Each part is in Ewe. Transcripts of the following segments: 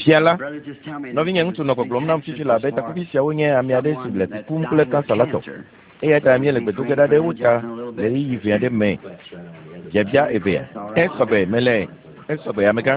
Fia la, nɔvinye ŋutsu nɔ gbɔgblɔm nam fifi la be takuvi siawo nye ame aɖe si le kukum kple kansa la tɔ. Eya ta míele gbe do ge ɖa ɖe wo ta le ɣeyiɣi vi aɖe me. Biabia evea. Esɔgbe mele esɔgbe amegã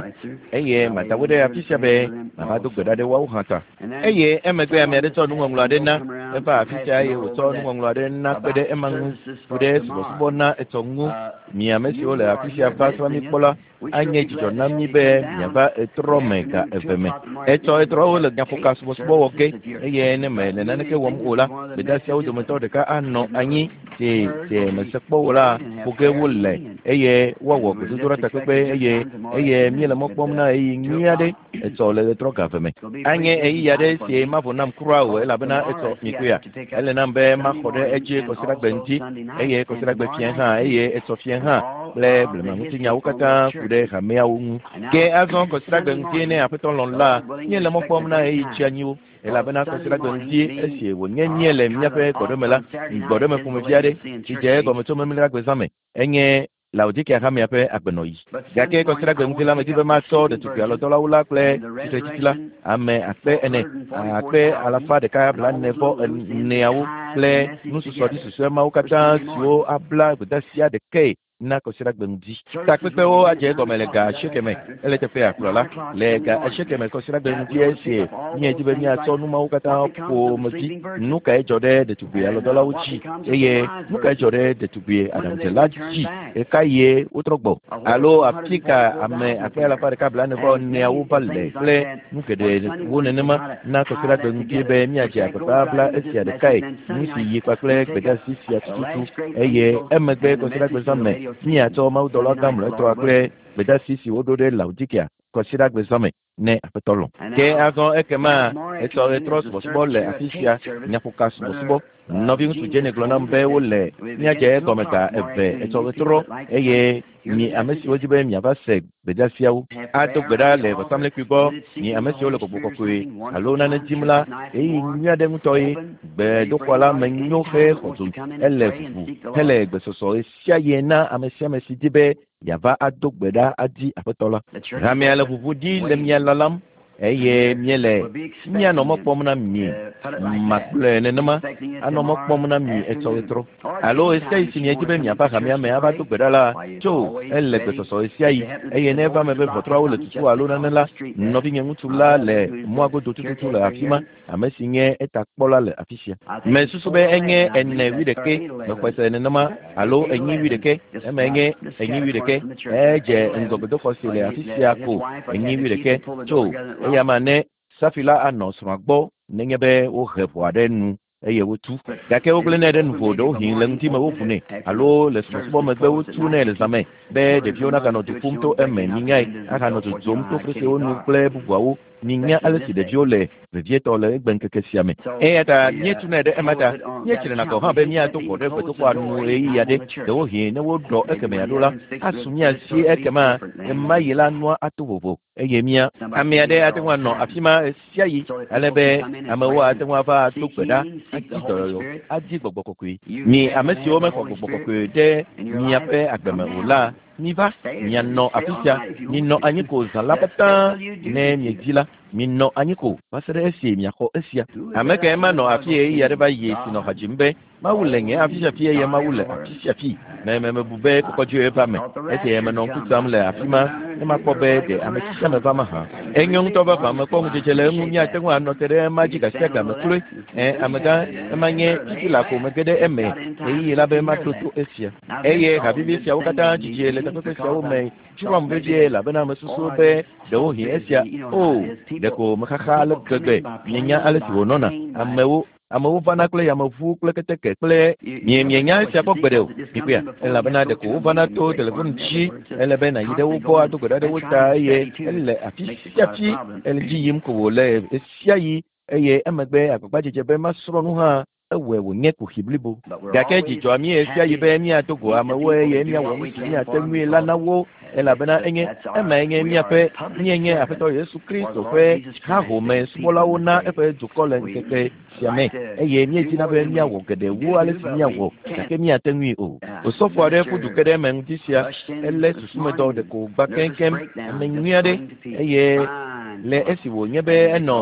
eye mada wo ɖe afi sia be mava do gbe ɖa ɖe woawo hã ta. Eye emegbe ame aɖe tsɔ nuŋɔŋlɔ aɖe na eva afi sia eye wòtsɔ nuŋɔŋlɔ aɖe na kpe ɖe ema ŋu ku ɖe subɔsubɔ na etsɔ ŋu. Mi ame siwo le afi sia va srã mí kpɔ la, anye dzidzɔ na mí be miava etrɔ me ga eve me. Etsɔ etrɔwo le nyaƒoka subɔsubɔ wɔ ge eye ne mele naneke wɔm o la, gbedeasiawo dometɔ ɖeka anɔ anyi si si mese kpɔ o la ƒo ge wole eye woawɔ gbedodoɖa takpekpe eye eye míele mɔ kpɔm na ɣeyiɣi nyui aɖe etsɔ le ɣetrɔ ga eve me. Anye ɣeyiɣi aɖe si mavo nam kura o elabena etsɔ mikpɔea, ele nam be maxɔ ɖe edzi kɔsiɖagbe ŋdi eye kɔsiɖagbe fiẽ hã eye etsɔ fiẽ hã kple blemaŋutinyawo katã ku ɖe hameawo ŋu. Ke azɔ kɔsiɖagbe ŋdi ne Aƒetɔ lɔ̃ la, míele mɔ kpɔm na ɣeyiɣi tsianyiwo elabena kɔsiɖagbe ŋdi esi wònye míele míaƒe gbɔɖeme la, gbɔɖeme ƒomevi aɖe si dze egɔme tso Memleɖagbe zã me enye Laodikea hamea ƒe agbenɔɣi. Gake kɔsiɖagbe ŋdi la medi be matsɔ ɖetugbui alɔdɔlawo la kple tsitretsitsi la, ame akpe ene, akpe alafa ɖeka blaene vɔ eneawo kple nususɔɖi susɔe mawo katã siwo abla gbedeasia ɖekae na kɔsiɖagbe ŋdi. Takpekpewo adze egɔme le ga asieke me. Ele teƒea kplɔla le ga asieke me kɔsiɖagbe ŋdi esi míedi be míatsɔ nu mawo katã ƒomevi. Nu kae dzɔ ɖe ɖetugbui alɔdɔlawo dzi eye nu kae dzɔ ɖe ɖetugbui aɖaŋudzela dzi? Ɣekaɣie wotrɔ gbɔ? Alo afi ka ame akpe alafa ɖeka blaene vɔ eneawo va le kple nu geɖewo nenema na kɔsiɖagbe ŋdi be míadze agbagba abla esia ɖekae, nu si yi kpakple gbedeasi sia tututu, eye emegbe kɔsiɖagbe zã me míatsɔ mawudɔla gã mlɔetɔa kple gbedeasi si woɖo ɖe Laodikea kɔsiɖagbe zã me ne Aƒetɔ lɔ̃. Ke azɔ ekema etsɔ ɣetrɔ subɔsubɔ le afi sia, nyaƒoka subɔsubɔ. Nɔviŋutsu Jenny gblɔ nam be wole míadze egɔme ga eve etsɔ ɣetrɔ eye mi ame siwo di be miava se gbedeasiawo ado gbe ɖa le vɔsamlekpui gbɔ. Mi ame siwo le gbɔgbɔ kɔkɔe alo nane dim la, ɣeyiɣi nyui aɖe ŋutɔ ye. Gbedoxɔ la me nyo hexɔ dzo, ele ʋuʋu hele gbesɔsɔ ɣesiaɣi na ame sia ame si di be yeava ado gbe ɖa adi Aƒetɔ la. Hamea le ʋuʋu ɖi le mia lalam eye míele míanɔ mɔ kpɔm na mi. Magblɔe nenema, anɔ mɔ kpɔm na mi etsɔ ɣetrɔ. Alo ɣesiaɣi si miedi be miava hamea me ava do gbe ɖa la, tso, ele gbesɔsɔ ɣesiaɣi. Eye ne eva eme be ʋɔtruawo le tutu alo nane la, nɔvinye ŋutsu la le mɔa godo tututu le afi ma, ame si nye etakpɔla le afi sia. Mesusu be enye ene wuiɖekɛ, mexɔe se nenema, alo enyi wuiɖekɛ, eme enye enyi wuiɖekɛ. Edze ŋgɔ gbedoxɔ si le afi sia ko enyi wuiɖekɛ tso eya ma ne Safi la anɔ srɔ̃a gbɔ nenye be wohe ʋɔa ɖe nu eye wotu. Gake wogblẽnɛ ɖe nuvo ɖewohĩ le ŋdi me woʋunɛ alo le subɔsubɔ megbe wotunɛ le zã me be ɖeviwo naganɔ du ƒum to eme minyae ahanɔ dzodzom to fesrewo nu kple bubuawo. Minya ale si ɖeviwo le, vevietɔ le egbeŋkeke sia me. Eya ta míetunɛ ɖe ema ta. Míetsrena gɔ̃ hã be míado ʋɔ ɖe gbedoxɔa nu ɣeyiɣi aɖe. Ɖewohĩ ne woɖɔ ekemɛa ɖo la, asu mía si ekema ɣemaɣi la nua ato vovo eye mía ame aɖe ate ŋu anɔ afi ma ɣesiaɣi ale be amewo ate ŋu ava ado gbe ɖa, adi dɔyɔyɔ, adi gbɔgbɔ kɔkɔe. Mi ame siwo mexɔ gbɔgbɔ kɔkɔe ɖe miaƒe agbe me o la, miva mianɔ afi sia, minɔ anyi ko zã la katã ne miedi la, minɔ anyi ko va se ɖe esi miaxɔ esia. Ame kae manɔ afi ɣeyiɣi aɖe va yi si nɔ ha dzim be, Mawu le nye afi sia fi eye Mawu le afi sia fi. Me me mebu be kɔkɔdzoe va me esi menɔ ŋku sam le afi ma ne makpɔ be ɖe ame sia ame va mahã. Enyo ŋutɔ vavã, mekpɔ ŋudzedze le eŋu. Míate ŋu anɔ te ɖe ema dzi gasiagame kloe. Ẽ, amegã, ema nye fifi laa ko mege ɖe eme ɣeyiɣi la be maɖo to esia. Eye ha vivi siawo katã dzidzi le takpekpe siawo me dzroam vevie elabena mesusu be ɖewohĩ esia, o, ɖeko mexaxa ale gbegbe. Mienya ale si wònɔna. Amewo, amewo vana kple yameʋu kple keteke kple mie, mienya esia kpɔ gbeɖe o. Mikpɔea? Elabena ɖeko wovana to telefon dzi. Ele be nàyi ɖe wo gbɔ ado gbe ɖa ɖe wo ta eye ele afi sia afi ele dzi yim ko wòle ɣesiaɣi eye emegbe agbagbadzedze be masrɔ̃ nu hã ewɔe wònye kuxi blibo. Gake dzi dzɔa mí ɣesiaɣi be míado go amewo eye míawɔ nu si míate ŋui la na wo, elabena enye emae nye míaƒe míenye Aƒetɔ Yesu Kristo ƒe hahome subɔlawo na eƒe dukɔ le ŋkeke sia me, eye míedina be míawɔ geɖe wu ale si míawɔ, gake míate ŋui o. Osɔfo aɖe ƒu du ke ɖe eme ŋdi sia, elé susumedɔ ɖeko wògbã keŋkeŋ, ame nyui aɖe, eye. le esi wònye be enɔ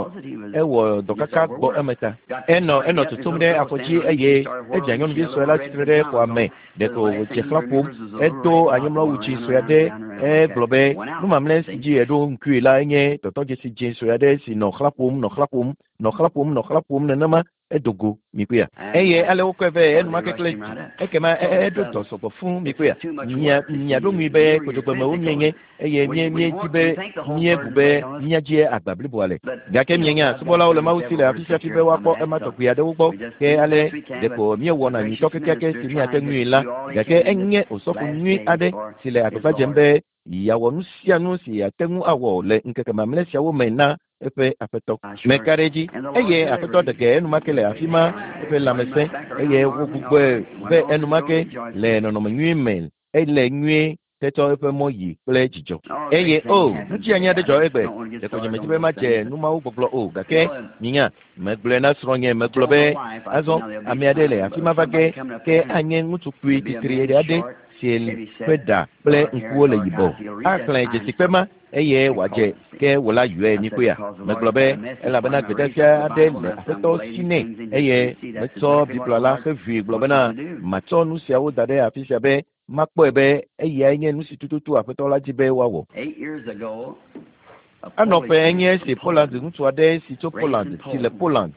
ewɔ dɔkaka gbɔ eme ta. Enɔ tutum ɖe afɔdzi eye edze nyɔnuvi sue la tsitre ɖe xɔa me. Ɖeko wòdze xlã ƒom, edo anyimlɔwu dzi sue aɖe, egblɔ be nu mamlɛ si dzi eɖo ŋkui la enye tɔtɔdzesi dzĩ sue aɖe si nɔ xlã ƒom, nɔ xlã ƒom, nɔ xlã ƒom, nɔ xlã ƒom nenema edogo mikpea. Eye ale wokɔe vɛ enumake kple dzi. Ekema eɖo dɔ sɔgbɔ fũ mikpea. Miaɖo ŋui be kodzogbɔmewo mienye eye míedi be míebu be míadzi agba bliboa le. Gake mienya subɔlawo le Mawu si le afi sia afi be woakpɔ ema tɔgbi aɖewo gbɔ. Ke ale ɖeko míewɔna nyuitɔ kekeake si míate ŋui la. Gake enye osɔfo nyui aɖe si le agbagba dzem be yeawɔ nu sia nu si yeate ŋu awɔ le ŋkeke mamlɛ siawo me na eƒe aƒetɔ. Meka ɖe edzi eye aƒetɔ ɖe ge enumake le afi ma eƒe lãmesẽ eye wogbugbɔe vɛ enumake le nɔnɔme nyui me ele nyuie tetsɔ eƒe mɔ yi kple dzidzɔ. Eye o ŋuti anya ɖe dzɔ egbe. Ɖeko nye medzi be madze nu mawo gbɔgblɔ o gake minya megblɔe na srɔ̃nye megblɔ be azɔ ame aɖe le afi ma va ge ke anye ŋutsu kpui titri aɖe si ƒe ɖa kple ŋkuwo le yibɔ. Axlẽ dzesikpe ma eye wòadze ke wò la yɔe mikpɔea. Megblɔ be elabena gbedeasi aɖe le aƒetɔ si nɛ eye metsɔ Biblia la xevui gblɔ bena matsɔ nu siawo da ɖe afi sia be makpɔe be eyae nye nu si tututu aƒetɔ la dzi be woawɔ. Anɔ ƒe enye esi Poland ŋutsu aɖe si tso Poland si le Poland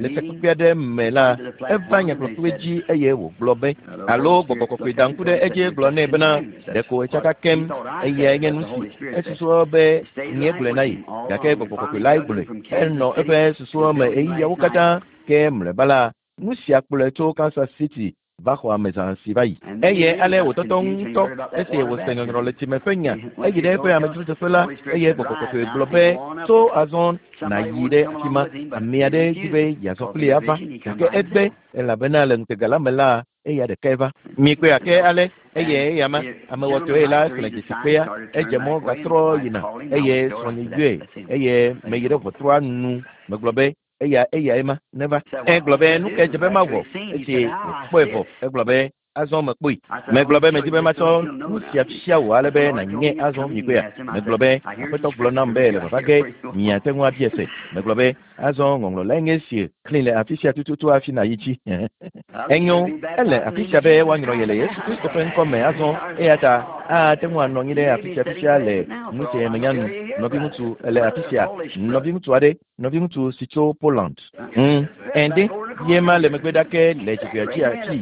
le takpekpe aɖe me la, eva nyagblɔkpe dzi eye wògblɔ be alo gbɔgbɔ kɔkɔe da ŋku ɖe edzi gblɔ nɛ bena ɖeko etsaka kem eyae nye nu si esusua be nye gblɔe na ye gake gbɔgbɔ kɔkɔe lae gblɔe. Enɔ eƒe susua me ɣeyiɣiawo katã ke mlɔeba la nu sia kplɔe tso Kansas City va xɔ ame zã si va yi. Eye ale wòtɔtɔ ŋutɔ esi wòse nyɔnyrɔ le tsime ƒe nya. Eyi ɖe eƒe amedzrodzeƒe la eye gbɔgbɔ kɔkɔe gblɔ be tso azɔ nàyi ɖe afi ma. Ame aɖe di be yeazɔ kplii ava gake egbe elabena le ŋutega la me la eya ɖekae va. Mikpɔe ake ale eye eya ma amewɔtɔe la xlẽ dzesikpea edze mɔ gatrɔ yina eye srɔ̃nye yɔe eye meyi ɖe ʋɔtrua nu megblɔ be eya eyae ma neva. Egblɔ be nu ke dze be mawɔ esi wòkpɔe vɔ. Egblɔ be azɔ mekpɔe. Megblɔ be medi be matsɔ nu sia fia wò ale be nànye azɔ mikpɔea. Megblɔ be aƒetɔ gblɔ nam be le vava ge miate ŋu abia se. Megblɔ be azɔ ŋɔŋlɔ lae nye esi xlẽ le afi sia tututu hafi nàyi dzi. Enyo ele afi sia be woanyrɔ ye le Yesu Kristo ƒe ŋkɔ me azɔ eya ta ate ŋu anɔ anyi ɖe afi sia fifia le nu si menya nu. Nɔviŋutsu ele afi sia. Nɔviŋutsu aɖe nɔviŋutsu si tso Poland. Ende ye ma le megbe ɖake le dzigbea dzi afi.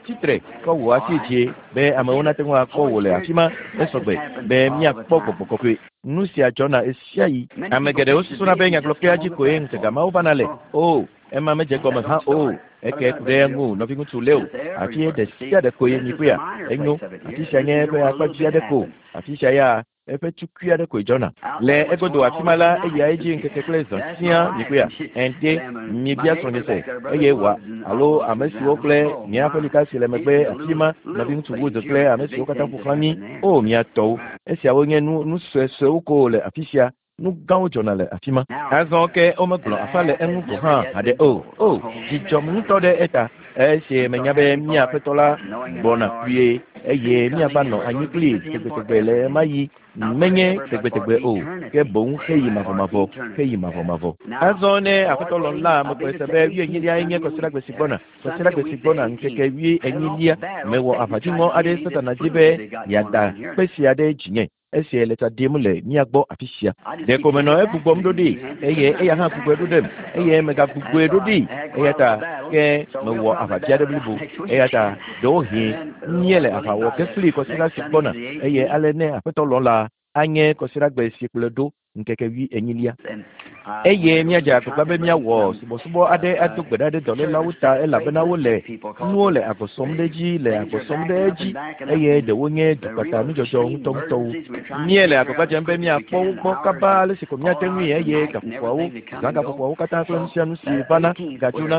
Tsitre kɔ wò asi dzi be amewo nate ŋu akpɔ wò le afi ma esɔgbe be míakpɔ gbɔgbɔ kɔkɔe. Nu sia dzɔna ɣesiaɣi. Ame geɖewo susuna be nyagblɔkpea dzi koe ŋutega mawo vana le. O ema medze gɔme hã o. Eke ku ɖe eŋu nɔviŋutsu Leo. Afi ɖe sia ɖe koe mikpɔea. Enyo. Afi sia nye eƒe akpa dzi aɖe ko. Afi sia ya eƒe tukui aɖe koe dzɔna. Le egodo afi ma la eya edzi ŋkeke kple zã siaa mikpɔea. Ende mibia srɔ̃nye se eye wòa alo ame siwo kple nye aƒelika si le megbe afi ma nɔviŋutsu Wood kple ame siwo katã ƒo xlã mí. O mia tɔwo. Esiawo nye nu suesuewo ko le afi sia. Nu gãwo dzɔna le afi ma. Azɔ ke womegblɔ afa le eŋu gɔ̃ hã haɖe o. O dzidzɔm ŋutɔ ɖe eta. Esi menya be mía aƒetɔ la gbɔna kpuie eye míava nɔ anyi kplii tegbetegbe le ɣemaɣi menye tegbetegbe o ke boŋ xeyi mavɔmavɔ xeyi mavɔmavɔ. Azɔ ne aƒetɔ lɔ̃ la mekpɔe se be wuienyilia nye kɔsiɖagbe si gbɔna. Kɔsiɖagbe si gbɔna ŋkeke wuienyilia mewɔ aʋadziŋɔ aɖe Satana dzi be yeada kpe sia ɖe dzinye. Esi le tsa ɖim le mía gbɔ afi sia. Ɖeko menɔ egbugbɔm ɖo ɖi eye eya hã gbugbɔe ɖo ɖem eye megagbugbɔe ɖo ɖi eya ta ke mewɔ aʋadzi aɖe blibo eya ta ɖewohĩ míele aʋa wɔ ge kpli kɔsiɖa si gbɔna eye ale ne aƒetɔ lɔ̃ la anye kɔsiɖagbe si kplɔe ɖo ŋkeke wuienyilia. Eye míadze agbagba be míawɔ subɔsubɔ aɖe ado gbe ɖa ɖe dɔlélawo ta elabena wole nuwo le agbɔ sɔm ɖe edzi le agbɔ sɔm ɖe edzi eye ɖewo nye dukpata nudzɔdzɔ ŋutɔŋutɔwo. Míele agbagba dzem be míakpɔ wo gbɔ kaba ale si ko míate ŋui eye gaƒoƒoawo zã gaƒoƒoawo katã kple nu sia nu si vana gadzona.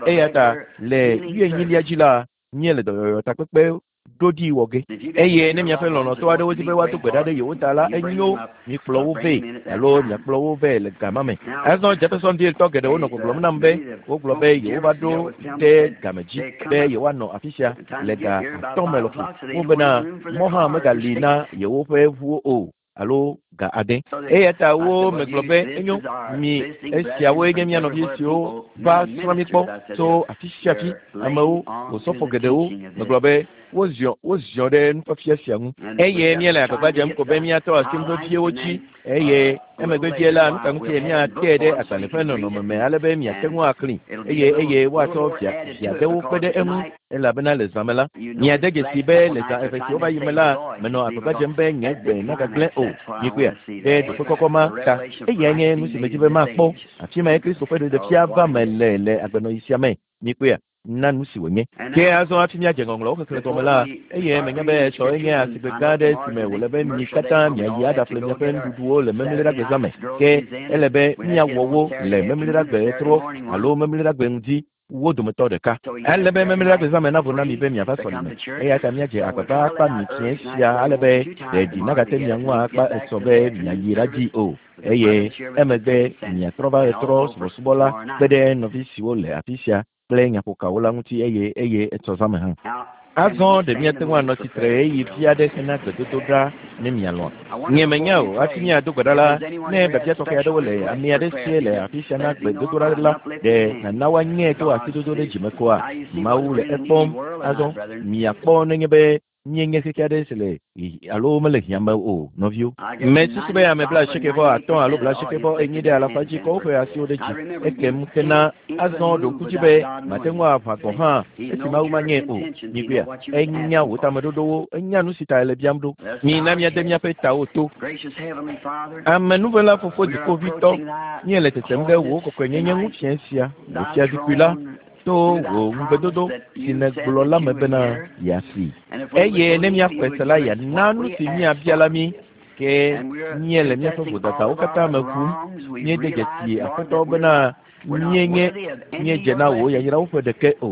Eya ta le wuienyilia dzi la míele dɔyɔyɔ takpekpe ɖoɖi wɔ ge. Eye ne miaƒe lɔlɔ̃tɔ aɖewo di be woado gbe ɖa ɖe yewo ta la, enyo mikplɔ wo vɛ alo miakplɔ wo vɛ le gama me. Azɔ Jeffersonville tɔ geɖewo nɔ gbɔgblɔm nam be wogblɔ be yewova ɖo ɖe game dzi be yewoanɔ afi sia le ga 5 me lɔƒo. Wobena mɔ hã megali na yewoƒe ʋuwo o alo ga ade. Eya ta wo megblɔ be enyo mi esiawoe nye mía nɔvi siwo va srɔ̃ mi kpɔ tso afi sia afi amewo osɔfo geɖewo megblɔ be woziɔ woziɔ ɖe nufiafia sia ŋu eye míele agbagba dzem ko be míatɔ asi nu veviewo dzi eye emegbe vie la nu ka ŋutie míatee ɖe agbalẽ ƒe nɔnɔme me ale be miate ŋu axlẽ eye eye woatsɔ via viaɖewo kpe ɖe eŋu elabena le zã me la miade dzesi be le zã eve siwo va yi me la menɔ agbagba dzem be nye gbe nagagblẽ o mikpɔea ɖe ɖoƒe kɔkɔ ma ta eyae nye nu si medzi be makpɔ afi mae Kristo ƒe ɖeɖefia va me le le agbenɔɣi sia me mikpɔea na nu si wònye. Ke azɔ hafi míadze ŋɔŋlɔwo xexlẽ gɔme la, eye menya be etsɔe nye asigbe gã aɖe si me wòle be mi katã miayi aɖaƒle miaƒe nuɖuɖuwo le Memleɖagbe zã me. Ke ele be míawɔ wo le Memleɖagbe ɣetrɔ alo Memleɖagbe ŋdi wo dometɔ ɖeka. Ele be Memleɖagbe zã me navo na mi be miava sɔlime. Eya ta míadze agbagba akpa mi fiẽ sia ale be ɖeɖi nagate mia ŋu akpa esɔ be miayi ɖadii o. Eye emegbe miatrɔ va ɣetrɔ subɔsubɔ la kpe ɖe nɔvi siwo le afi sia kple nyaƒokawo la ŋuti eye eye etsɔ zã me hã. Azɔ ɖe míate ŋu anɔ tsitre ɣeyiɣi vi aɖe hena gbedodoɖa ne mialɔ̃a? Nye menya o, hafi míado gbe ɖa la, ne biabia tɔxɛ aɖewo le ame aɖe sie le afi sia na gbedodoɖa la, ɖe nàna woanyãe to asidodo ɖe dzime koa? Mawu le ekpɔm. Azɔ miakpɔ nenye be míenye xexe aɖe si le alo mele hiã me o, nɔviwo. Mesusu be ame blaasieke vɔ atɔ̃ alo blaasieke vɔ enyi ɖe alafa dzi kɔ woƒe asiwo ɖe dzi ekem hena azɔ ɖo ŋku dzi be mate ŋu aʋã gɔ̃ hã esi Mawu manyãe o. Mikpɔea? Enya wò tameɖoɖowo, enya nu si ta èle biam ɖo. Mina míade míaƒe tawo to. Amenuvela Fofo Dziƒoʋĩtɔ, míele tetem ɖe wò kɔkɔenyenye ŋu fiẽ sia, wò fiazikpui la, to wò ŋugbedodo si nègblɔ la me bena yeasii. Eye ne míaxɔe se la, yeana nu si míabia la mí. Ke míele míaƒe vodadawo katã me ʋum. Míede dzesi Aƒetɔ bena míenye míedze na wò yayrawo ƒe ɖeke o.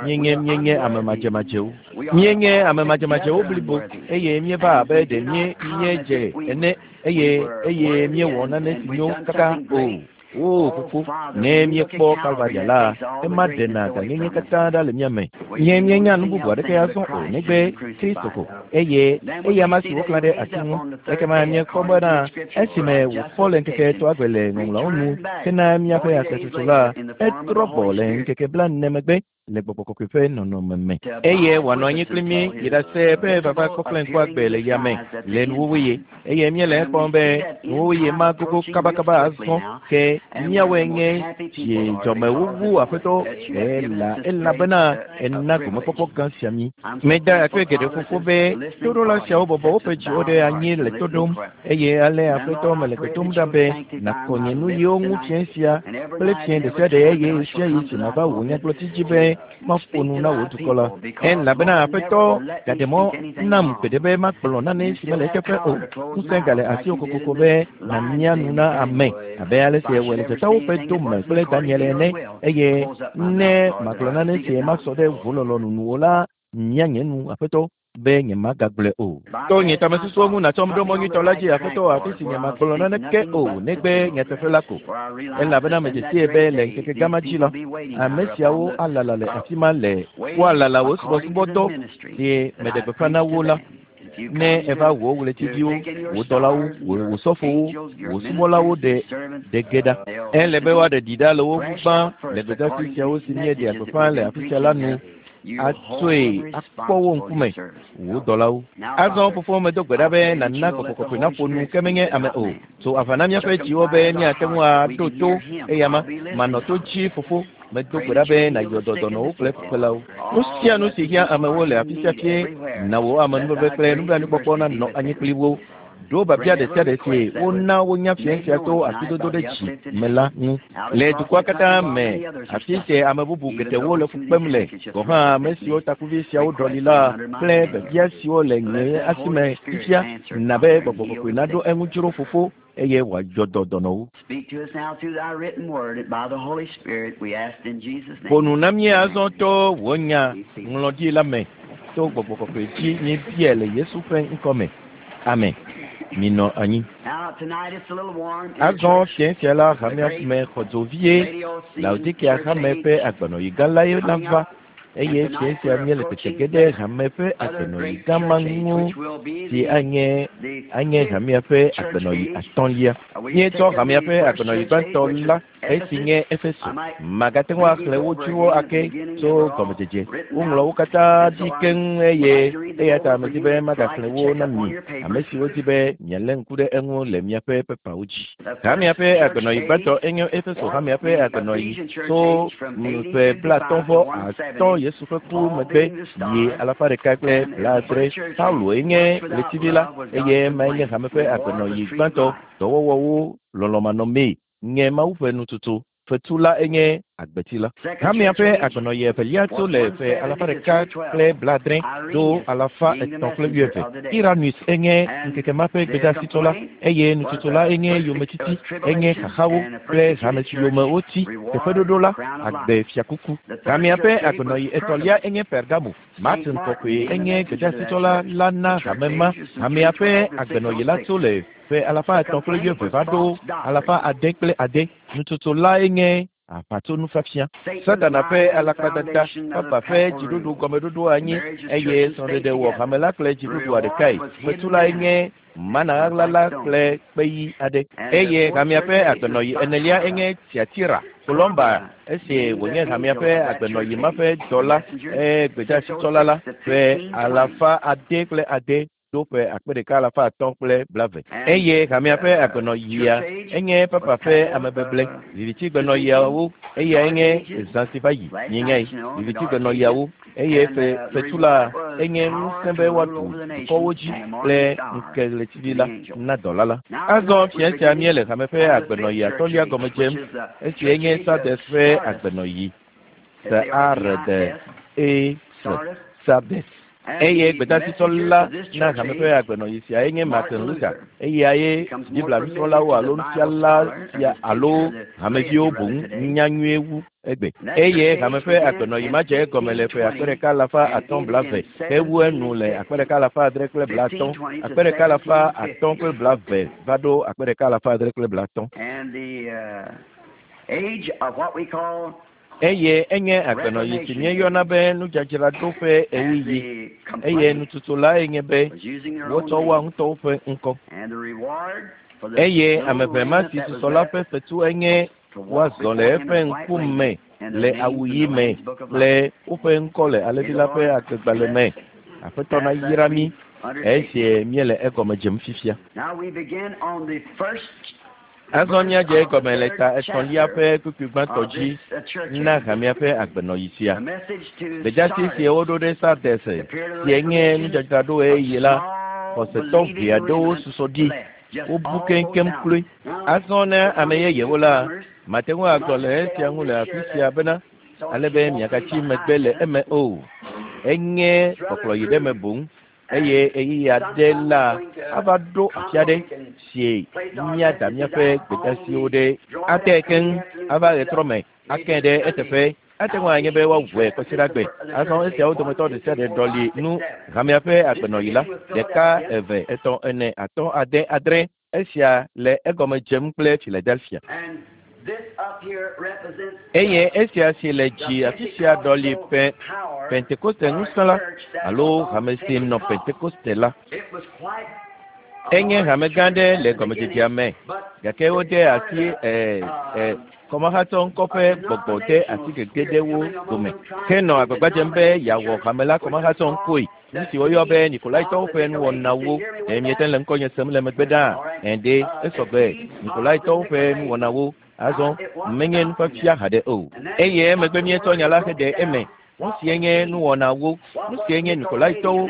Míenye míenye ame madzemadzewo. Míenye ame madzemadzewo blibo eye míeva abe ɖe míe míedze ene eye eye míewɔ nane si nyo kaka o. O Fofo, ne míekpɔ Kalvaria la, ema ɖena gãnyenye katã ɖa le mía me. Nye míenya nu bubu aɖeke azɔ o negbe Kristo ko, eye eyama si woklã ɖe ati ŋu. Ekema míekpɔ bena esime wòfɔ le ŋkeke etɔ̃a gbe le Ŋɔŋlɔawo nu hena míaƒe asetsotso la, etrɔ gbɔ le ŋkeke blaene megbe le gbɔgbɔ kɔkɔe ƒe nɔnɔme me. Eye wòanɔ anyi kpli mí yi ɖase eƒe vava kpɔkple ŋkuagbe le yame le nuwuwuɣi. Eye míele ekpɔm be nuwuwuɣi ma gogo kabakaba azɔ ke míawoe nye dzidzɔmewo wu Aƒetɔ ela elabena ena gomekpɔkpɔ gã sia mí. Meda akpe geɖe fofo be toɖola siawo bɔbɔ woƒe dziwo ɖe anyi le to ɖom eye ale Aƒetɔ mele gbe dom ɖa be nàkɔ nye nuyiwo ŋu fiẽ sia kple fiẽ ɖe sia ɖe eye ɣesiaɣi si mava wò nyagblɔɖi dzi be maƒo nu na wò dukɔ la. Elabena Aƒetɔ gaɖe mɔ nam gbeɖe be magblɔ nane si mele eteƒe o. Ŋusẽ gale asiwò kokoko be nàmia nu na ame abe ale si èwɔe le dzatawo ƒe do me kple Daniel ene eye ne magblɔ nane si masɔ ɖe wò lɔlɔ̃nu nu o la, mia nye nu, Aƒetɔ, be nyemagagblɔe o. To nye tamesusuwo ŋu nàtsɔm ɖo mɔ nyuitɔ la dzi, Aƒetɔ, afi si nyemagblɔ naneke o, negbe nyateƒe la ko. Elabena medze sii be le ŋkeke gã ma dzi la, ame siawo alala le afi ma le woalala wò subɔsubɔdɔ si meɖe gbeƒã na wo la. Ne èva wò ɣletiviwo, wò dɔlawo, wò sɔfowo, wò subɔlawo ɖe ɖe ge ɖa. Ele be woaɖe ɖi ɖa le wo ŋu gbã le gbedeasi siawo si míeɖea gbeƒã le afi sia la nu atsɔe akpɔ wo ŋkume, wò dɔlawo. Azɔ fofo medo gbe ɖa be nàna gbɔgbɔ kɔkɔe naƒo nu ke menye ame o. Tso aʋa na míaƒe dziwo be míate ŋu aɖo to eyama. Manɔ to dzi fofo. Medo gbe ɖa be nàyɔ dɔ dɔnɔwo kple fukpelawo. Nu sia nu si hiã amewo le afi sia fie, na wò amenuveve kple nublanuikpɔkpɔ nanɔ anyi kpli wo. Ɖo biabia ɖe sia ɖe si wona wonya fiẽ sia to asidodo ɖe dzi me la ŋu. Le dukɔa katã me, afi si ame bubu geɖewo le fu kpem le, gɔ̃ hã ame siwo takuvi siawo ɖɔli la kple biabia siwo le nye asi me fifia, na be gbɔgbɔ kɔkɔe naɖo eŋu dzro Fofo eye wòayɔ dɔ dɔnɔwo. Ƒo nu na mí azɔ to wò nya ŋlɔɖi la me to gbɔgbɔ kɔkɔe dzi míebiae le Yesu ƒe ŋkɔ me. Amen. Minɔ anyi. Azɔ fiẽ sia la hamea me xɔ dzo vie. Laodikea hame ƒe agbenɔɣi gã lae nava. Eye fiẽ sia míele tete ge ɖe hame ƒe agbenɔɣi gã ma ŋu si anye anye hamea ƒe agbenɔɣi atɔ̃lia. Míetsɔ hamea ƒe agbenɔɣi gbãtɔ la esi nye Efeso. Magate ŋu axlẽ wo dzrowo ake tso gɔmedzedze. Woŋlɔ wo katã ɖi keŋ eye eya ta medi be magaxlẽ wo na mi, ame siwo di be mialé ŋku ɖe eŋu le miaƒe pepawo dzi. Hamea ƒe agbenɔɣi gbãtɔ enye Efeso hamea ƒe agbenɔɣi tso ƒe 55 Yesu ƒe ku megbe yi 170. Paulo enye ɣletivi la eye emae nye hame ƒe agbenɔɣi gbãtɔ. Dɔwɔwɔwo lɔlɔ̃manɔmee nye Mawu ƒe nututu. Fetu la enye agbeti la. Hamea ƒe agbenɔɣi evelia tso le ƒe 170 ɖo 320. Irenaeus enye ŋkeke ma ƒe gbedeasitɔ la eye nututu la enye yometiti, enye xaxawo kple hame si yome wotsi. Teƒeɖoɖo la, agbe fiakuku. Hamea ƒe agbenɔɣi etɔ̃lia enye Pergamo. Martin kɔkɔe enye gbedeasitɔ la na hame ma. Hamea ƒe agbenɔɣi la tso le ƒe 320 va ɖo 606. Nututu la enye aʋatsonufiafia. Satana ƒe alakpadada, Papa ƒe dziɖuɖu gɔmeɖoɖo anyi eye srɔ̃ɖeɖe wɔ hame la kple dziɖuɖua ɖekae. Fetu la enye mana ɣaɣla la kple kpeyi aɖe. Eye hamea ƒe agbenɔɣi enelia enye Tiatira. Kolɔmba esi wònye hamea ƒe agbenɔɣi ma ƒe dɔla gbedeasitsɔla la ƒe 606 ɖo ƒe 1320. Eye hamea ƒe agbenɔɣia enye Papa ƒe amebeble. Vivitsigbenɔɣiawo eya enye zã si va yi mienyae. Vivitsigbenɔɣiawo eye fetu la enye ŋusẽ be woaɖu dukɔwo dzi kple ŋkeɣletivi la na dɔla la. Azɔ fiẽ sia míele hame ƒe agbenɔɣi atɔ̃lia gɔme dzem esi enye Sardes ƒe agbenɔɣi. S-A-R-D-E-S. Sardes. Eye gbedeasitɔ la na hame ƒe agbenɔɣi sia enye Martin Luther. Eyae Biblia nusrɔ̃lawo alo nufiala sia alo hameviwo boŋ nya nyuie wu egbe. Eye hame ƒe agbenɔɣi ma dze egɔme le ƒe 1520 hewu enu le 1650, 1520 va ɖo 1650. Eye enye agbenɔɣi si míeyɔna be nudzadzraɖo ƒe ɣeyiɣi. Eye nututu lae nye be wotsɔ woa ŋutɔwo ƒe ŋkɔ. Eye ame ʋɛ ma si susɔ la ƒe fetu enye woazɔ le eƒe ŋkume le awu ɣi me kple woƒe ŋkɔ le Alẽvi la ƒe agbegbalẽ me. Aƒetɔ nayra mí esi míele egɔme dzem fifia. Azɔ míadze egɔme le ta etɔ̃lia ƒe kpukpui gbãtɔ dzi na hamea ƒe agbenɔɣi sia. Gbedeasi si woɖo ɖe Sardes si nye nudzadzraɖo ɣeyiɣi la, xɔsetɔ ʋɛ aɖewo susɔ ɖi. Wobu keŋkeŋ kloe. Azɔ na ame yeyewo la, mate ŋu agblɔ le esia ŋu le afi sia bena ale be miagatsi megbe le eme o. Enye kpɔkplɔyi ɖe me boŋ. Eye ɣeyiɣi aɖe la ava ɖo afi aɖe si míada míaƒe gbedeasiwo ɖe ate keŋ ava ɣetrɔ me ake ɖe eteƒe. Ate ŋu anye be woawɔe kɔsiɖagbe. Azɔ esiawo dometɔ ɖe sia ɖe ɖɔli nu hamea ƒe agbenɔɣi la. 1, 2, 3, 4, 5, 6, 7. Esia le egɔme dzem kple Philadelphia. Eye esia si le dzi afi sia ɖɔli ƒe Pentekoste ŋusẽ la alo hame si nɔ Pentekoste la. Enye hame gã aɖe le gɔmedzedzea me gake wode asi kɔmahatsɔ ŋkɔ ƒe gbɔgbɔ de asi gege ɖe wo dome henɔ agbagba dzem be yeawɔ hame la kɔmahatsɔ ŋkɔe. Nu si woyɔ be Nikolaitɔwo ƒe nuwɔnawo. Ɖe miete le ŋkɔnye sem le megbe ɖaa? Ɛ̃ esɔgbe. Nikolaitɔwo ƒe nuwɔnawo. Azɔ menye nufiafia haɖe o. Eye emegbe míetsɔ nya la heɖe eme. Nu sie nye nuwɔnawo. Nu sie nye Nikolaitɔwo.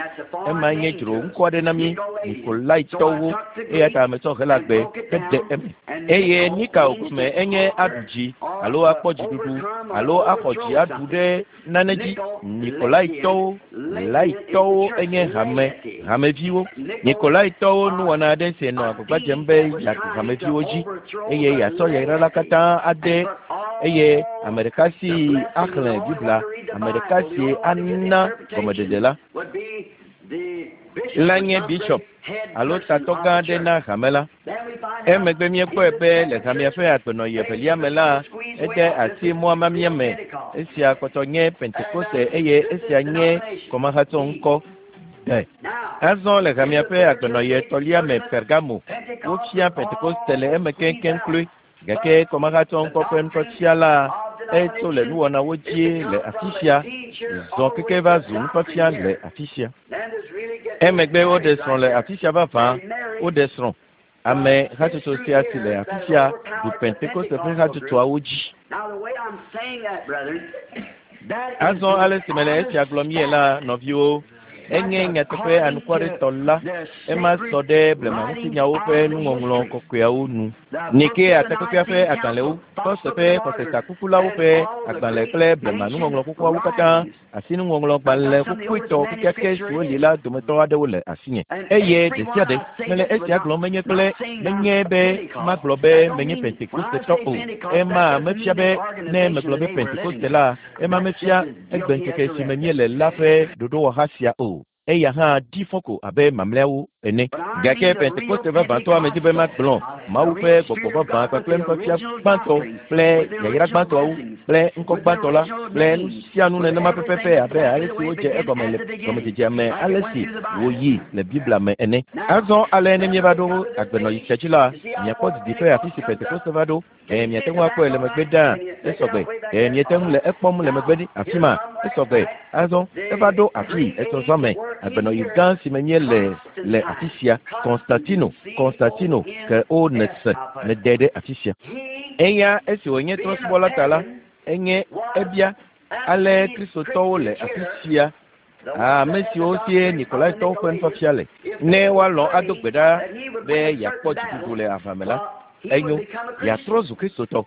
Ema nye dzro ŋkɔ aɖe na mí Nikolaitɔwo. Eya ta metsɔ Helagbe heɖe eme. Eye Nikao gɔme enye aɖu dzi alo akpɔ dziɖuɖu alo axɔ dzi aɖu ɖe nane dzi. Nikolaitɔwo, laitɔwo enye hameviwo. Nikolaitɔwo nuwɔna aɖe si nɔ agbagba dzem be yeaɖu hameviwo dzi eye yeatsɔ yayra la katã ade eye ame ɖeka si axlẽ Biblia, ame ɖeka si ana gɔmeɖeɖe la la nye bishop alo tatɔ gã aɖe na hame la. Emegbe míekpɔe be le hamea ƒe agbenɔɣi evelia me la, Ede asi mɔa mamia me. Esia kpɔtɔ nye Pentekoste eye esia nye kɔmahatsɔ ŋkɔ. De. Azɔ le hamea ƒe agbenɔɣi etɔ̃lia me Pergamo, wofia Pentekoste le eme keŋkeŋ kloe. Gake kɔmahatsɔ ŋkɔ ƒe nufiafia la etso le nuwɔnawo dzi le afi sia, zɔ keke va zu nufiafia le afi sia. Emegbe woɖe srɔ̃ le afi sia vavã, woɖe srɔ̃. Ame hatsotso sia si le afi sia ɖu Pentekoste ƒe hatsotsoawo dzi. Azɔ ale si mele esia gblɔm ye la, nɔviwo, enye nyateƒe anukwaretɔ la, ema sɔ ɖe blemaŋutinyawo ƒe nuŋɔŋlɔ kɔkɔeawo nu. Nikea takpekpea ƒe agbalẽwo, Kɔse ƒe xɔsetakukulawo ƒe agbalẽ kple blema nuŋɔŋlɔ xoxoawo katã, asinuŋɔŋlɔgbalẽ xoxoetɔ kekeake siwo li la dometɔ aɖewo le asinye. Eye ɖe sia ɖe mele esia gblɔm menye kple menye be magblɔ be menye Pentekostetɔ o. Ema mefia be ne megblɔ be Pentekoste la, ema mefia egbeŋkeke si me míele la ƒe ɖoɖowɔha sia o. Eya hã ɖi fɔ ko abe mamlɛawo ene. Gake Pentekoste vavãtɔa medi be magblɔ Mawu ƒe gbɔgbɔ vavã kpakple nufiafia gbãtɔ kple yayra gbãtɔawo kple ŋkɔ gbãtɔ la kple nu sia nu nenema pɛpɛpɛ abe ale si wodze egɔme le gɔmedzedzea me ale si wòyi le Biblia me ene. Azɔ ale ne míeva ɖo agbenɔɣi sia dzi la, miakpɔ didiƒe afi si Pentekoste va ɖo. Ɖe miate ŋu akpɔe le megbe ɖaa? Esɔgbe. Ɖe miete ŋu le ekpɔm le megbe ɖi afi ma? Esɔgbe. Azɔ eva ɖo afii etɔ̃ me, agbenɔɣi gã si me míele le afi sia. Konstantino, Konstantino, ke wo nèse nède ɖe afi sia. Eya esi wònye trɔ̃subɔla ta la, enye ebia ale Kristotɔwo le afi sia ame siwo sie Nikolaitɔwo ƒe nufiafia le. Ne woalɔ̃ ado gbe ɖa be yeakpɔ dziɖuɖu le aʋa me la, enyo, yeatrɔ zu Kristotɔ.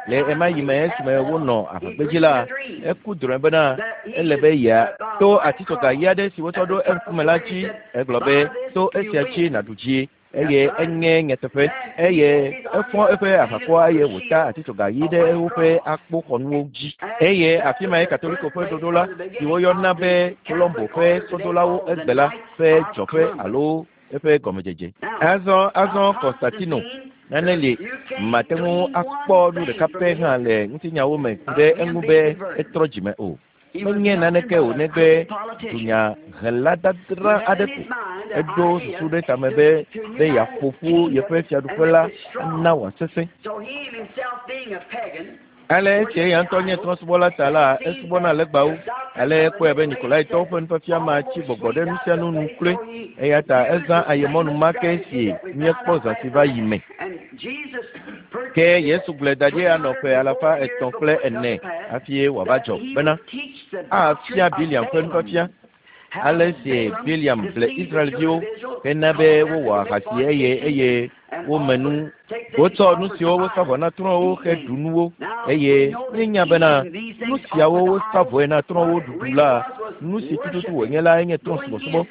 Le ema yi me esime wonɔ aʋagbedzi la, eku drɔ̃e bena ele be yeato atitsoga ɣi aɖe si wotsɔ ɖo eŋkume la dzi. Egblɔ be, to esia dzi nàɖu dzie. Eye enye nyateƒe. Eye efɔ eƒe aʋakɔa eye wòta atitsoga ɣi ɖe woƒe akpoxɔnuwo dzi. Eye afi mae Katoliko ƒe ɖoɖo la, si woyɔna be Colombo ƒe sɔdolawo egbe la ƒe dzɔƒe alo eƒe gɔmedzedze. Azɔ, azɔ Konstantino, nane li mate ŋu akpɔ nu ɖeka pɛ hã le ŋutinyawo me ku ɖe eŋu be etrɔ dzime o. Menye naneke o negbe dunyahela dadra aɖe ko. Eɖo susu ɖe tame be be yeaƒo ƒu yeƒe fiaɖuƒe la ana wòasesẽ. Ale esi eya ŋutɔ nye trɔ̃subɔla ta la, esubɔna legbawo. Ale ekpɔe be Nikolaitɔwo ƒe nufiafia ma tsi gbɔgbɔ ɖe nu sia nu nu kloe. Eya ta ezã ayemɔnu ma ke si míekpɔ zã si va yi me. Ke Yesu gblɔe da ɖi anɔ ƒe alafa etɔ̃ kple ene hafi wòava dzɔ bena afia Biliam ƒe nufiafia. Ale si Biliam ble Israelviwo hena be wowɔ ahasi eye eye wome nu. Wotsɔ nu siwo wosa vɔ na trɔ̃wo heɖu nuwo eye míenya bena nu siawo wosa vɔe na trɔ̃wo ɖuɖu la, nu si tututu wònye la enye trɔ̃subɔsubɔ.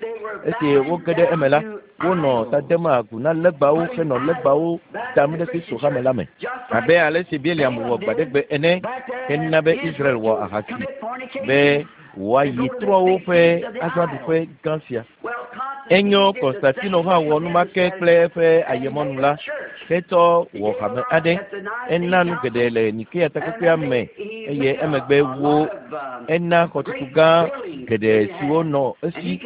Esi woge ɖe eme la, wonɔ ta dem agu na legbawo henɔ legbawo dam ɖe Kristo hame la me. Abe ale si Biliam wɔ gbaɖegbe ene hena be Israel wɔ ahasi be wòayi trɔ̃wo ƒe azãɖuƒe gã sia. Enyo Konstantino hã wɔ nu ma ke kple eƒe ayemɔnu la hetsɔ wɔ hame aɖe. Ena nu geɖe le Nikea takpekpea me eye emegbe wo ena xɔtutu gã geɖe siwo nɔ esi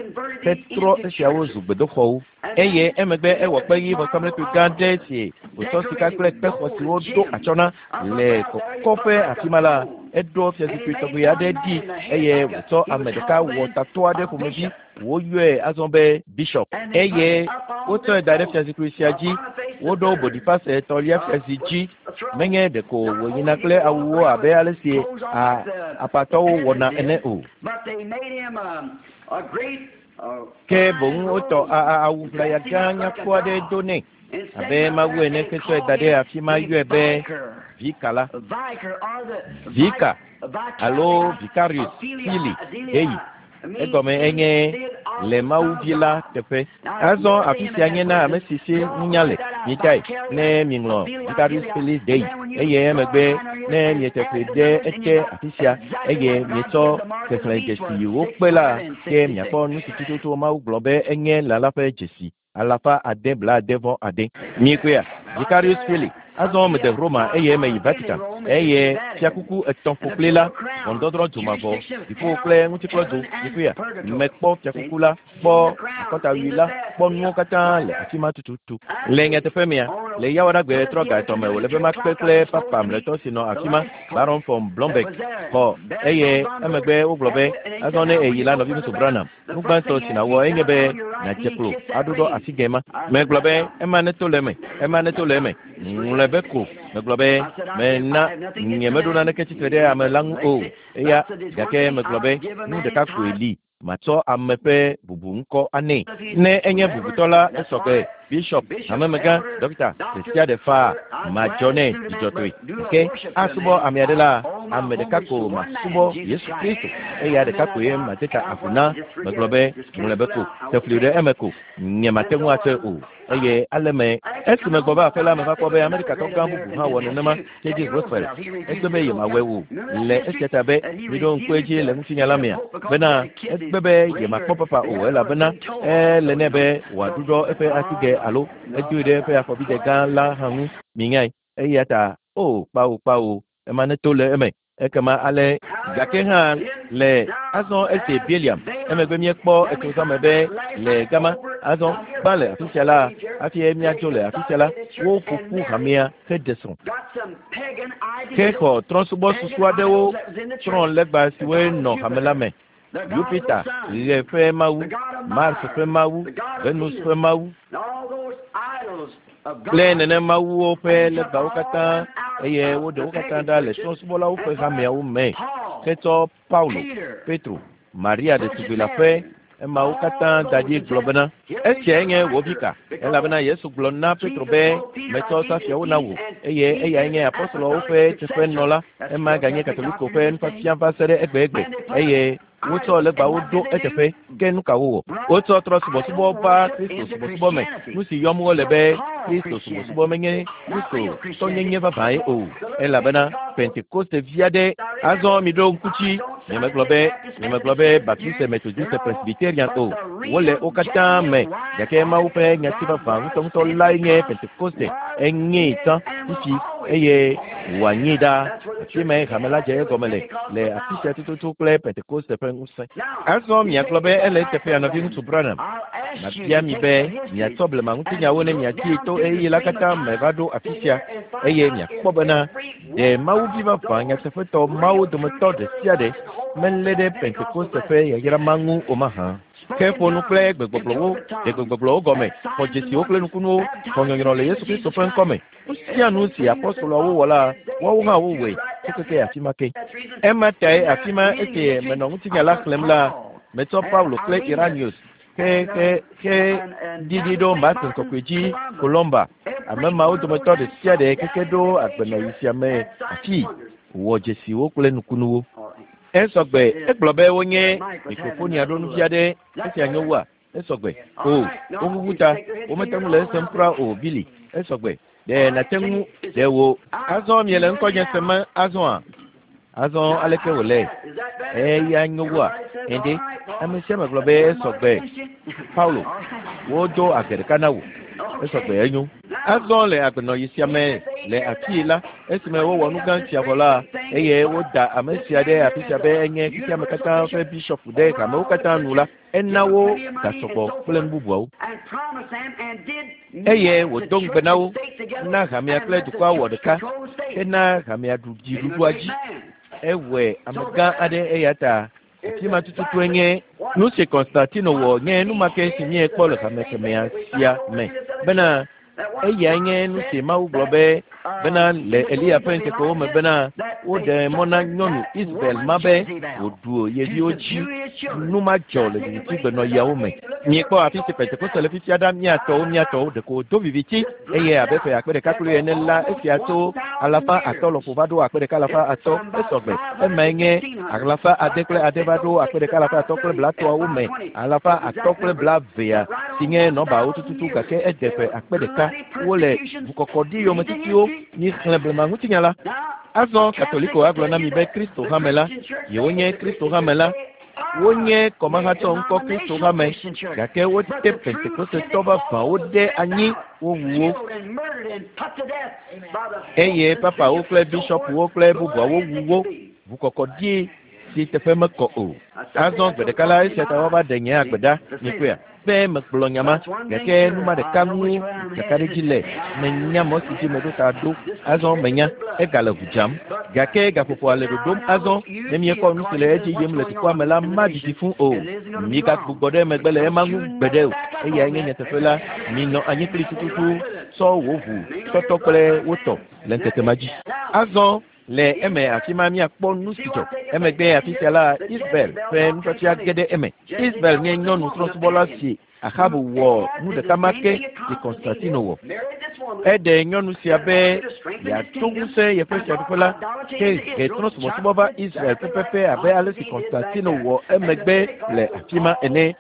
hetrɔ esiawo zu gbedoxɔwo. Eye emegbe ewɔ kpeɣi vɔsamlekpui gã ɖe si wòtsɔ sika kple kpexɔ siwo ɖo atsyɔ̃ na le kɔkɔƒe afi ma la, eɖo fiazikpui tɔgbi aɖe ɖi eye wòtsɔ ame ɖeka wɔ tatɔ aɖe ƒomevi woyɔe azɔ be bishop. Eye wotsɔe da ɖe fiazikpui sia dzi. Woɖo Bonifase etɔ̃lia fiazi dzi. Menye ɖeko wòyina kple awuwo abe ale si apatɔwo wɔna ene o. Ke boŋ wotɔ awu ʋlaya gã nyakpɔ aɖe do nɛ abe Mawu ene hetsɔe da ɖe afi ma yɔe be vika la. Vika alo Vicarius Filii Dei. Egɔme enye le Mawu vi la teƒe. Azɔ afi sia nye na ame si si nunya le. Mitae ne miŋlɔ Vicarius Filii Dei eye emegbe ne miete fli ɖe ete afi sia eye mietsɔ xexlẽdzesi wokpe la, ke miakpɔ nu si tututu Mawu gblɔ be enye lã la ƒe dzesi 769. Mikpɔea? Vicarius Filii. Azɔ mede Roma eye meyi Vatican. Eye fiakuku etɔ̃ ƒokpli la, ʋɔnudɔdrɔ̃ dzomavɔ, dziƒo kple ŋutikplɔdzo, dziƒoea. Mekpɔ fiakuku la, kpɔ akɔtawui la, kpɔ nuwo katã le afi ma tututu. Le nyateƒe mea, le Yawoɖagbe ɣetrɔ ga etɔ̃ me wòle be makpe kple papa mlɔetɔ si nɔ afi ma, Baron von Blomberg, xɔ eye emegbe wogblɔ be, Azɔ ne èyi la, nɔviŋutsu Branham, nu gbãtɔ si nàwɔ enye be nàdze klo aɖuɖɔ asigɛ ma. Megblɔ be, Ema neto le eme, ema neto le eme. Ŋlɔe be ko. Megblɔ be, Mena nyemeɖo naneke tsitre ɖe ame la ŋu o. Eya, gake megblɔ be, nu ɖeka koe li matsɔ ame ƒe bubu ŋkɔ anɛ. Ne enye bubutɔ la, esɔ gbe. Bishop, hamemegã, ɖɔkita, ɖe sia ɖe faa madzɔ nɛ dzidzɔtɔe. Gake asubɔ ame aɖe la, ame ɖeka ko masubɔ, Yesu Kristo. Eya ɖeka koe made ta agu na. Megblɔ be, Ŋlɔe be ko, te fli ɖe eme ko. Nyemate ŋu atsɔe o. Eye ale me, esi megbɔ va aƒe la, meva kpɔ be Amerikatɔ gã bubu hã wɔ nenema, Teddy Roosevelt. Egbe be yemawɔe o, le esia ta be, miɖo ŋku edzi le ŋutinya la mea, bena egbe be yemakpɔ papa o, elabena ele nɛ be wòaɖuɖɔ eƒe asigɛ alo edoe ɖe eƒe afɔbidɛ gã la hã ŋu. Minyae. Eya ta, o, kpao, kpao, ema neto le eme. Ekema ale, gake hã le azɔ esi Bileam, emegbe míekpɔ etsozã me be le gama, azɔ gbã le afi sia la, hafi míadzo le afi sia la, woƒo ƒu hamea heɖe srɔ̃. Hexɔ trɔ̃subɔsusu aɖewo, trɔ̃ legba siwoe nɔ hame la me, Jupiter, ɣe ƒe mawu, Mars ƒe mawu, Venus ƒe mawu, kple nene mawuwo ƒe legbawo katã, eye woɖe wo katã ɖa le trɔ̃subɔlawo ƒe hameawo me hetsɔ Paulo, Petro, Maria ɖetugbui la ƒe emawo katã da ɖi gblɔ bena, Esiae nye wò vi ka? Elabena Yesu gblɔ na Petro be, Metsɔ safiawo na wò, eye eyae nye apostoloawo ƒe teƒenɔla. Ema ganye Katoliko ƒe nufiafia va se ɖe egbegbe, eye wotsɔ legbawo ɖo eteƒe. Ke nu ka wowɔ? Wotsɔ trɔ subɔsubɔ va Kristo subɔsubɔ me. Nu si yɔm wole be Kristo subɔsubɔ menye Kristotɔnyenye vavãe o, elabena Pentekoste vi aɖe. Azɔ miɖo ŋku dzi, nyemegblɔ be, nyemegblɔ be Baptiste, Methodiste, Presbyterian o. Wole wo katã me, gake Mawu ƒe nyati vavã ŋutɔŋutɔ lae nye Pentekoste. Enyee tsã, fifi, eye wòanyee ɖaa. Afi mae hame la dze egɔme le, le afi sia tututu kple Pentekoste ƒe ŋusẽ. Azɔ miagblɔ be ele eteƒea, nɔviŋutsu Branham. Mabia mi be miatsɔ blema ŋutinyawo ne miadii to ɣeyiɣi la katã me va ɖo afi sia, eye miakpɔ bena ɖe Mawuvi vavã nyateƒetɔ mawo dometɔ ɖe sia ɖe melé ɖe Pentekoste ƒe yayra ma ŋu o mahã. Ke ƒo nu kple gbegbɔgblɔwo, ɖe gbegbɔgblɔwo gɔme, xɔ dzesiwo kple nukunuwo, xɔ nyɔnyrɔ le Yesu Kristo ƒe ŋkɔ me. Nu sia nu si apostoloawo wɔ la, woawo hã wowɔe tso keke afi ma ke. Ema tae afi ma esi menɔ ŋutinya la xlẽm la, metsɔ Paulo kple Irenaeus ke ke ke ɖiɖi ɖo Martin kɔkɔe dzi Columba. Ame mawo dometɔ ɖe sia ɖe keke ɖo agbenɔɣi sia me afii wɔ dzesiwo kple nukunuwo. Esɔgbe, egblɔ be wonye mikrofonia ɖo nuvi aɖe, esia nyo wua? Esɔgbe. O, woʋuʋu ta, womete ŋu le esem kura o, Billy. Esɔgbe. Ɖe nàte ŋu, ɖe wò. Azɔ miele ŋkɔnye sem azɔa? Azɔ aleke wòle? Eya nyo wua? Ende, ame sia ame gblɔ be esɔgbe. Paulo, wodo age ɖeka na wò. Esɔgbe enyo. Azɔ le agbenɔɣi sia me le afii la, esime wowɔ nu gã sia vɔ la, eye woda ame sia ɖe afi sia be enye xexeame katã ƒe bishɔpu ɖe hamewo katã nu la, ena wo gasɔgbɔ kple nu bubuawo. Eye wòdo ŋugbe na wo, na hamea kple dukɔa wɔ ɖeka, hena hamea ɖu dziɖuɖua dzi. Ewɔe amegã aɖe eya ta afi ma tututue nye nu si Konstantino wɔ nye nu ma ke si míekpɔ le hame kemɛa sia me bena eyae nye nu si Mawu gblɔ be bena le Eliya ƒe ŋkekewo me bena woɖe mɔ na nyɔnu Isabel ma be wòɖu ye viwo dzi. Nu ma dzɔ le vivitigbenɔɣiawo me. Miekpɔ afi si Pentekoste le fifia ɖa, míatɔwo, míatɔwo, ɖeko wòdo viviti eye abe ƒe akpe ɖeka kple ene la, esia tso 500 lɔƒo va ɖo 1500, esɔgbe. Emae nye 606 va ɖo 1330 me, 520 si nye nɔbawo tututu, gake ede ƒe akpe ɖeka. Wole ʋukɔkɔɖi yometitiwo. Mixlẽ blema ŋutinya la. Azɔ Katoliko agblɔ na mi be Kristo hame la, yewonye Kristo hame la. Wonye kɔmahatsɔ ŋkɔ Kristo hame, gake wote Pentekostetɔ vavãwo ɖe anyi, wowu wo. Eye papawo kple bishɔpuwo kple bubuawo wu wo ʋukɔkɔɖi si teƒe mekɔ o. Azɔ gbe ɖeka la, esia ta woava ɖe nye agbe ɖa, mikpɔea, be megblɔ nya ma, gake nu ma ɖeka ŋu kakaɖedzi le, menya mɔ si dzi meɖo ta ɖo. Azɔ menya, egale ʋu dzam. Gake gaƒoƒoa le ɖoɖom azɔ, ne miekpɔ nu si le edzi yim le dukɔa me la, madidi fũ o. Migagbugbɔ ɖe megbe le ema ŋu gbeɖe o. Eyae nye nyateƒe la. Minɔ anyi kpli tututu, tsɔ wò ʋu tɔtɔ kple wo tɔ le ŋkeke ma dzi. Azɔ le eme afi ma míakpɔ nu si dzɔ. Emegbe afi sia la, Isabel ƒe nufiafia ge ɖe eme. Isabel nye nyɔnu trɔ̃subɔla si Ahab wɔ nu ɖeka ma ke si Konstantino wɔ. Eɖe nyɔnu sia be yeato ŋusẽ yeƒe fiaɖuƒe la, ke he trɔ̃subɔsubɔ va Israel pɛpɛpɛ abe ale si Konstantino wɔ emegbe le afi ma ene.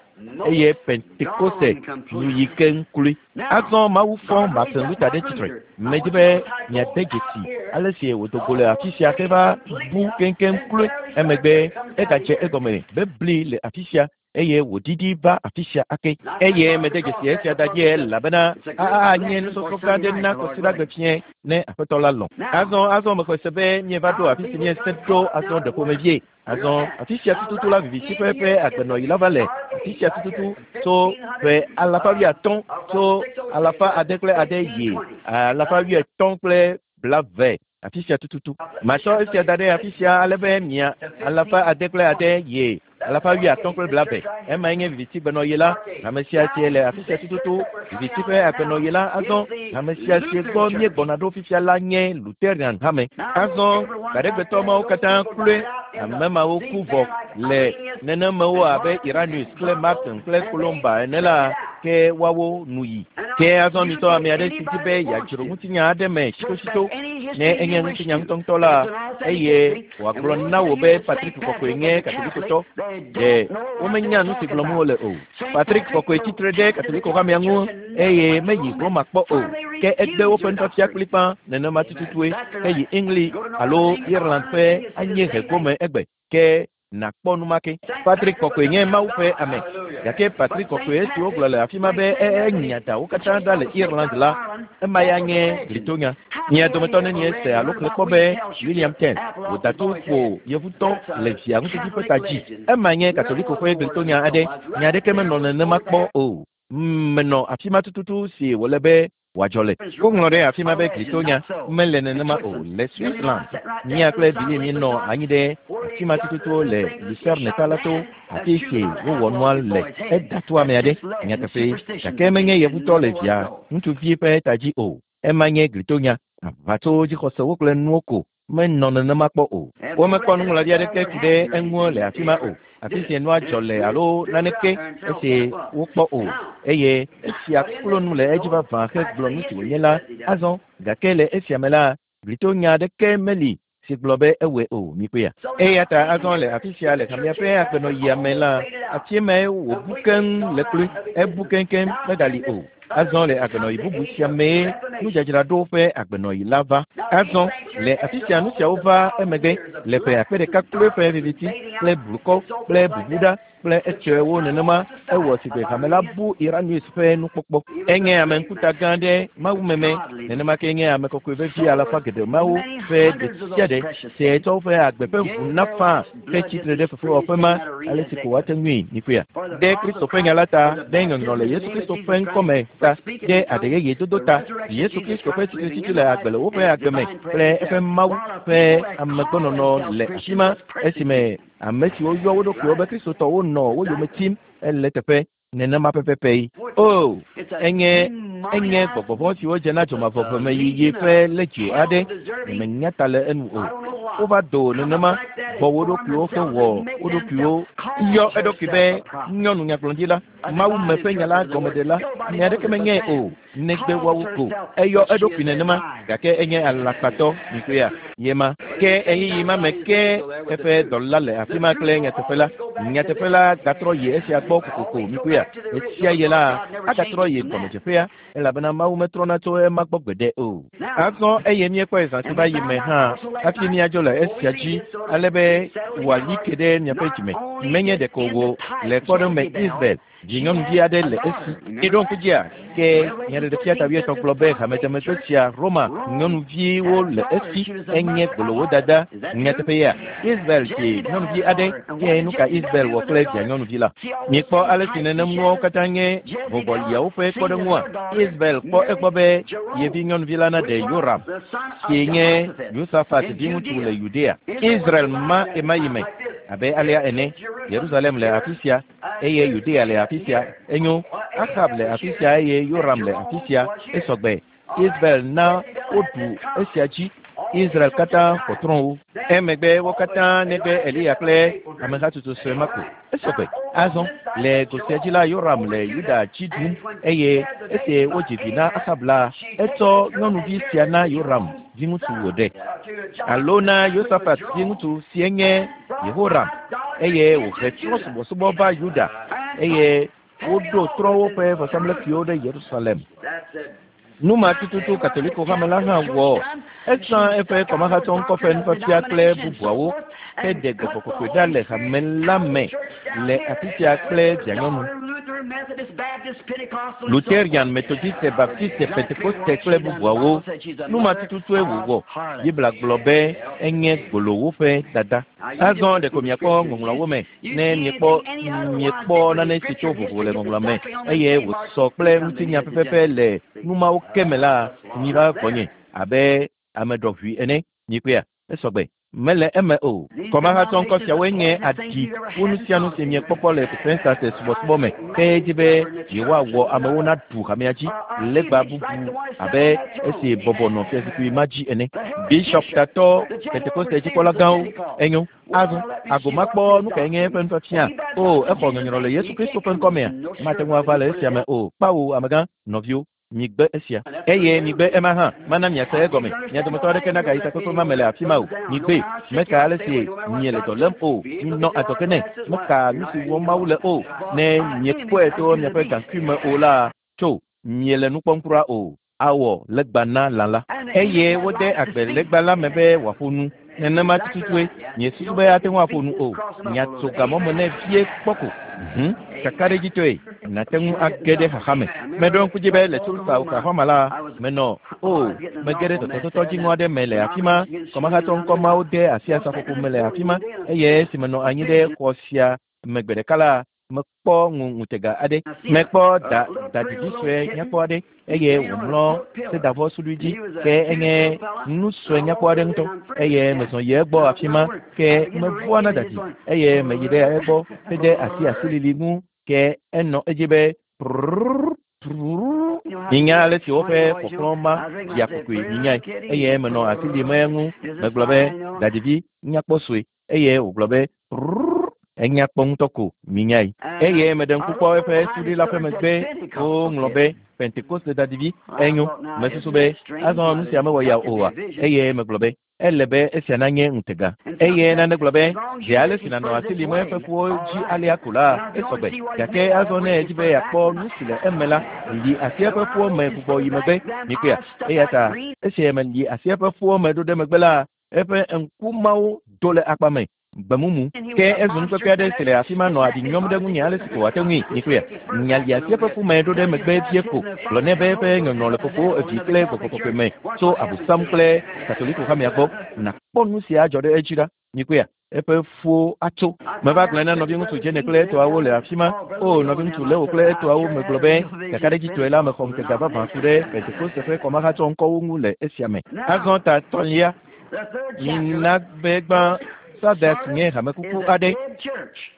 Eye Pentekoste nu yi keŋ kloe. Azɔ Mawu fɔ Martin Luther ɖe tsitre. Medi be miade dzesi ale si wòdo go le afi sia heva bu keŋkeŋ kloe. Emegbe egadze egɔme bebli le afi sia eye wòɖiɖi va afi sia ake. Eye mede dzesi esia da dzi elabena anye nusɔsrɔ̃ gã aɖe na kɔsiɖagbe fiẽ ne Aƒetɔ la lɔ̃. Azɔ mexɔe se be míeva ɖo afi si míesẽ ɖo azɔ ɖe ƒomevie. Azɔ afi sia tututu la viviti ƒe ƒe agbenɔɣi la va le afi sia tututu tso ƒe alafa wuiatɔ̃ tso 606 yi 850 afi sia tututu. Matsɔ esia da ɖe afi sia ale be mia 606 yi 850. Emae nye viviti gbenɔɣi la. Ame sia sie le afi sia tututu viviti ƒe agbenɔɣi la. Azɔ ame sia sie gbɔ míegbɔna ɖo fifia la nye Lutheran hame. Azɔ gbaɖegbetɔ mawo katã kloe ame mawo ku vɔ le nenemewo abe Irenaeus kple Martin kple Columba ene la, ke woawo nu yi. Ke azɔ mitɔ ame aɖe si di be yeadzro ŋutinya aɖe me tsitotsito, ne enye ŋutinya ŋutɔŋutɔ la, eye wòagblɔ na wò be Patrick Kɔkɔe nye Katolikotɔ, ɖe womenya nu si gblɔm wole o. Patrick Kɔkɔe tsitre ɖe Katoliko hamea ŋu eye meyi Roma kpɔ o, ke egbe woƒe nufiafia kplikpã nenema tututue heyi England alo Ireland ƒe anyiehe gome egbe, ke nakpɔ nu ma ke. Patrick Kɔkɔe nye Mawu ƒe ame, gake Patrick Kɔkɔe esi wogblɔ le afi ma be enya da wo katã ɖa le Ireland la, ema ya nye glitonya. Mia dometɔ nenie se alo xlẽ kpɔ be William Ten wòda to ƒo yevutɔ le via ŋutsuvi ƒe ta dzi. Ema nye Katoliko ƒe glitonya aɖe. Nya aɖeke menɔ nenema kpɔ o. Menɔ afi ma tututu si wòle be wòadzɔ le. Woŋlɔ ɖe afi ma be glitonya mele nenema o. Le Switzerland, mía kple Billy míenɔ anyi ɖe afi ma tututu le Lucerne ta la to afi si wowɔ nua le. Eda to ame aɖe nyateƒe, gake menye yevutɔ le via ŋutsuvi ƒe ta dzi o. Ema nye glitonya. Aʋatso dzixɔsewo kple nuwo ko menɔ nenema kpɔ o. Womekpɔ nuŋlɔɖi aɖeke ku ɖe eŋu le afi ma o. Afi si nua dzɔ le alo naneke esi wokpɔ o. Eye esia klo nu le edzi vavã hegblɔ nu si wònye la azɔ. Gake le esia me la, glitonya aɖeke meli si gblɔ be ewɔe o. Mikpɔea? Eya ta azɔ le afi sia le hamea ƒe agbenɔɣia me la, afi mae wòbu keŋ le kloe. Ebu keŋkeŋ megali o. Azɔ le agbenɔɣi bubu sia mee nudzadzraɖo ƒe agbenɔɣi la va. Azɔ le afi sia nu siawo va emegbe le ƒe akpe ɖeka kloe ƒe viviti kple blukɔ kple bubuɖa kple etsɔewo nenema ewɔ si gbe hame la bu Irenaeus ƒe nukpɔkpɔ. Enye ame ŋkuta gã ɖe mawumeme, nenema ke nye ame kɔkɔe vevi alafa geɖe mawo ƒe ɖe sia ɖe si tsɔ woƒe agbe ƒe ʋu na faa ke tsitre ɖe fefewɔƒe ma ale si ko woate ŋui mikpɔea. Ɖe Kristo ƒe nya la ta, ɖe nyɔnyrɔ le Yesu Kristo ƒe ŋkɔme ta, ɖe aɖe yeye dodo ta, Yesu Kristo ƒe tsitretsitsi le agbe le woƒe agbe me kple eƒe Mawu ƒe amegbɔnɔnɔ le afi ma esime ame siwo yɔ wo ɖokuiwo be Kristotɔwo nɔ wo yome tim ele teƒe nenema pɛpɛpɛ yi. O, enye enye gbɔgbɔvɔ̃ siwo dze na dzomavɔʋemeyiyi ƒe ledzi aɖe, nyemenya ta le enu o. Wova do nenema bɔ wo ɖokuiwo hewɔ wo ɖokuiwo yɔ eɖokui be nyɔnu nyagblɔɖila, Mawume ƒe nya la gɔmeɖela, ame aɖeke menyae o, negbe woawo ko. Eyɔ eɖokui nenema, gake enye alakpatɔ, mikpɔea, ye ma. Ke ɣeyiɣi ma me ke eƒe dɔla le afi ma kple nyateƒe la. Nyateƒe la gatrɔ yi esia gbɔ kokoko mikpɔea. Ɣesia ɣi la, agatrɔ yi gɔmedzeƒea elabena Mawu metrɔna tso ema gbɔ gbeɖe o. Azɔ eye míekpɔe zã si va yi me hã hafi míadzo le esia dzi ale be wòali ke ɖe miaƒe dzime. Menye ɖeko wò le kpɔɖeŋu me Isabel dzi nyɔnuvi aɖe le esi. Miɖo ŋku dzia? Ke Nyaɖeɖefia ta wuietɔ̃ gblɔ be hamedemegbe sia Roma nyɔnuviwo le esi enye gbolowo dada. Nyateƒe yea? Isabel dzi nyɔnuvi aɖe. Ke nu ka Isabel wɔ kple via nyɔnuvi la? Mikpɔ ale si nenem nuawo katã nye vɔvɔliawo ƒe kpɔɖeŋua. Isabel kpɔ egbɔ be ye vi nyɔnuvi la naɖe Yoram, si nye Yosafat viŋutsu le Yudea. Israel ma ɣemaɣi me abe alea ene. Yerusalem le afi sia eye Yudea le afi sia. Enyo, Axab le afi sia eye Yoram le afi sia. Esɔgbe. Isabel na woɖu esia dzi. Israel katã xɔ trɔ̃wo. Emegbe wo katã negbe Eliya kple amehatsotso sue ma ko. Esɔgbe. Azɔ le go sia dzi la, Yoram le Yuda dzi ɖum eye esi wodzi vi na Axab la, etsɔ nyɔnuvi sia na Yoram viŋutsu wòɖe alo na Yosafat viŋutsu sie nye Yehoram eye wòhe trɔ̃subɔsubɔ va Yuda eye woɖo trɔ̃wo ƒe vɔsamlekpuiwo ɖe Yerusalem. Nu ma tututu Katoliko hame la hã wɔ. Ezã eƒe kɔmahatsɔ ŋkɔ ƒe nufiafia kple bubuawo heɖe gbɔgbɔ kɔkɔe ɖa le hame la me le afi sia kple vianyɔnu. Lutherian, Methodiste, Baptiste, Pentekoste kple bubuawo. Nu ma tututue wòwɔ. Biblia gblɔ be enye gbolowo ƒe dada. Azɔ ɖeko miakpɔ ŋɔŋlɔawo me ne miekpɔ miekpɔ nane si tso vovo le ŋɔŋlɔa me eye wòsɔ kple ŋutinya pɛpɛpɛ le nu mawo ke me la, miva gbɔnye abe ame ɖɔʋui ene. Mikpɔea? Esɔgbe. Mele eme o. Kɔmahatsɔ ŋkɔ siawoe nye aɖi wu nu sia nu si miekpɔkpɔ le Pentekoste subɔsubɔ me ke dzi be yewoawɔ amewo naɖu hamea dzi legba bubu abe esi bɔbɔ nɔ fiazikpui ma dzi ene. Bishop tatɔ Pentekoste dzikpɔla gãwo enyo. Azɔ ago makpɔ nu kae nye eƒe nufiafia. O, exɔ nyɔnyrɔ le Yesu Kristo ƒe ŋkɔ mea? Mate ŋu ava le esia me o. Kpawo, amegã, nɔviwo. Migbe esia. Eye migbe ema hã. Mana miase egɔme. Mia dometɔ aɖeke nagayi takpekpe ma me le afi ma o. Migbee. Meka ale si miele dɔ lém o. Minɔ adzɔge nɛ. Meka nu si wɔm Mawu le o. Ne miekpɔe to miaƒe gaŋkui me o la, tso, miele nu kpɔm kura o. Awɔ legba na lã la. Eye wode agbe legba la me be wòaƒo nu. Nenema tututue miesusu be ate ŋu aƒo nu o. Miatso gamɔ me nɛ vie kpɔ ko. Hum, kakaɖedzitɔe, nàte ŋu age ɖe xaxa me. Meɖo ŋku dzi be le Tulsa, Oklahoma la, menɔ, o, mege ɖe tɔtɔtɔtɔ dziŋɔ aɖe me le afi ma. Kɔmahatsɔ ŋkɔ mawo de asi asaƒoƒo me le afi ma. Eye esi menɔ anyi ɖe xɔ sia me gbe ɖeka la, mekpɔ ŋu ŋutega aɖe. Mekpɔ da dadidi sue nyakpɔ aɖe eye wòmlɔ sedavɔ suɖui dzi ke enye nu sue nyakpɔ aɖe ŋutɔ eye mezɔ yi egbɔ afi ma ke mevɔa na dadi eye meyi ɖe egbɔ hede asi asilili ŋu ke enɔ edzi be prrrr prrrr. Minya ale si woƒe kpɔkplɔ ma ɖia kokoe minyae eye menɔ asi lim eŋu megblɔ be dadivi nyakpɔ sue eye wògblɔ be prrrr enya kpɔ ŋutɔ ko minyae. Eye meɖe ŋku kpɔ eƒe suɖui la ƒe megbe woŋlɔ be Pentekoste dadivi. Enyo, mesusu be azɔ nu sia mewɔ ya oa? Eye megblɔ be ele be esia nanye ŋutega. Eye nane gblɔ be zi ale si nànɔ asi lim eƒe ƒuwo dzi alea ko la, esɔgbe. Gake azɔ ne èdi be yeakpɔ nu si le eme la, li asi eƒe ƒuwo me gbugbɔ yi megbe. Mikpɔea? Eya ta esi meli asi eƒe ƒuwo me ɖo ɖe megbe la, eƒe ŋku mawo do le akpa me gbemumu. Ke ezu nukpekpe aɖe si le afi ma nɔ aɖi nyɔm ɖe ŋunye ale si ko wòate ŋui. Mikpɔea? Nya li asi eƒe ƒu me ɖo ɖe megbe vie ko. Gblɔ nɛ be eƒe nyɔnyɔ le Fofo, Vi kple Gbɔgbɔ Kɔkɔe me tso Abosam kple Katoliko hamea gbɔ. Nàkpɔ nu si adzɔ ɖe edzi ɖa. Mikpɔea? Eƒe ƒuwo atso. Meva gblɔe na nɔviŋutsu Jene kple etɔawo le afi ma. O, nɔviŋutsu Leo kple etɔawo, megblɔ be, kakaɖedzitɔe la, mexɔ ŋutega vavã ku ɖe Pentekoste ƒe kɔmahatsɔ ŋkɔwo ŋu le esia me. Azɔ ta etɔ̃lia, mina be gbã Sardes nye hamekuku aɖe.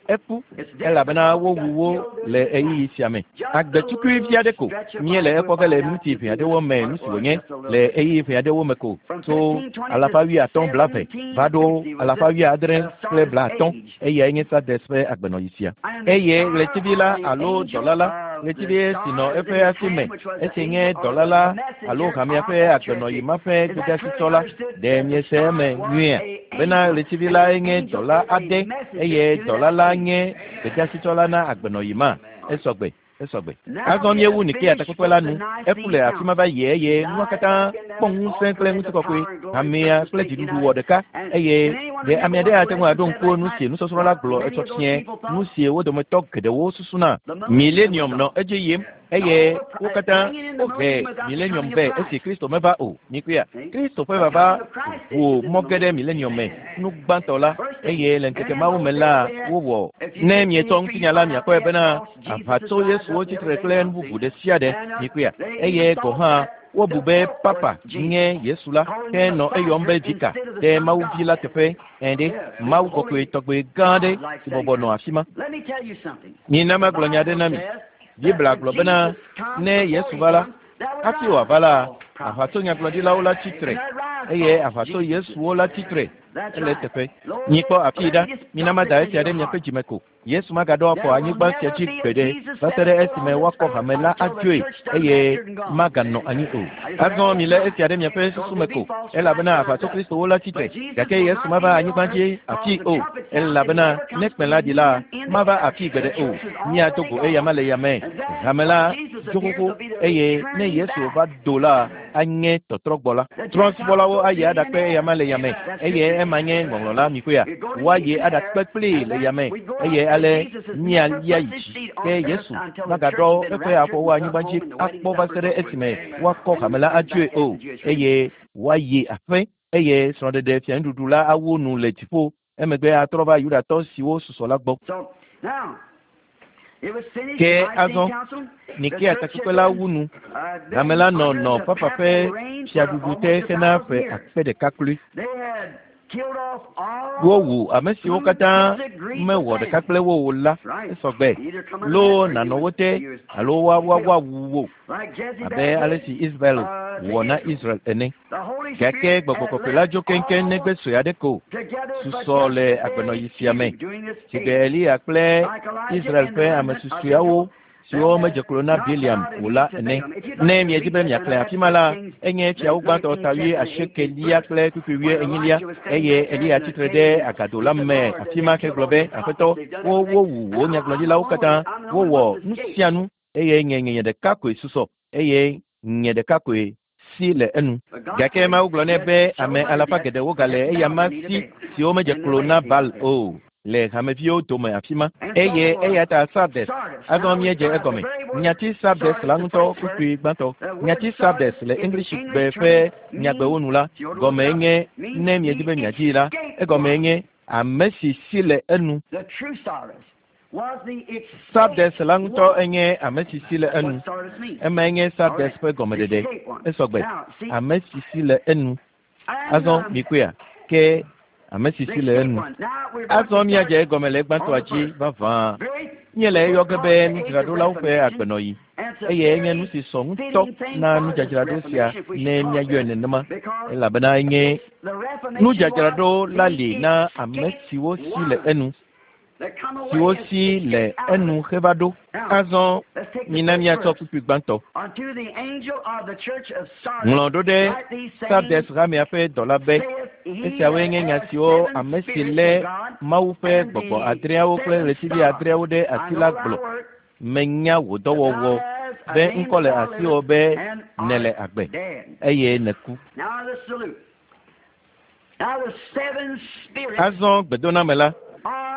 Eku elabena wowu wo le ɣeyiɣi sia me. Agbetukui vi aɖe ko míele ekpɔ ge le miniti ʋɛ aɖewo me nu si wònye le ɣeyiɣi ʋɛ aɖewo me ko tso alafa wuiatɔ̃ blaeve va ɖo alafa wuiadre kple blaatɔ̃. Eyae nye Sardes ƒe agbenɔɣi sia. Eye ɣletivi la alo dɔla la Ɣletivi si nɔ eƒe asi me, esi nye dɔla la alo hamea ƒe agbenɔɣi ma ƒe gbedeasitɔ la. Ɖe miese eme nyuiea? Bena ɣletivi lae nye dɔla aɖe eye dɔla la nye gbedeasitɔ la na agbenɔɣi ma. Esɔgbe. Esɔgbe. Azɔ míewu Nikea takpekpe la nu. Eku le afi ma va yi eye nua katã kpɔ ŋusẽ kple ŋutikɔkɔe. Hamea kple dziɖuɖu wɔ ɖeka eye ɖe ame aɖe ate ŋu aɖo ŋku nu si nusɔsrɔ̃ la gblɔ etsɔ fiẽ, nu si wo dometɔ geɖewo susuna. Milenium nɔ edzi yim eye wo katã wohe milenium vɛ esi Kristo meva o. Mikpɔea? Kristo ƒe vava ʋu mɔ ge ɖe milenium me nu gbãtɔ la eye le ŋkeke mawo me la wowɔ. Ne mietsɔ ŋutinya la miakpɔe bena aʋatso Yesuwo tsitre kple nu bubu ɖe sia ɖe. Mikpɔea? Eye gɔ̃ hã wobu be Papa nye Yesu la, ke nɔ eyɔm be Vika ɖe Mawu Vi la teƒe. Ẽ ɖe, Mawu kɔkɔe tɔgbe gã aɖe si bɔbɔ nɔ afi ma. Mina magblɔ nya aɖe na mi. Biblia gblɔ bena ne Yesu va la, hafi wòava la, aʋatso nyagblɔɖilawo la tsi tre eye aʋatso Yesuwo la tsi tre. Ele eteƒe. Mikpɔ afii ɖa. Mina mada esia ɖe miaƒe dzime ko. Yesu magaɖo afɔ anyigba sia dzi gbeɖe va se ɖe esime woakɔ hame la adzoe eye maganɔ anyi o. Azɔ milé esia ɖe miaƒe susu me ko, elabena aʋatso Kristowo la tsi tre, gake Yesu mava anyigba dzi afii o, elabena ne kpẽ la ɖi la, mava afii gbeɖe o. Míado go eyama le yame. Hame la dzo xoxo eye ne Yesu va do la, anye tɔtrɔgbɔ la. Trɔ̃subɔlawo ayi aɖakpe eyama le yame, eye ema nye ŋɔŋlɔ la, mikpɔea? Woayi aɖakpe kplii le yame, eye ale míalia yi dzi. Ke Yesu magaɖɔ eƒe afɔwo anyigba dzi akpɔ va se ɖe esime woakɔ hame la adzoe o, eye woayi aƒe, eye srɔ̃ɖeɖe fianuɖuɖu la awu nu le dziƒo, emegbe atrɔ va Yudatɔ siwo susɔ la gbɔ. Ke azɔ Nikea takpekpe la wu nu. Hame la nɔ nɔ Papa ƒe fiaɖuɖu te hena ƒe akpe ɖeka kloe. Wowu ame siwo katã mewɔ ɖeka kple wo o la esɔgbe loo nànɔ wo te alo woawu wo abe ale si Isabel wɔ na Israel ene. Gake gbɔgbɔ kɔkɔe la dzo keŋkeŋ negbe sue aɖe ko susɔ le agbenɔɣi sia me. Sigbe Eliya kple Israel ƒe ame susɔeawo siwo medze klo na Bileam o la ene. Ne miedi be miaxlẽ afi ma la, enye fiawo gbãtɔ ta wui asiekelia kple kpukpui wui enyilia, eye Eliya tsitre ɖe agado la me afi ma hegblɔ be, Aƒetɔ, wo wowu wò nyagblɔɖilawo katã, wowɔ nu sia nu, eye nye nye ɖeka koe susɔ, eye nye ɖeka koe si le enu. Gake Mawu gblɔ nɛ be ame alafa geɖewo gale eyama si siwo medze klo na Baal o le hameviwo dome afi ma. Eye eya ta Sardes, azɔ míedze egɔme. Nyati Sardes la ŋutɔ kpukpui gbãtɔ. Nyati Sardes le Englishigbe ƒe nyagbewo nu la gɔmee nye ne miedi be miadzii la, egɔmee nye ame si si le enu. Sardes la ŋutɔ enye ame si si le enu. Emae nye Sardes ƒe gɔmeɖeɖe. Esɔgbe. Ame si si le enu. Azɔ mikpɔea? Ke ame si si le enu. Azɔ míadze egɔme le egbãtɔa dzi vavã. Míele eyɔ ge be nudzraɖolawo ƒe agbenɔɣi. Eye enye nu si sɔ ŋutɔ na nudzadzraɖo sia ne míayɔe nenema, elabena enye nudzadzraɖo la li na ame siwo si le enu. siwo si le enu heva ɖo. Azɔ mina míatsɔ kpukpui gbãtɔ. Ŋlɔ ɖo ɖe Sardes hamea ƒe dɔla be, Esiawoe nye nya siwo ame si lé Mawu ƒe gbɔgbɔ adreawo kple ɣletivi adreawo ɖe asi la gblɔ. Menya wò dɔwɔwɔ be ŋkɔ le asiwò be nèle agbe, eye nèku. Azɔ gbedoname la,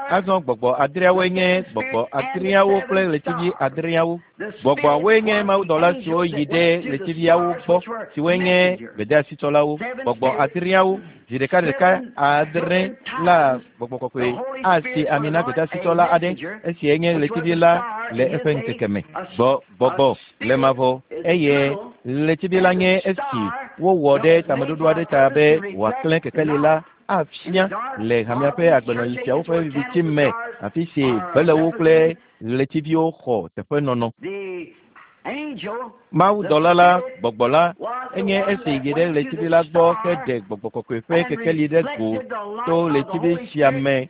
azɔ gbɔgbɔ adreawoe nye gbɔgbɔ adreawo kple ɣletivi adreawo. Gbɔgbɔawoe nye mawudɔla siwo yi ɖe ɣletiviawo gbɔ, siwoe nye gbedeasitsɔlawo. Gbɔgbɔ adreawo, zi ɖekaɖeka adre la gbɔgbɔ kɔkɔe asi ami na gbedeasitsɔla aɖe, esie nye ɣletivi la le eƒe ŋkeke me. Gbɔ, gbɔgbɔ le mavɔ eye ɣletivi la nye esi wowɔ ɖe tameɖoɖo aɖe ta be wòaklẽ kekeli la afia le hamea ƒe agbenɔɣi siawo ƒe viviti me, afi si belewo kple ɣletiviwo xɔ teƒenɔnɔ. Mawudɔla la, gbɔgbɔ la, enye esi yi ɖe ɣletivi la gbɔ heɖe gbɔgbɔ kɔkɔe ƒe kekeli ɖe go to ɣletivi sia me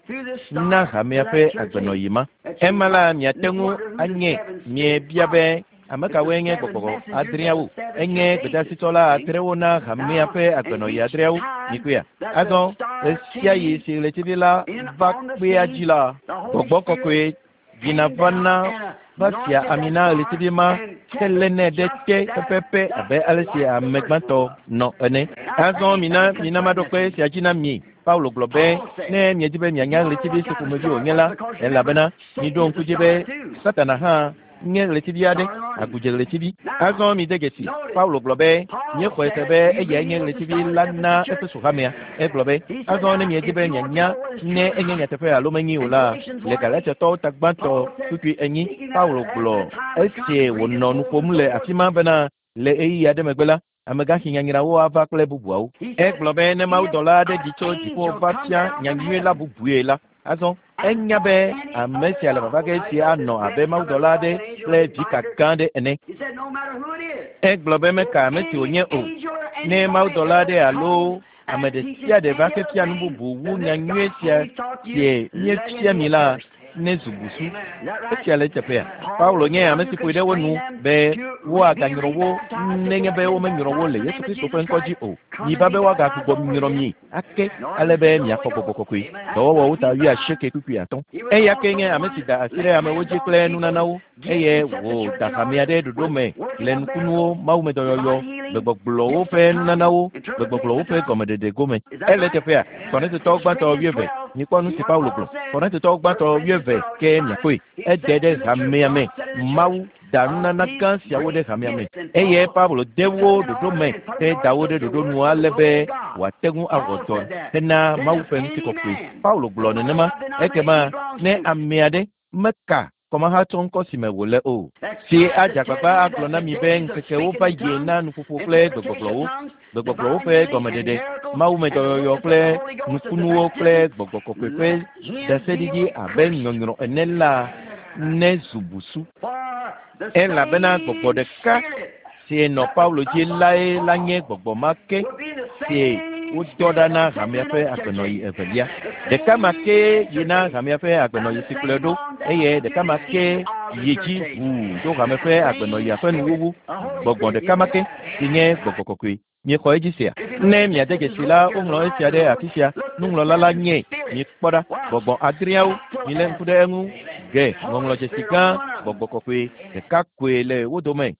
na hamea ƒe agbenɔɣi ma. Ema la, miate ŋu anye miebia be ame kawoe nye gbɔgbɔ adreawo? Enye gbedeasitɔla adrewo na hamea ƒe agbenɔɣi adreawo. Mikpɔea? Azɔ ɣesiaɣi si ɣletivi la va kpea dzi la, gbɔgbɔ kɔkɔe yina va na va fia ami na ɣletivi ma helénɛ ɖe te pɛpɛpɛ abe ale si ame gbãtɔ nɔ ene. Azɔ mina mina maɖo kpe esia dzi na mi. Paulo gblɔ be, ne miedi be mianya ɣletivi si ƒomevi wònye la, elabena miɖo ŋku dzi be Satana hã nye ɣletivi aɖe, agudze ɣletivi. Azɔ mide dzesi, Paulo gblɔ be, míexɔe se be eyae nye ɣletivi la na Efeso hamea. Egblɔ be, azɔ ne miedi be mianya ne enye nyateƒe alo menyi o la, le Galatiatɔwo ta gbãtɔ kpukpui 4, Paulo gblɔ esi wònɔ nu ƒom le afi ma bena le ɣeyiɣi aɖe megbe la, amegãxi nyanyrawo ava kple bubuawo. Egblɔ be ne mawudɔla aɖe ɖi tso dziƒo va fia nyanyui la bubue la, azɔ enya be ame sia le vava ge si anɔ abe mawudɔla aɖe kple vika gã aɖe ene. Egblɔ be meka ame si wònye o. Ne mawudɔla aɖe alo ame ɖe sia ɖe va ke fia nu bubu wu nyanyui sia sie míefia mi la, ne zu busu. Esia le eteƒea. Paulo nye ame si ƒoe ɖe wo nu be woaganyrɔ wo nenye be womenyrɔ wo le Yesu Kristo ƒe ŋkɔ dzi o. Miva be woagagbugbɔ nyrɔ mi ake ale be miaxɔ gbɔgbɔ kɔkɔe. Dɔwɔwɔwo ta 85 kpukpui 5. Eya ke nye ame si da asi ɖe amewo dzi kple nunanawo eye wòda hamea ɖe ɖoɖo me le nukunuwo, mawumedɔyɔyɔ, gbegbɔgblɔwo ƒe nunanawo, gbegbɔgblɔwo ƒe gɔmeɖeɖe gome. Ele teƒea, Korintotɔwo gbãtɔ 20. Mikpɔ nu si Paulo gblɔ. Korintotɔwo gbãtɔ 20 ke miakpɔe. Ede ɖe hamea me. Mawu da nunana gã siawo ɖe hamea me eye Paulo de wo ɖoɖo me heda wo ɖe ɖoɖo nu ale be wòate ŋu awɔ dɔ hena Mawu ƒe ŋutikɔkɔe. Paulo gblɔ nenema. Ekema ne ame aɖe meka kɔmahatsɔ ŋkɔ si me wòle o, si adze agbagba agblɔ na mi be ŋkekewo va yi na nuƒoƒo kple gbegbɔgblɔwo, gbegbɔgblɔwo ƒe gɔmeɖeɖe, mawumedɔyɔyɔ kple nukunuwo kple gbɔgbɔ kɔkɔe ƒe ɖaseɖiɖi abe nyɔnyrɔ ene la ne zu busu. Elabena gbɔgbɔ ɖeka si nɔ Paulo dzi lae la nye gbɔgbɔ ma ke si wodɔ ɖa na hamea ƒe agbenɔɣi evelia. Ɖeka ma ke yi na hamea ƒe agbenɔɣi si kplɔe ɖo eye ɖeka ma ke yi dzi ʋuu ɖo hame ƒe agbenɔɣia ƒe nuwuwu. Gbɔgbɔ ɖeka ma ke si nye gbɔgbɔ kɔkɔe. Miexɔ edzi sia? Ne miade dzesi la, woŋlɔ esia ɖe afi sia. Nuŋlɔla la nye. Mikpɔ ɖa, gbɔgbɔ adreawo, milé ŋku ɖe eŋu. Ge ŋɔŋlɔdzesi gã, gbɔgbɔ kɔkɔe ɖeka koe le wo dome.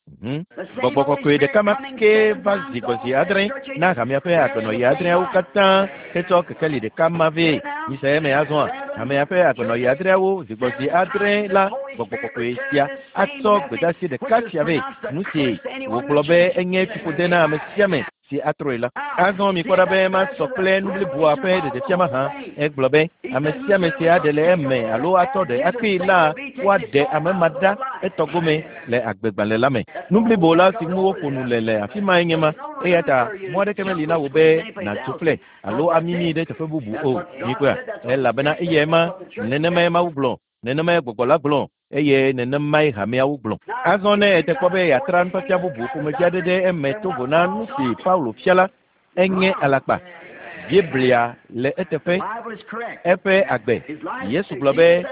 Gbɔgbɔ kɔkɔe ɖeka ma ke va zi gbɔ zi 7 na hamea ƒe agbenɔɣi adreawo katã hetsɔ kekeli ɖeka ma vɛ. Mise eme azɔa, hamea ƒe agbenɔɣi adreawo zi gbɔ zi 7 la, gbɔgbɔ kɔkɔe sia atsɔ gbedeasi ɖeka sia vɛ. Nu si wògblɔ be enye fiƒode na ame sia ame si atrɔe la. Azɔ mikpɔ ɖa be masɔ kple nu bliboa ƒe ɖeɖefia mahã. Egblɔ be ame sia ame si aɖe le eme alo atɔ ɖe akpee la, woaɖe ame ma ɖa etɔ gome le agbegbalẽ la me. Nu blibo la si ŋu woƒo nu le le afi mae nye ma. Eya ta mɔ aɖeke meli na wò be nàtso ƒle alo amimi ɖe teƒe bubu o. Mikpɔea? Elabena eyae ma, nenemae Mawu gblɔ, nenemae gbɔgbɔ la gblɔ, eye nenemae hameawo gblɔ. Azɔ ne ete kpɔ be yeatra nufiafia bubu ƒomevi aɖe ɖe eme to vo na nu si Paulo fia la, enye alakpa. Biblia le eteƒe, eƒe agbe. Yesu gblɔ be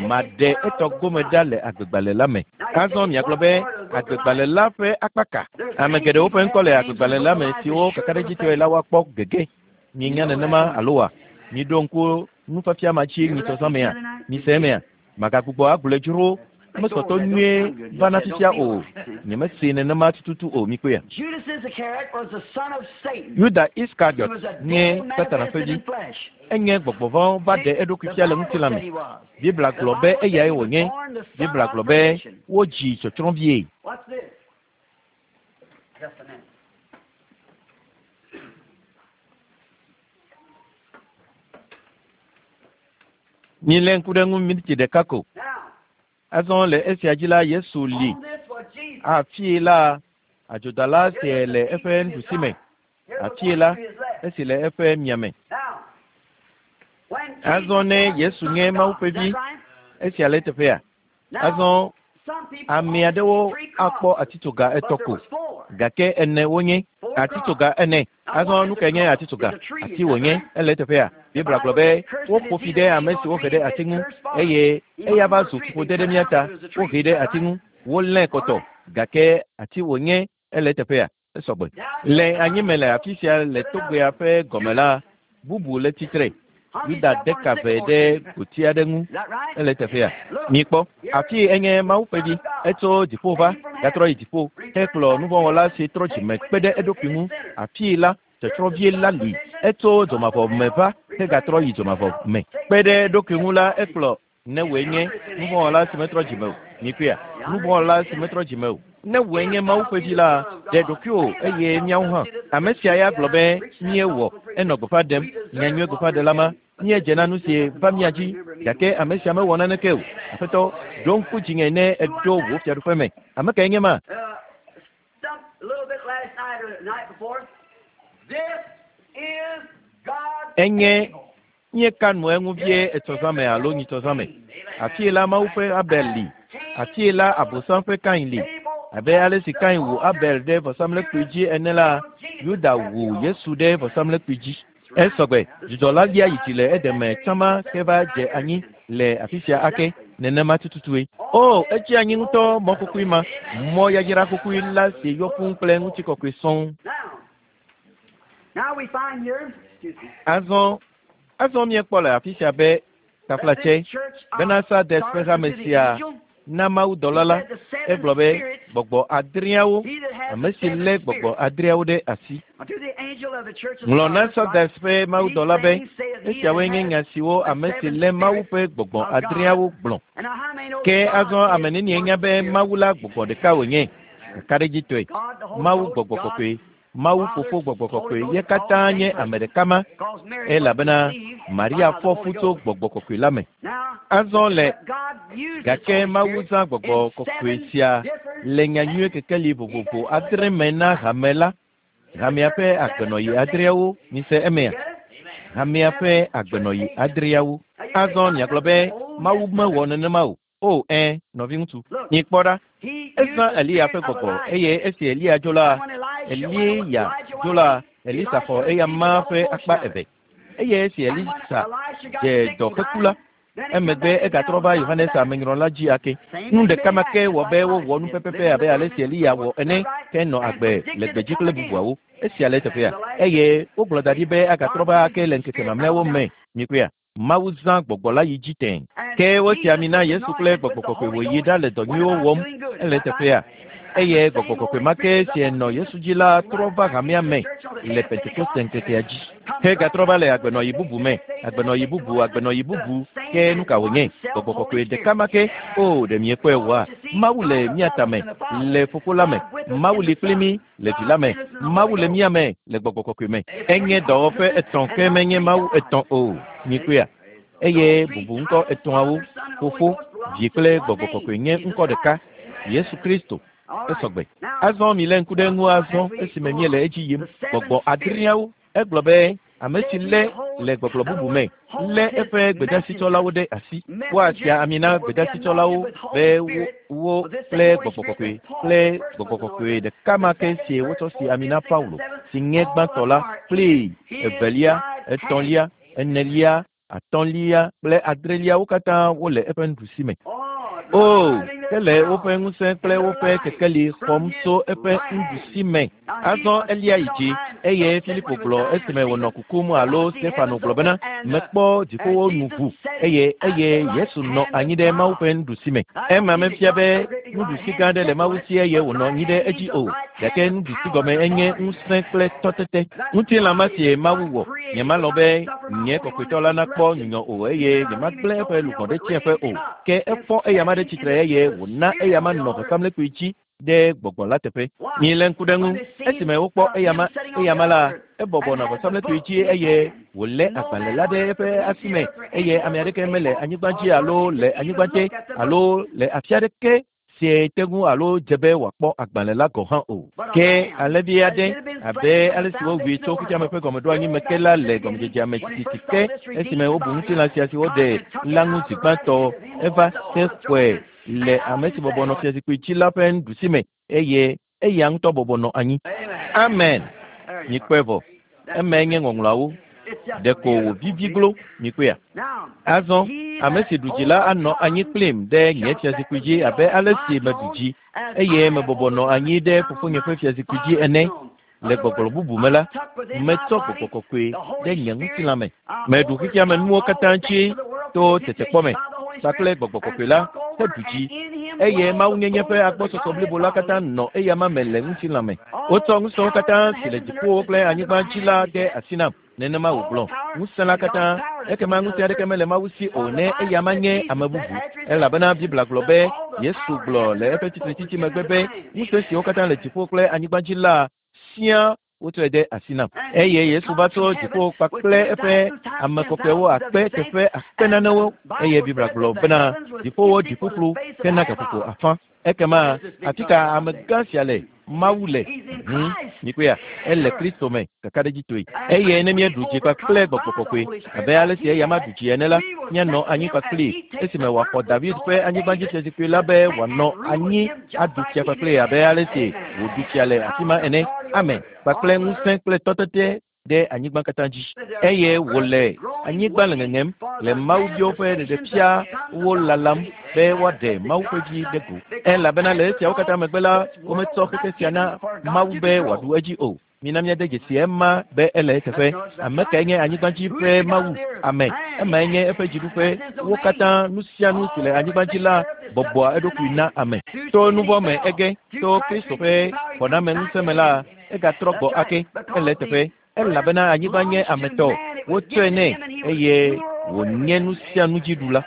maɖe etɔ gome ɖa le agbegbalẽ la me. Azɔ miagblɔ be agbegbalẽ la ƒe akpa ka? Ame geɖewo ƒe ŋkɔ le agbegbalẽ la me siwo kakaɖedzitɔe la woakpɔ gege. Mienya nenema alo wa? Miɖo ŋku nufiafia ma dzi nyitsɔzã mea? Mise emea? Magagbugbɔ agblɔe dzro mesɔtɔ nyuie va na fifia o. Nyemese nenema tututu o, mikpɔea? Yuda Iskariot nye Satana ƒe vi. Enye gbɔgbɔ vɔ̃ va ɖe eɖokui fia le ŋutilã me. Biblia gblɔ be eyae wònye. Biblia gblɔ be wodzi tsɔtsrɔ̃vie. Milé ŋku ɖe ŋu miniti ɖeka ko. Azɔ le esia dzi la, Yesu li. Afii la, adzodala sie le eƒe nuɖusi me. Afii la, esi le eƒe miame. Azɔ ne Yesu nye Mawu ƒe vi, esia le eteƒea? Azɔ Ame aɖewo akpɔ atitsoga etɔ̃ ko, gake ene wonye. Atitsoga ene. Azɔ nu kae nye atitsoga? Ati wònye. Ele eteƒea? Biblia gblɔ be woƒo fi ɖe ame si wohe ɖe ati ŋu eye eya va zu fiƒode ɖe mía ta. Wohee ɖe ati ŋu, wolée kɔtɔ, gake ati wònye. Ele eteƒea? Esɔgbe. Le anyime le afi sia le togbea ƒe gɔme la, bubu le tsitre. Yuda de ka ve ɖe goti aɖe ŋu. Ele teƒea. Mikpɔ, afii enye Mawu ƒe Vi. Etso dziƒo va, gatrɔ yi dziƒo, hekplɔ nuvɔ̃wɔla si trɔ dzime kpe ɖe eɖokui ŋu. Afii la, tsɔtsrɔ̃vie la li. Etso dzomavɔ me va, hegatrɔ yi dzomavɔ me. Kpe ɖe eɖokui ŋu la, ekplɔ Ne wòe nye nuvɔ̃wɔla si metrɔ dzime o, mikpɔea? Nuvɔ̃wɔla si metrɔ dzime o. Ne wòe nye Mawu ƒe vi la, ɖe ɖokuiwò eye míawo hã. Ame sia ya gblɔ be, Míewɔ. Enɔ gbeƒã ɖem, nyanyui gbeƒãɖela ma. Míedze na nu si va mía dzi, gake ame sia mewɔ naneke o. Aƒetɔ, ɖo ŋku dzinye ne èɖo wò fiaɖuƒe me. Ame kae nye ma? Enye Míeka nu eŋu vie etsɔzã me alo nyitsɔzã me. Afie la Mawu ƒe Abel li. Afie la Abosam ƒe Kain li. Abe ale si Kain wu Abel ɖe vɔsamlekpui dzi ene la, Yuda wu Yesu ɖe vɔsamlekpui dzi. Esɔgbe, dzudzɔ la lia yi dzi le Eden me tsã ma ke va dze anyi le afi sia ake. Nenema tututue. O, etsi anyi ŋutɔ, mɔ kukui ma, mɔ yayra kukui la si yɔ fũu kple ŋutikɔkɔe sɔŋ. Azɔ, azɔ míekpɔ le afi sia be taflatse bena Sardes ƒe hame sia na mawudɔla la, egblɔ be gbɔgbɔ adreawo, ame si lé gbɔgbɔ adreawo ɖe asi. Ŋlɔ na Sardes ƒe mawudɔla be, esiawoe nye nya siwo ame si lé Mawu ƒe gbɔgbɔ adreawo gblɔ. Ke azɔ ame nenie nya be Mawu la gbɔgbɔ ɖeka wònye? Kakaɖedzitɔe, Mawu gbɔgbɔ kɔkɔe Mawu Fofo Gbɔgbɔ Kɔkɔe ye katã nye ame ɖeka ma, elabena Maria fɔ fu tso Gbɔgbɔ Kɔkɔe la me. Azɔ le gake Mawu zã Gbɔgbɔ Kɔkɔe sia le nyanyui kekeli vovovo adre me na hame la, hamea ƒe agbenɔɣi adreawo. Mise emea? Hamea ƒe agbenɔɣi adreawo. Azɔ miagblɔ be Mawu mewɔ nenema o. O, ẽ, nɔviŋutsu, mikpɔ ɖa. Ezã Eliya ƒe gbɔgbɔ, eye esi Eliya dzo la, Eliya dzo la, Elisa xɔ eyama ƒe akpa eve. Eye esi Elisa dze dɔ heku la, emegbe egatrɔ va Yohanes Amenyrɔla dzi ake. Nu ɖeka ma ke wɔ be wowɔ nu pɛpɛpɛ abe ale si Eliya wɔ ene, ke nɔ agbe le gbedzi kple bubuawo. Esia le eteƒea? Eye wogblɔ da ɖi be agatrɔ va ake le ŋkeke mamlɛawo me. Mikpɔea? Mawu zã gbɔgbɔ la yi dzi tẽ. Ke wosi ami na Yesu kple gbɔgbɔ kɔkɔe wòyi ɖale dɔ nyuiwo wɔm. Ele eteƒea? Eye gbɔgbɔ kɔkɔe ma ke si nɔ Yesu dzi la trɔ va hamea me le Pentekoste ŋkekea dzi. Hegatrɔ va le agbenɔɣi bubu me, agbenɔɣi bubu, agbenɔɣi bubu. Ke nu ka wònye? Gbɔgbɔ kɔkɔe ɖeka ma ke. O, ɖe miekpɔe oa? Mawu le mía tame, le Fofo la me. Mawu li kpli mí le Vi la me. Mawu le mía me le Gbɔgbɔ Kɔkɔe me. Enye dɔwɔƒe etɔ̃ ke menye Mawu etɔ̃ o. Mikpɔea? Eye bubu ŋkɔ etɔ̃awo, Fofo, Vi kple Gbɔgbɔ Kɔkɔe nye ŋkɔ ɖeka, Yesu Kristo. Esɔgbe. Azɔ milé ŋku ɖe eŋu azɔ esime míele edzi yim. Gbɔgbɔ adreawo. Egblɔ be ame si lé le gbɔgblɔ bubu me lé eƒe gbedasitsɔlawo ɖe asi. Woasia ami na gbedasitsɔlawo be wo kple gbɔgbɔ kɔkɔe kple gbɔgbɔ kɔkɔe ɖeka ma ke si wotsɔ si ami na Paulo, si nye gbãtɔ la, kple evelia, etɔ̃lia, enelia, atɔ̃lia kple adrelia wo katã wole eƒe nuɖusi me. O, ke le woƒe ŋusẽ kple woƒe kekeli xɔm tso eƒe nuɖusi me. Azɔ elia yi dzi, eye Filipo gblɔ esime wònɔ kukum alo Stefano gblɔ bena, mekpɔ dziƒowo nu ʋu, eye eye Yesu nɔ anyi ɖe Mawu ƒe nuɖusi me. Ema mefia be nuɖusi gã aɖe le Mawu si eye wònɔ anyi ɖe edzi o, gake nuɖusi gɔme enye ŋusẽ kple tɔtete. Ŋutilã ma sie Mawu wɔ. Nyemalɔ̃ be nye kɔkɔetɔ la nakpɔ nyunyɔ o, eye nyemagblẽ eƒe luʋɔ ɖe tsiẽƒe o. Ke efɔ eyama ɖe tsitre eye wòna eyama nɔ vɔsamlekpui dzi ɖe gbɔgbɔ la teƒe. Milé ŋku ɖe eŋu. Esime wokpɔ eyama, eyama la, ebɔbɔ nɔ vɔsamlekpui dzi eye wòlé agbalẽ la ɖe eƒe asi me, eye ame aɖeke mele anyigba dzi alo le anyigba te alo le afi aɖeke sie te ŋu alo dze be wòakpɔ agbalẽ la gɔ̃ hã o. Ke alẽvi aɖe, abe ale si wowui tso xexeame ƒe gɔmeɖoanyi me ke la le gɔmedzedzea me tititi ke esime wobu ŋutilã sia si woɖe la ŋu zi gbãtɔ, eva hexɔe. le ame si bɔbɔ nɔ fiazikpui dzi la ƒe nuɖusi me eye eya ŋutɔ bɔbɔ nɔ anyi. Amen. Mikpɔe vɔ. Emae nye ŋɔŋlɔawo. Ɖeko wòvivi glo, mikpɔea? Azɔ, ame si ɖu dzi la anɔ anyi kplim ɖe nye fiazikpui dzi abe ale si meɖu dzi eye mebɔbɔ nɔ anyi ɖe fofonye ƒe fiazikpui dzi ene. Le gbɔgblɔ bubu me la, metsɔ gbɔgbɔ kɔkɔe ɖe nye ŋutilã me. Meɖu xexea me nuwo katã dzi to tetekpɔ me kpakple gbɔgbɔ kɔkɔe la heɖu dzi eye mawunyenye ƒe agbɔsɔsɔ blibo la katã nɔ eyama me le ŋutilã me. Wotsɔ ŋusẽwo katã si le dziƒowo kple anyigba dzi la de asi nam. Nenema wògblɔ. Ŋusẽ la katã, ekema ŋusẽ aɖeke mele Mawu si o ne eyama nye ame bubu. Elabena Biblia gblɔ be, Yesu gblɔ le eƒe tsitretsitsi megbe be, ŋusẽ siwo katã le dziƒo kple anyigba dzi la siaa wotsɔe de asi nam. Eye Yesu va tso dziƒo kpakple eƒe ame kɔkɔewo akpe teƒe akpe nanewo eye Biblia gblɔ bena dziƒowo ɖi ƒuƒlu hena gaƒoƒo afã. Ekema afi ka amegã sia le? Mawu le. Mikpɔea? Ele Kristo me, kakaɖedzitɔe. Eye ne míeɖu dzi kpakple gbɔgbɔ kɔkɔe, abe ale si eyama ɖu dzi ene la, míanɔ anyi kpakplii esime wòaxɔ David ƒe anyigbadzifiazikpui la be wòanɔ anyi aɖu fia kpakplii abe ale si wòɖu fia le afi ma ene. Amen. Kpakple ŋusẽ kple tɔtete ɖe anyigba katã dzi eye wòle anyigba le ŋeŋem le mawuviwo ƒe ɖeɖefia wo lalam be woaɖe Mawu ƒe vi ɖe go. Elabena le esiawo katã megbe la, wometsɔ xexe sia na Mawu be wòaɖu edzi o. Mina míade dzesi ema be ele eteƒe. Ame kae nye anyigba dzi ƒe Mawu? Ame. Emae nye eƒe dziɖuƒe. Wo katã, nu sia nu si le anyigba dzi la bɔbɔa eɖokui na ame. To nu vɔ̃ me ege, to Kristo ƒe xɔnameŋusẽ me la, egatrɔ gbɔ ake. Ele eteƒe. Elabena anyigba nye ame tɔ. Wotsɔe nɛ eye wònye nu sia nu dzi ɖula.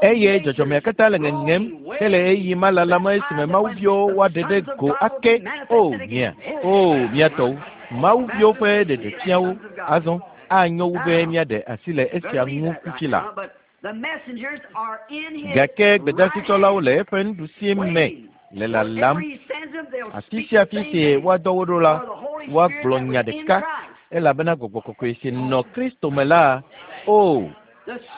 Eye dzɔdzɔmea katã le ŋeŋem hele ɣeyiɣi ma lalam esime mawuviwo woaɖe ɖe go ake. O, mia, o, mía tɔwo, mawuviwo ƒe ɖeɖefiawo azɔ anyo wu be míaɖe asi le esia ŋu fifi la. Gake gbedasitsɔlawo le eƒe nuɖusi me le lalam. Afi sia afi si woadɔ wo ɖo la, woagblɔ nya ɖeka, elabena gbɔgbɔ kɔkɔe si nɔ Kristo me la, o,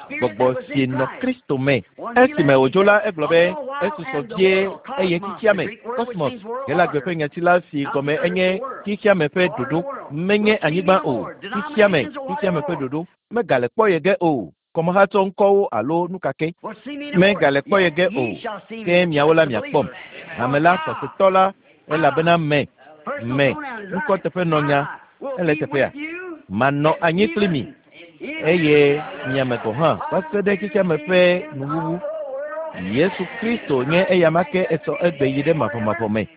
gbɔgbɔ si nɔ Kristo me. Esime wòdzo la, egblɔ be, esusɔ vie eye xexea me, kosmos, Helagbe ƒe nyati la si gɔme enye xexea me ƒe ɖoɖo, menye anyigba o, xexea me, xexea me ƒe ɖoɖo, megale kpɔ ye ge o. Kɔmehatsɔ ŋkɔwo alo nu ka ke megale kpɔ ye ge o, ke miawo la miakpɔm. Hame la, xɔsetɔ la, elabena me, me, ŋkɔteƒenɔnya, ele eteƒea? Manɔ anyi kpli mi, eye mia me gɔ̃ hã va se ɖe xexeame ƒe nuwuwu. Yesu Kristo nye eyama ke esɔ egbe yi ɖe mavɔmavɔ me.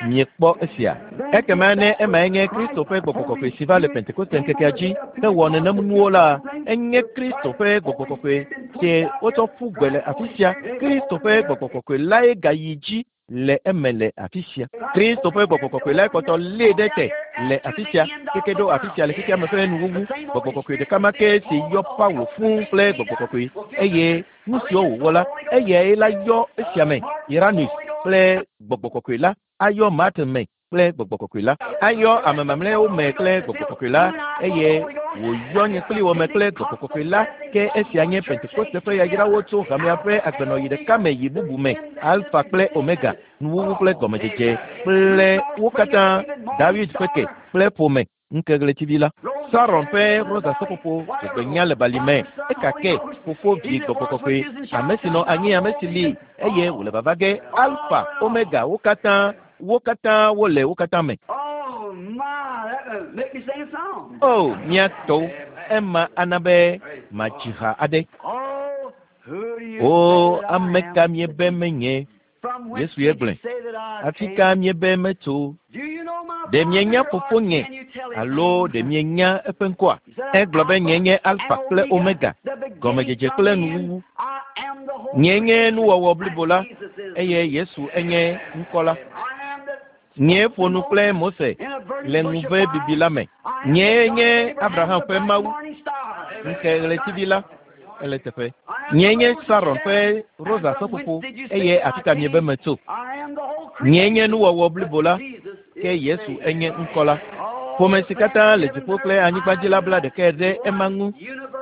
Miekpɔ esia. Ekema ne emae nye Kristo ƒe gbɔgbɔ kɔkɔe si va le Pentekoste ŋkekea dzi hewɔ nenem nuwo la, enye Kristo ƒe gbɔgbɔ kɔkɔe si wotsɔ ƒu gbe le afi sia. Kristo ƒe gbɔgbɔ kɔkɔe lae gayi dzi le eme le afi sia. Kristo ƒe gbɔgbɔ kɔkɔe lae kpɔtɔ lée ɖe te le afi sia keke ɖo afi sia le xexea me ƒe nuwuwu. Gbɔgbɔ kɔkɔe ɖeka ma ke si yɔ Paulo fũu kple gbɔgbɔ kɔkɔe eye nu siwo wòwɔ la, eyae la yɔ esia me, Irenaeus kple Gbɔgbɔ Kɔkɔe la, ayɔ Martin me kple Gbɔgbɔ Kɔkɔe la, ayɔ ame mamlɛawo me kple Gbɔgbɔ Kɔkɔe la, eye wòyɔ nye kpli wò me kple Gbɔgbɔ Kɔkɔe la. Ke esia nye Pentekoste ƒe yayrawo tso hamea ƒe agbenɔɣi ɖeka me yi bubu me, Alfa kple Omega, nuwuwu kple gɔmedzedze, kple wo katã, Dawid ƒe ke kple ƒome. Ŋkeɣletivi la. Saron ƒe rosa seƒoƒo dzɔgbenya le bali me. Eka ke, Fofo, Vi, Gbɔgbɔ Kɔkɔe, ame si nɔ anyi, ame si li, eye wòle vava ge, Alfa, Omega, wo katã, wo katã wole wo katã me. O, mía tɔwo, ema ana be madzi ha aɖe. O, ame ka miebe menye? Yesu ye gblɔe. Afi ka miebe metso? Ɖe mienya fofonye alo ɖe mienya eƒe ŋkɔa? Egblɔ be nye nye Alfa kple Omega, gɔmedzedze kple nuwuwu. Nye nye nuwɔwɔ blibo la, eye Yesu enye ŋkɔ la. Nyee ƒo nu kple Mose le ŋuve bibi la me. Nyee nye Abraham ƒe Mawu, ŋke ɣletivi la ele teƒe. Nyee nye Saron ƒe rosa seƒoƒo, eye afi ka miebe metso? Nyee nye nuwɔwɔ blibo la, ke Yesu enye ŋkɔ la. Ƒome si katã le dziƒo kple anyigba dzi la bla ɖekae ɖe ema ŋu.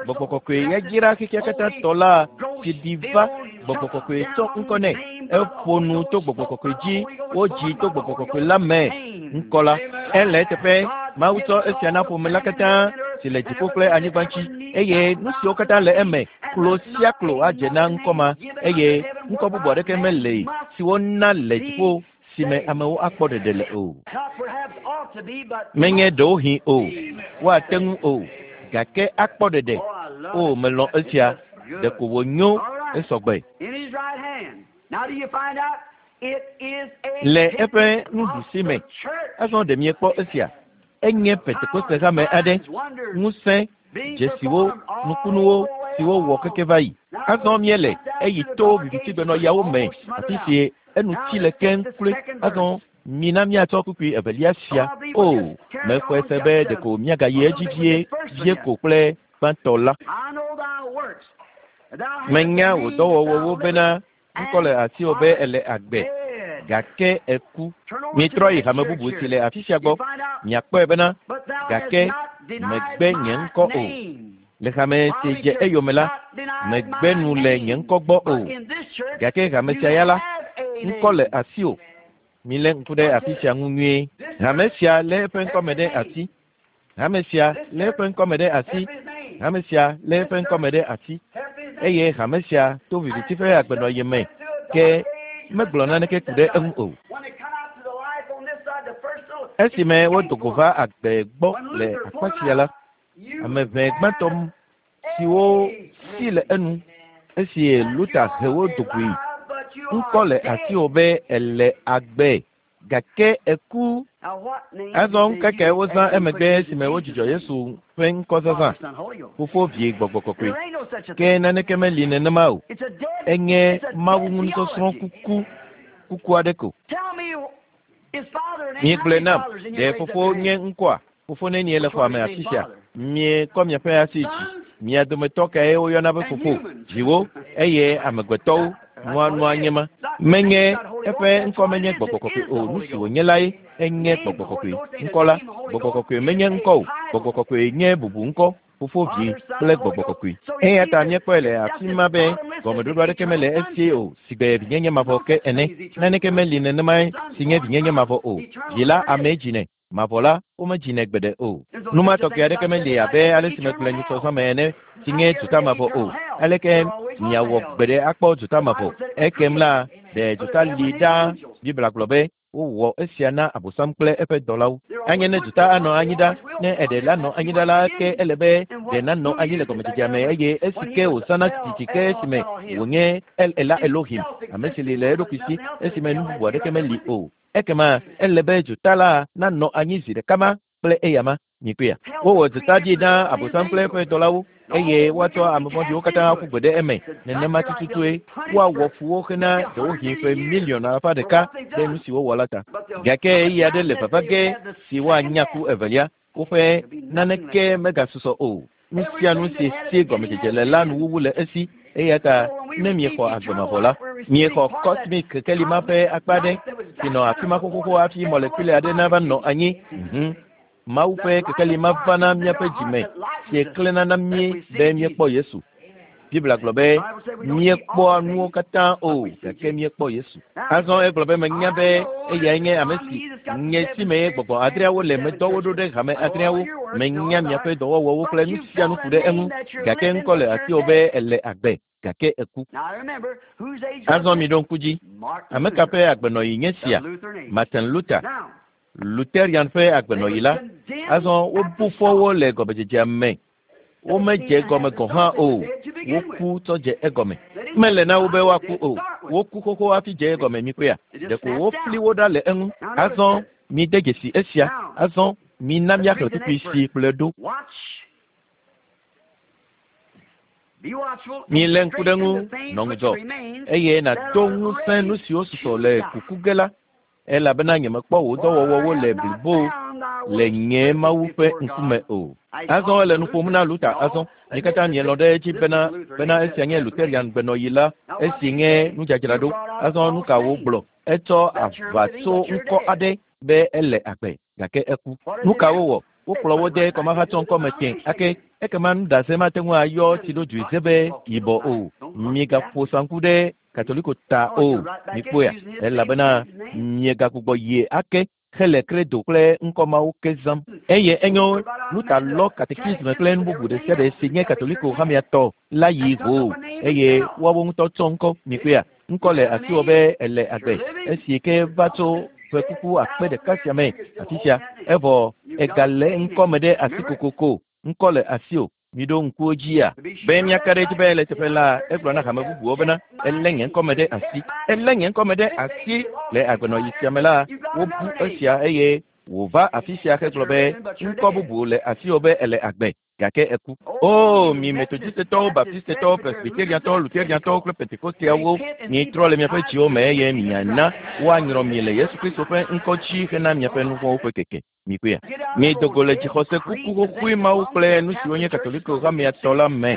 Gbɔgbɔ kɔkɔe yayra xexea katã tɔ la si ɖi va. Gbɔgbɔ Kɔkɔe tsɔ ŋkɔ nɛ. Eƒo nu to Gbɔgbɔ Kɔkɔe dzi. Wodzi to Gbɔgbɔ Kɔkɔe la me. Ŋkɔ la. Ele eteƒe. Mawu tsɔ esia na ƒome la katã si le dziƒo kple anyigba ŋuti eye nu siwo katã le eme, klo sia klo adze na ŋkɔ ma eye ŋkɔ bubu aɖeke meli si wona le dziƒo si me amewo akpɔ ɖeɖe le o. Menye ɖewohĩ o, woate ŋu o, gake akpɔ ɖeɖe. O, melɔ̃ esia. Ɖeko wònyo esɔgbe. Le eƒe nuɖusi me. Azɔ ɖe miekpɔ esia? Enye Pentekoste hame aɖe, ŋusẽ, dzesiwo, nukunuwo, siwo wɔ keke va yi. Azɔ míele eyi to vivitigbenɔɣiawo me, afi si enu tsi le keŋ kloe. Azɔ mina míatsɔ kpukpui evelia sia. O, mexɔe se be ɖeko míagayi edzi vie, vie ko kple gbãtɔ la. Menya wò dɔwɔwɔwo bena ŋkɔ le asiwò be èle agbe, gake èku. Mitrɔ yi hame bubu si le afi sia gbɔ, miakpɔe bena, gake mègbe nye ŋkɔ o. Le hame si dze eyome la, mègbe nu le nye ŋkɔ gbɔ o. Gake hame sia ya la, ŋkɔ le asiwò. Milé ŋku ɖe afi sia ŋu nyuie. Hame sia lé eƒe ŋkɔ me ɖe asi. Hame sia lé eƒe ŋkɔ me ɖe asi. Hame sia lé eƒe ŋkɔ me ɖe asi. Eye hame sia to viviti ƒe agbenɔɣi me ke megblɔ naneke ku ɖe eŋu o. Esime wodo go va agbe gbɔ le akpa sia la, ame ʋɛ gbãtɔ siwo si le enu esi Luther he wo do goe. Ŋkɔ le asiwò be èle agbe gake eku. Azɔ ŋkeke wozã emegbe esime wodzudzɔ Yesu ƒe ŋkɔ zazã, Fofo, Vi, Gbɔgbɔ Kɔkɔe. Ke naneke meli nenema o. Enye Mawu ŋu kuku, kuku aɖe ko. Migblɔe nam, ɖe Fofo nye ŋkɔa? Fofo nenie le xɔa me afi sia? Miekɔ miaƒe asi dzi. Mia dometɔ kae woyɔna be fofo? Viwo eye amegbetɔwo nua nua nye ma. Menye eƒe ŋkɔ menye Gbɔgbɔ Kɔkɔe o. Nu si wònye lae enye Gbɔgbɔ Kɔkɔe. Ŋkɔ la, Gbɔgbɔ Kɔkɔe menye ŋkɔ o. Gbɔgbɔ Kɔkɔe nye bubu ŋkɔ. Fofo, Vi kple Gbɔgbɔ Kɔkɔe. Eya ta míekpɔe le afi ma be gɔmeɖoɖo aɖeke mele esi o sigbe vinyenye mavɔ ke ene. Naneke meli nenemae si nye vinyenye mavɔ o. Vi la amee dzinɛ. Mavɔ la, womedzinɛ gbeɖe o. Nu ma tɔgbi aɖeke meli abe ale si megblɔe nyitsɔ me ene si nye dzota mavɔ o. Aleke miawɔ gbeɖe akpɔ dzota mavɔ? Ekem la, ɖe dzota li ɖaa. Biblia gblɔ be wowɔ esia na Abosam kple eƒe dɔlawo. Anye ne dzota anɔ anyi ɖa, ne eɖe la nɔ anyi ɖa la, ke ele be ɖe nanɔ anyi le gɔmedzedzea me eye esi ke wòzãna tititi ke esime wònye El Ela Elohim, ame si li le eɖokui si esime nu bubu aɖeke meli o. Ekema ele be dzota la nanɔ anyi zi ɖeka ma kple eyama. Mikpɔea? Wowɔ dzota dzi na Abosam kple eƒe dɔlawo eye woatsɔ ame vɔ̃ɖiwo katã aƒu gbe ɖe eme. Nenema tututue woawɔ fu wo hena ɖewohĩ ƒe miliɔn alafa ɖeka ɖe nu si wowɔ la ta. Gake ɣeyiɣi aɖe le vava ge si woanya ku evelia. Woƒe naneke megasusɔ o. Nu sia nu si si gɔmedzedze le la nuwuwu le esi. Eya ta ne miexɔ agbe mavɔ la, miexɔ cosmic kekeli ma ƒe akpa aɖe si nɔ afi ma xoxoxo hafi mɔlekuli aɖe nava nɔ anyi. Mhm. Mawu ƒe kekeli ma va na míaƒe dzime si klẽna na mí be míekpɔ Yesu. Biblia gblɔ be míekpɔa nuwo katã o, gake míekpɔ Yesu. Azɔ egblɔ be menya be eyae nye ame si nye si me gbɔgbɔ adreawo le medɔ wo ɖo ɖe hame adreawo. Menya miaƒe dɔwɔwɔwo kple nu sia nu ku ɖe eŋu, gake ŋkɔ le asiwò be èle agbe, gake èku. Azɔ miɖo ŋku dzi. Ame ka ƒe agbenɔɣi nye sia? Martin Luther, Lutherian ƒe agbenɔɣi la. Azɔ wobu fɔ wo le gɔmedzedzea me. Womedze gɔme gɔ̃ hã o. Woku tsɔ dze egɔme. Mele na wo be woaku o. Woku xoxo hafi dze egɔme mikpɔea? Ɖeko wofli wo ɖa le eŋu. Azɔ mide dzesi esia. Azɔ mina míaxlẽ kpukpui si kplɔe ɖo. Milé ŋku ɖe ŋu, nɔ ŋudzɔ, eye nàdo ŋusẽ nu siwo susɔ le kuku ge la, elabena nyemekpɔ wò dɔwɔwɔwo le blibo le nye Mawu ƒe ŋkume o. Azɔ ele nu ƒom na Luther azɔ. Mi katã mielɔ̃ ɖe edzi bena bena esia nye Lutherian gbenɔɣi la, esi nye nudzadzraɖo. Azɔ nu ka wògblɔ? Etsɔ aʋa tso ŋkɔ aɖe be ele agbe, gake eku. Nu ka wowɔ? Wokplɔ wo de kɔmahatsɔ ŋkɔme tẽ ake ekema nuɖase mate ŋu ayɔ tsiɖodzoe ze be yibɔ o. Migaƒo saŋku ɖe Katoliko ta o. Mikpɔea? Elabena miegagbugbɔ yie ake hele kredo kple ŋkɔ mawo ke zãm. Eye enyo Luther lɔ katekisme kple nu bubu ɖe sia ɖe si nye Katoliko hamea tɔ la yi hoo eye woawo ŋutɔ tsɔ ŋkɔ. Mikpɔea? Ŋkɔ le asiwò be èle agbe esi ke va tso ƒe kuku 1000 sia me afi sia, evɔ ègalé ŋkɔ me ɖe asi kokoko. Ŋkɔ le asiwò. Miɖo ŋku wo dzia? Be míaka ɖe edzi be le teƒe la, egblɔ na hame bubuwo bena, Elé nye ŋkɔ me ɖe asi. Elé nye ŋkɔ me ɖe asi. Le agbenɔɣi sia me la, wobu esia eye wòva afi sia hegblɔ be, Ŋkɔ bubu le asiwò be èle agbe, gake eku. Oo, mi Metodistetɔwo, Baptistetɔwo, Presbyteriantɔwo, Lutheriantɔwo kple Pentekosteawo, mitrɔ le miaƒe dziwo me eye miana woanyrɔ mi le Yesu Kristo ƒe ŋkɔ dzi hena miaƒe nuvɔ̃wo ƒe keke. Mikpɔea? Mido go le dzixɔse kuku xoxoe mawo kple nu siwo nye Katoliko hamea tɔ la me,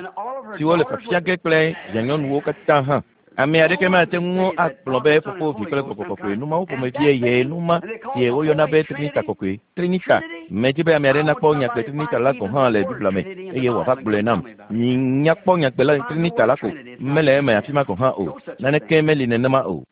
siwo le fiafia ge kple vianyɔnuwo katã hã. Ame aɖeke mate ŋu agblɔ be Fofo, Vi kple Gbɔgbɔ Kɔkɔe nu mawo ƒomevie ye nu ma si woyɔna be Trinita Kɔkɔe. Trinita. Medi be ame aɖe nakpɔ nyagbe Trinita la gɔ̃ hã le Biblia me eye wòava gblɔe nam. Minya kpɔ nyagbe la Trinita la ko mele eme afi ma gɔ̃ hã o. Naneke meli nenema o.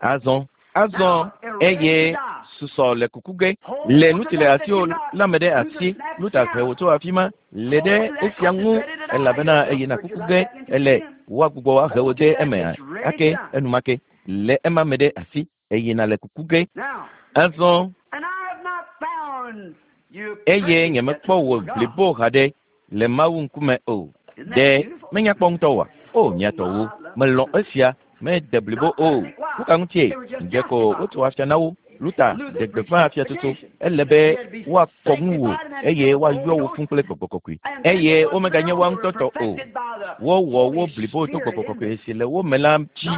Azɔ, azɔ eye susɔ le kuku ge le nu si le asiwò la me ɖe asi. Luther he wò tso afi ma le ɖe esia ŋu elabena eyina kuku ge ele woagbugbɔ ahe wò de eme ake enumake le ema me ɖe asi eyina le kuku ge. Azɔ eye nyemekpɔ wò blibo haɖe le Mawu ŋkume o. Ɖe menya kpɔ ŋutɔ oa? O, mia tɔwo, melɔ̃ esia, mede blibo o. Nu ka ŋutie? Dze ko wotso afia na wo. Luther ɖe gbeƒã afiatsotso. Ele be woakɔ ŋuwò eye woayɔ wò fũ kple Gbɔgbɔ Kɔkɔe. Eye womeganye woa ŋutɔ tɔ o. Wowɔ wo blibo to Gbɔgbɔ Kɔkɔe si le wo me la dzi.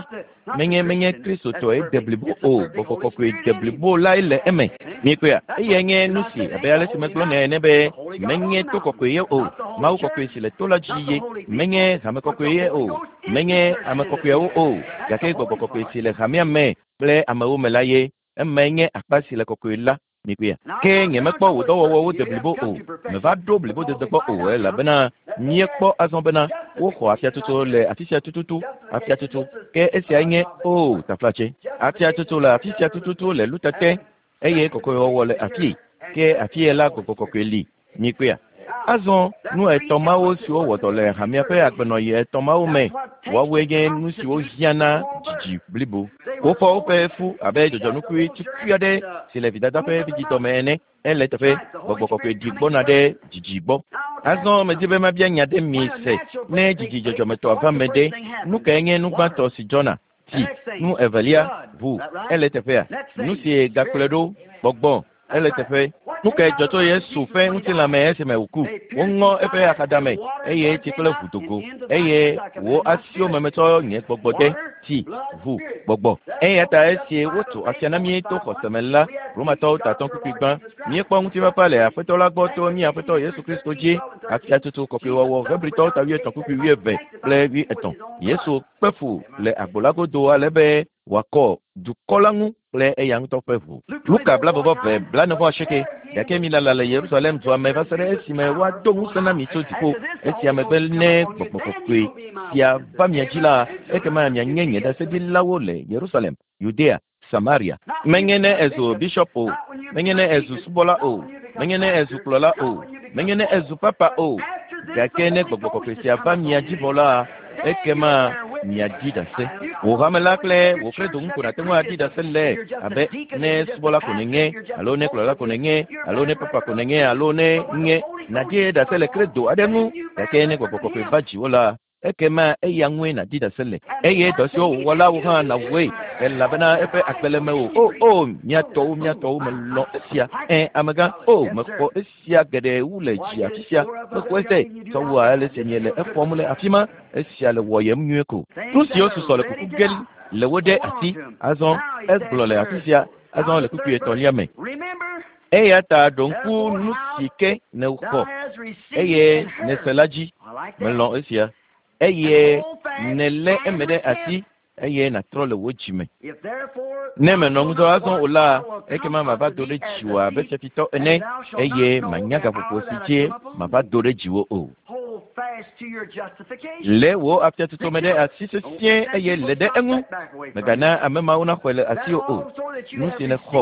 Menye menye Kristotɔe de blibo o, Gbɔgbɔ Kɔkɔe de blibo lae le eme. Miekpɔea? Eyae nye nu si, abe ale si megblɔ nɛ ene be, menye to kɔkɔe ye o, Mawu kɔkɔe si le to la dzi ye. Menye hame kɔkɔe ye o, menye ame kɔkɔeawo o, gake Gbɔgbɔ Kɔkɔe si le hamea me kple amewo me la ye. Emae nye akpa si le kɔkɔe la. Mikpɔea? Ke nyemekpɔ wò dɔwɔwɔwo de blibo o. Meva ɖo blibodede gbɔ o, elabena míekpɔ azɔ bena woxɔ afiatsotso le afi sia tututu, afiatsotso. Ke esiae nye, oo, taflatse. Afiatsotso le afi sia tututu le lutete, eye kɔkɔewɔwɔ le afii. Ke afie la Gbɔgbɔ Kɔkɔe li. Mikpɔea? Azɔ, nu etɔ̃ mawo siwo wɔ dɔ le hamea ƒe agbenɔɣi etɔ̃ mawo me, woawoe nye nu siwo hiã na dzidzi blibo. Wofɔ woƒe fu abe dzɔdzɔnukui tukui aɖe si le vidada ƒe vidzidɔ me ene. Ele eteƒe, Gbɔgbɔ Kɔkɔe ɖi gbɔna ɖe dzidzi gbɔ. Azɔ medi be mabia nya ɖe mi se, ne dzidzi dzɔdzɔmetɔa va me ɖe, nu kae nye nu gbãtɔ si dzɔna? Tsi. Nu evelia, ʋu. Ele eteƒea? Nu si gakplɔe ɖo, gbɔgbɔ. Ele teƒe. Nu kae dzɔ tso Yesu ƒe ŋutilã me esime wòku? Woŋɔ eƒe axadame eye tsi kple ʋu do go. Eye wò asiwo me metsɔ nye gbɔgbɔ de, tsi, ʋu, gbɔgbɔ. Eya ta esi wotso afia na mí to xɔse me la, Romatɔwo tatɔ kpukpui gbã, míekpɔ ŋutifafa le Aƒetɔ la gbɔ to mía Aƒetɔ Yesu Kristo dzi. Afiatsotso kɔkɔewɔwɔ Hebritɔwo ta wuietɔ̃ kpukpui wuieve kple wuietɔ̃. Yesu kpe fu le agbo la godo ale be wòakɔ dukɔ la ŋu kple eya ŋutɔ ƒe ʋu. Luka blaeve-vɔ-eve, blaene-vɔ-asieke. Gake milala le Yerusalem dua me va se ɖe esime woado ŋusẽ na mi tso dziƒo. Esia megbe ne Gbɔgbɔ Kɔkɔe sia va mia dzi la, ekema mianye nye ɖaseɖilawo le Yerusalem, Yudea, Samaria. Menye ne èzu bisiɔp o, menye ne èzu subɔla o, menye ne èzu kplɔla o, menye ne èzu papa o, gake ne Gbɔgbɔ Kɔkɔe sia va mia dzi vɔ la, ekema miaɖi ɖase. Wò hame la kple wò credo ŋu ko nàte ŋu aɖi ɖase le, abe ne subɔla ko nènye, alo ne kplɔla ko nènye, alo ne papa ko nènye, alo ne nye nàɖi ɖase le credo aɖe ŋu, gake ne Gbɔgbɔ Kɔkɔe va dziwò la, ekema eya ŋue nàdi ɖase le, eye dɔ siwo wòwɔ la wò hã nàwɔe, elabena eƒe agbe le mewò. O, o, mía tɔwo, mía tɔwo, melɔ̃ esia. Ẽ, amegã, o, mexɔ esia geɖe wu le dzi afi sia. Mexɔe se, tsɔ wu ale si miele exɔm le afi ma. Esia le wɔyem nyuie ko. Nu siwo susɔ le kuku ge le wo ɖe asi. Azɔ, egblɔ le afi sia, azɔ le kpukpui etɔ̃lia me. Eya ta ɖo ŋku nu si ke nèxɔ eye nèse la dzi. Melɔ̃ esia. Eye nèlé eme ɖe asi. eye nàtrɔ le wò dzi me. Ne mènɔ ŋudzɔ azɔ o la, ekema mava do ɖe dziwò abe fiafitɔ ene, eye mànya gaƒoƒo si dzi mava do ɖe dziwò o. Lé wò afiatutu me ɖe asi sesĩe eye lé ɖe eŋu. Mègana ame mawo naxɔe le asiwò o. Nu si nèxɔ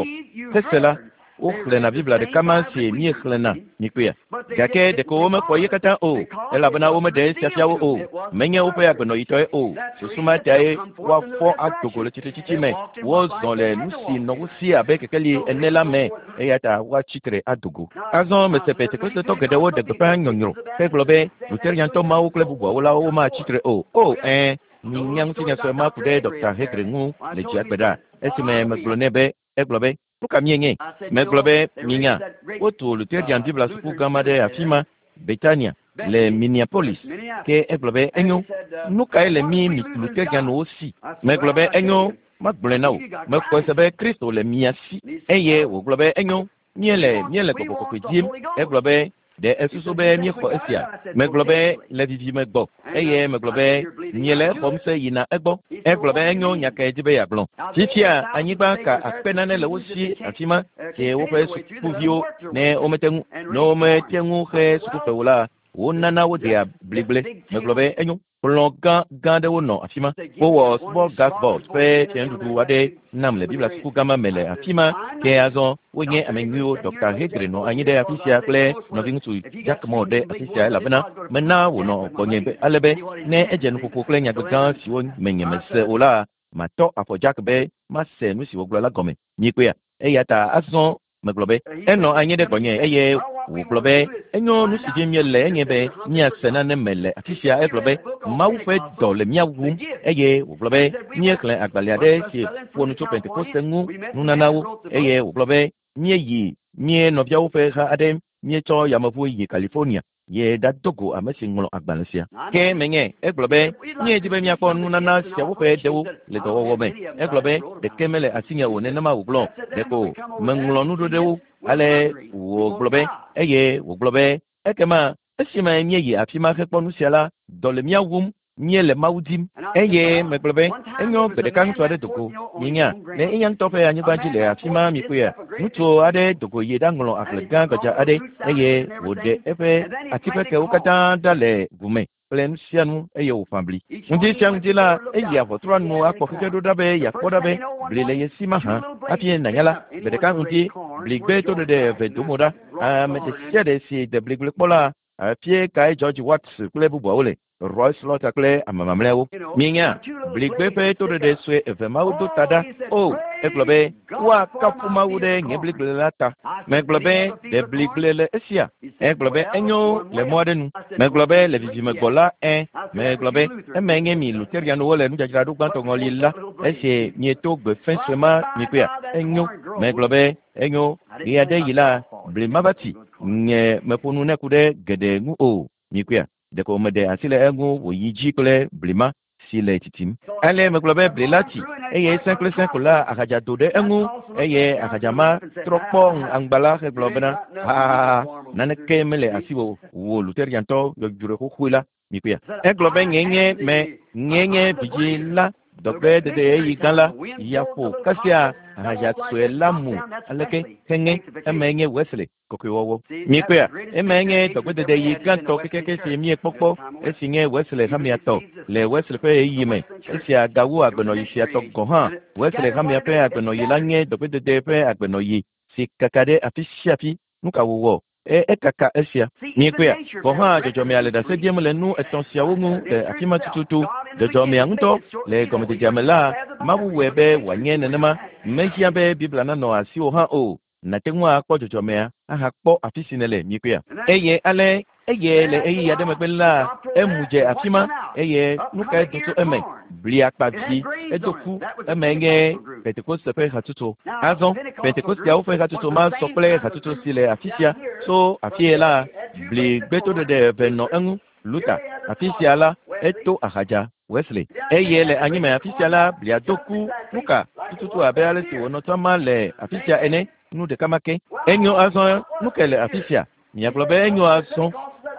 hese la, woxlẽna Biblia ɖeka ma si míexlẽna, mikpɔea? Gake ɖeko womexɔ ye katã o, elabena womeɖe esia fia wo o. Menye woƒe agbenɔyitɔe o. Susu ma tae woafɔ ado go le tsitretsitsi me. Wozɔ le nu si nɔ wo si abe kekeli ene la me, eya ta woatsi tre ado go. Azɔ mese Pentekostetɔ geɖewo ɖe gbeƒã nyɔnyrɔ hegblɔ be Luteriantɔ mawo kple bubuawo la womatsi tre o. O, ɛ̃, minya ŋutinya sue ma ku ɖe Ɖɔkta Hegre ŋu le dzia gbe ɖa esime megblɔ nɛ be, egblɔ be, Nu ka míenye? Megblɔ be, Minya, wotu Luterian Biblia suku gã ma ɖe afi ma, Betania, le Minneapolis. Ke egblɔ be, Enyo, nu kae le mí Luterianwo si? Megblɔ be, Enyo, magblɔe na wò. Mexɔe se be Kristo le mia si. Eye wògblɔ be, Enyo, míele, míele Gbɔgbɔ Kɔkɔe dim. Egblɔ be, Ɖe èsusu be míexɔ esia? Megblɔ be, Le vivime gbɔ. Eye megblɔ be, Miele exɔm se yina egbɔ. Egblɔ be, Enyo, nya kae di be yeagblɔ? Fifia, anyigba ka akpe nane le wo si afima, ke woƒe sukuviwo, ne womete ŋu, ne womete ŋu xe sukufe o la, wonana wodea bligble. Megblɔ be, Enyo. Kplɔ̃ gã gã aɖewo nɔ afi ma. Wowɔ smorgasbord ƒe fianuɖuɖu aɖe nam le Biblia suku gã ma me le afi ma. Ke azɔ wonye ame nyuiwo. Ɖɔkta Hegre nɔ anyi ɖe afi sia kple nɔviŋutsu Jack Moore ɖe afi sia elabena mena wònɔ gbɔnye ale be ne edze nuƒoƒo kple nyagbe gã siwo me nyemese o la, matɔ afɔ Jack be mase nu si wògblɔ la gɔme. Miekpɔea? Eya ta azɔ Megblɔ be, Enɔ anyi ɖe gbɔnye eye wògblɔ be, Enyo, nu si dim míele enye be míase nane me le afi sia. Egblɔ be, Mawu ƒe dɔ le mía wum. Eye wògblɔ be, Míexlẽ agbalẽ aɖe si ƒo nu tso Pentekoste ŋu nunanawo. Eye wògblɔ be, Míeyi mía nɔviawo ƒe ha aɖe, míetsɔ yameʋu yi California. Ye ɖado go ame si ŋlɔ agbalẽ sia. Ke menye. Egblɔ be, Míedi be míakpɔ nunana siawo ƒe ɖewo le dɔwɔwɔ me. Egblɔ be, Ɖeke mele asinye o, nenema wògblɔ. Ɖeko meŋlɔ nu ɖo ɖe wo. Ale wògblɔ be, eye wògblɔ be, Ekema esime míeyi afima hekpɔ nusia la, dɔ le mía wum Míele Mawu dim. Eye megblɔ be, Enyo, gbe ɖeka ŋutsu aɖe do go. Mienya, le eya ŋutɔ ƒe anyigba dzi le afi ma, mikpɔea? Ŋutsu aɖe do go yi ɖaŋlɔ agble gã gbadza aɖe, eye wòɖe eƒe ati ƒe kewo katã ɖa le ʋu me kple nu sia nu, eye wòƒã bli. Ŋdi sia ŋdi la, eyia ʋɔtrua nu akpɔ xexe ɖo ɖa be yeakpɔ ɖa be bli le ye si mahã. Hafi nànya la, gbe ɖeka ŋdi, bligbe toɖeɖe eve do mo ɖa. Ame ɖe sia ɖe si de bligble kpɔ la, Afie kae George Watts kple bubuawo le? Roy Slaughter kple ame mamlɛawo. Mienya, bligbe ƒe toɖeɖe sue eve mawo do ta ɖa. O, egblɔ be, woakafu Mawu ɖe nye bligble la ta. Megblɔ be, ɖe bligble le esia? Egblɔ be, enyo le mɔ aɖe nu. Megblɔ be, le vivime gbɔ la, ẽ. Megblɔ be, eme nye mi Luterianwo le nudzadzraɖo gbãtɔ ŋɔli la, esi mieto gbe fẽ sue ma mikpɔea? Enyo. Megblɔ be, Enyo, ɣeaɖeɣi la, bli mava tsi. Nye meƒo nu nɛ ku ɖe geɖe ŋu o. Mikpɔea? Ɖeko meɖe asi le eŋu wòyi dzi kple bli ma si le tsitsim. Ale megblɔ be bli la tsi, eye sẽ kple sẽ ko la ahadza do ɖe eŋu, eye ahadza ma trɔ kpɔ aŋgba la hegblɔ bena, Ha, naneke mele asiwò o, wò Luteriantɔ yɔdzroe xoxoe la. Mikpɔea? Egblɔ be nyee nye me, nyee nye vidzĩ la, dɔgbedede ɣeyiɣi gã la, ya ƒo kasia ahadza sue la mu aleke heŋe, emae nye Wesley kɔkɔewɔwɔ. Mikpɔea? Emae nye dɔgbedede ɣi gãtɔ kekeake si míekpɔ kpɔ, esi nye Wesley hamea tɔ, le Wesley ƒe ɣeyiɣi me. Esia gawu agbenɔɣi sia tɔ gɔ̃ hã. Wesley hamea ƒe agbenɔɣi la nye dɔgbedede ƒe agbenɔɣi si kaka ɖe afi sia afi. Nu ka wòwɔ? E, ekaka esia. Miekpɔea? Gɔ̃ hã dzɔdzɔmea le ɖase ɖiem le nu etɔ̃ siawo ŋu le afi ma tututu. Dzɔdzɔmea ŋutɔ, le gɔmedzedzea me la, Mawu wɔe be wòanye nenema. Mehiã be Biblia nanɔ asiwò hã o. Nàte ŋu akpɔ dzɔdzɔmea ahakpɔ afi si nèle. Miekpɔea? Eye ale, eye le ɣeyiɣi aɖe megbe la, emu dze afi ma, eye nu kae do tso eme? Bli akpa vi, edo ku, emae nye Pentekoste ƒe hatsotso. Azɔ, Pentekosteawo ƒe hatsotso ma sɔ kple hatsotso si le afi sia. Tso afie la, bli gbetoɖeɖe eve nɔ eŋu, Luther, afi sia la, eto ahadza, Wesley. Eye le anyime afi sia la, blia do ku, nuka, tututu abe ale si wònɔ tsama le afi sia ene, nu ɖeka ma ke. Enyo azɔ, nu kae le afi sia? Miagblɔ be enyo azɔ.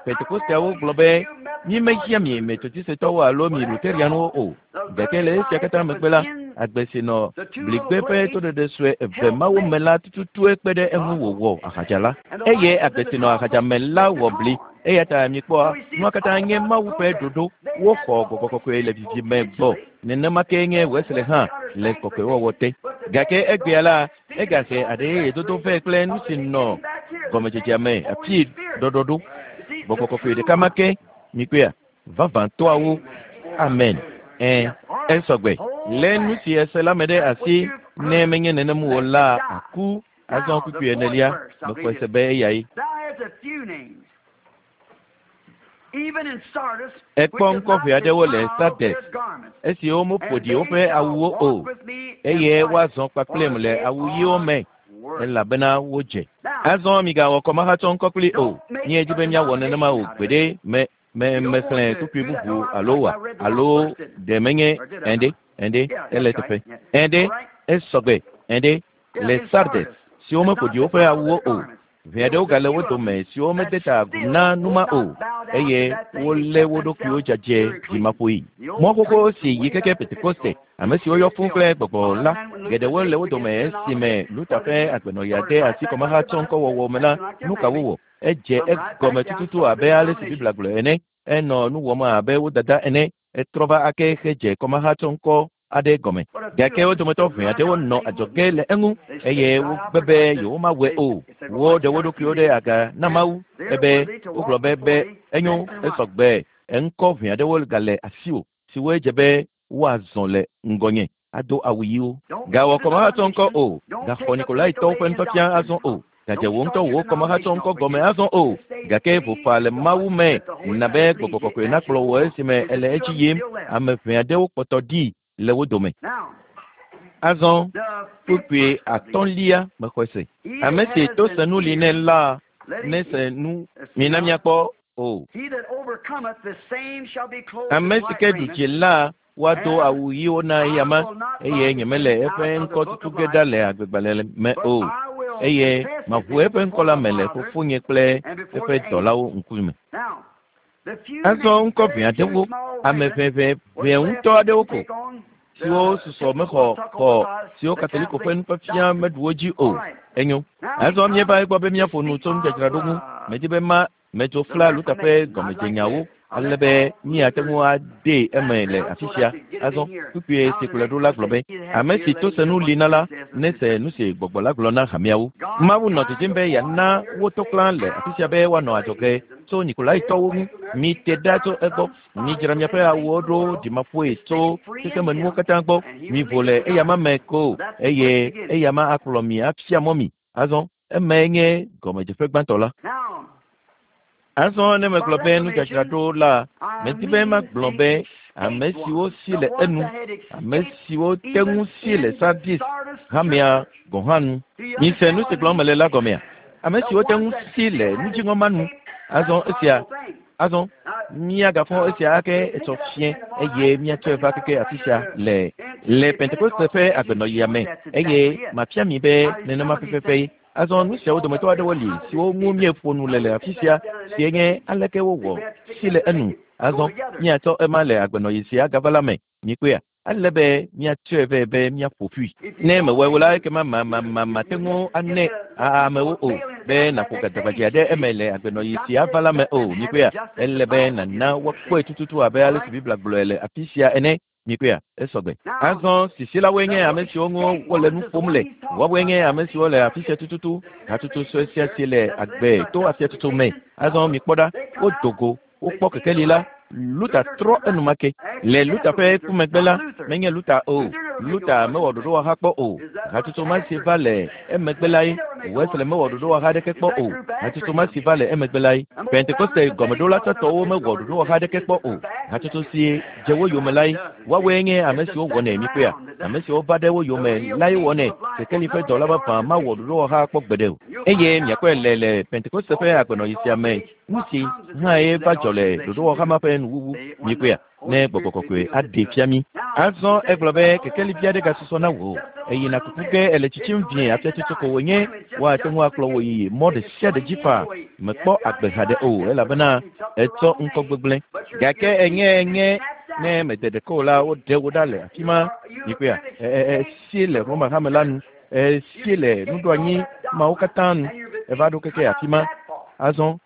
Pentekosteawo gblɔ be, Mímehiã mi Metodisetɔwo alo mi Luterianwo o. Gake le esia katã megbe la, agbe si nɔ bligbe ƒe toɖeɖe sue eve mawo me la tututue kpe ɖe eŋu wòwɔ ahadza la. Eye agbe si nɔ ahadza me la wɔ bli. Eya ta mikpɔ, nua katã nye Mawu ƒe ɖoɖo. Woxɔ gbɔgbɔ kɔkɔe le vivime gbɔ. Nenema kee nye Wesley hã le kɔkɔewɔwɔ te. Gake egbea la, egahe aɖe yeye dodo vɛ kple nu si nɔ gɔmedzedzea me afii ɖɔɖɔɖo. Gbɔgbɔ kɔkɔe ɖeka ma ke, mikpɔea, vavãtɔawo. Amen. Ẽ, esɔgbe. Lé nu si ese la me ɖe asi, ne menye nenem o la, àku. Azɔ kpukpui enelia, mexɔe se be eyae. Ekpɔ ŋkɔ ʋɛ aɖewo le Sardes, esiwo meƒo ɖi woƒe awuwo o, eye woazɔ kpakplim le awu ɣiwo me, elabena wodze. Azɔ migawɔ kɔmahatsɔ ŋkɔ kpli o. Míedi be míawɔ nenema o gbeɖe. Me, me, mexlẽ kpukpui bubu alo wa, alo ɖe menye ɛ̃ɖe, ɛ̃ɖe, ele eteƒe. Ɛ̃ɖe, esɔgbe, ɛ̃ɖe, le Sardes, siwo meƒo ɖi woƒe awuwo o. Ʋɛ aɖewo gale wo dome siwo mede ta agu na nu ma o, eye wolé wo ɖokuiwo dzadzɛ ɖimaƒoe. Mɔ xoxo si yi keke Pentekoste, ame siwo yɔ fũu kple gbɔgbɔ la, geɖewo le wo dome esime Luther ƒe agbenɔɣia de asi kɔmahatsɔŋkɔwɔwɔ me la, nu ka wowɔ? Edze egɔme tututu abe ale si Biblia gblɔe ene. Enɔ nu wɔm abe wo dada ene. Etrɔ va ake hedze kɔmahatsɔŋkɔ aɖe gɔme. Gake wo dometɔ ʋɛ aɖewo nɔ adzɔge le eŋu eye wogbe be yewomawɔe o. Woɖe wo ɖokuiwo ɖe aga na Mawu ebe wogblɔ be be enyo, esɔgbe, ŋkɔ ʋɛ aɖewo gale asiwò siwoe dze be woazɔ le ŋgɔnye ado awu ɣiwo. Gawɔ kɔmahatsɔŋkɔ o, gaxɔ Nikolaitɔwo ƒe nufiafia azɔ o, gadze wò ŋutɔ wò kɔmahatsɔŋkɔ gɔme azɔ o, gake vo faa le Mawu me na be Gbɔgbɔ Kɔkɔe nakplɔ wò esime èle edzi yim. Ame ʋɛ aɖewo kpɔtɔ ɖi le wo dome. Azɔ, kpukpui atɔ̃lia mexɔe se. Ame si to senu li nɛ la nese nu. Mina míakpɔ o. Ame si ke ɖu dzi la, woado awu ɣiwo na eyama, eye nyemele eƒe ŋkɔ tutu ge ɖa le agbegbalẽ me o, eye maʋu eƒe ŋkɔ la me le Fofonye kple eƒe dɔlawo ŋkume. Azɔ ŋkɔ ʋɛ aɖewo, ame ʋɛʋɛ ʋɛ ŋutɔ aɖewo ko, siwo susɔ mexɔ xɔ siwo Katoliko ƒe nufiafia meɖu wo dzi o. Enyo. Azɔ míeva egbɔ be míaƒo nu tso nudzadzraɖo ŋu. Medi be ma Metso fla Luther ƒe gɔmedzenyawo ale be míate ŋu adee eme le afi sia. Azɔ, kpukpui si kplɔe ɖo la gblɔ be, Ame si to senu li na la, nese nu si Gbɔgbɔ la gblɔ na hameawo. Mawu nɔ didim be yeana wo to klã le afi sia be woanɔ adzɔge tso Nikolaitɔwo ŋu. Mite ɖa tso egbɔ. Midzra miaƒe awuwo ɖo ɖimaƒoe tso xexemenuwo katã gbɔ. Mivo le eyama me ko, eye eyama akplɔ mi afia mɔ mi. Azɔ, emae nye gɔmedzeƒe gbãtɔ la. Azɔ ne megblɔ be nudzadzraɖo la, medi be magblɔ be ame siwo si le enu, ame siwo te ŋu si le Sardis hamea gɔ̃ hã nu. Mise nu si gblɔm mele la gɔmea? Ame siwo te ŋu si le nudziŋɔ ma nu. Azɔ esia, azɔ míagafɔ esia ake etsɔ fiẽ eye míatsɔe va keke afi sia le le Pentekoste ƒe agbenɔɣia me eye mafia mi be nenema pɛpɛpɛ ye. Azɔ nu siawo dometɔ aɖewo li siwo ŋu míeƒo nu le le afi sia sie nye aleke wowɔ si le enu. Azɔ míatsɔ ema le agbenɔɣi sia gava la me. Mikpɔea? Ele be míatsɔe vɛ be míaƒo ƒui. Ne mewɔe o la, ekema ma, ma, ma, mate ŋu anɛ amewo o, be nàƒo gadagbadze ɖe eme le agbenɔɣi si ava la me o. Mikpɔea? Ele be nàna woakpɔe tututu abe ale si Biblia gblɔe le afi sia ene. Mikpɔea? Esɔgbe. Azɔ, sisilawoe nye ame siwo ŋu wole nu ƒom le. Woawoe nye ame siwo le afi sia tututu, hatsotso sue sia si le agbe to afiatsotso me. Azɔ mikpɔ ɖa, wodo go Wokpɔ kekeli la, Luther trɔ enumake. Le Luther ƒe ku megbe la, menye Luther o. Luther mewɔ ɖoɖowɔha kpɔ o. Hatsotso ma si va le emegbe lae. Wesley mewɔ ɖoɖowɔha aɖeke kpɔ o. Hatsotso ma si va le emegbe lae. Pentekoste gɔmeɖola tsãtɔwo mewɔ ɖoɖowɔha aɖeke kpɔ o. Hatsotso si dze wo yome lae. Woawoe nye ame siwo wɔnɛ, mikpɔea? Ame siwo va ɖe wo yome lae wɔnɛ. Kekeli ƒe dɔla vavã mawɔ ɖoɖowɔha kpɔ gbeɖe o. Eye miakpɔe le le Pentekoste ƒe agbenɔɣi sia me. Nu si hãe va dzɔ le ɖoɖowɔha ma ƒe nuwuwu, mikpɔea, ne Gbɔgbɔ Kɔkɔe aɖee fia mí. Azɔ egblɔ be, Kekeli vi aɖe gasusɔ na wò. Èyina kuku ge, èle tsitsim vie, afiatsotso ko wònye. Woate ŋu akplɔ wò yi mɔ ɖe sia ɖe dzi faa. Mèkpɔ agbe haɖe o, elabena ètsɔ ŋkɔ gbegblẽ. Gake ènye, nye. Ne mede ɖeke o la, woɖe wo ɖa le afi ma. Mikpɔea? Esie le Roma hame la nu. Esie le nuɖoanyi mawo katã nu. Eva ɖo keke afi ma. Azɔ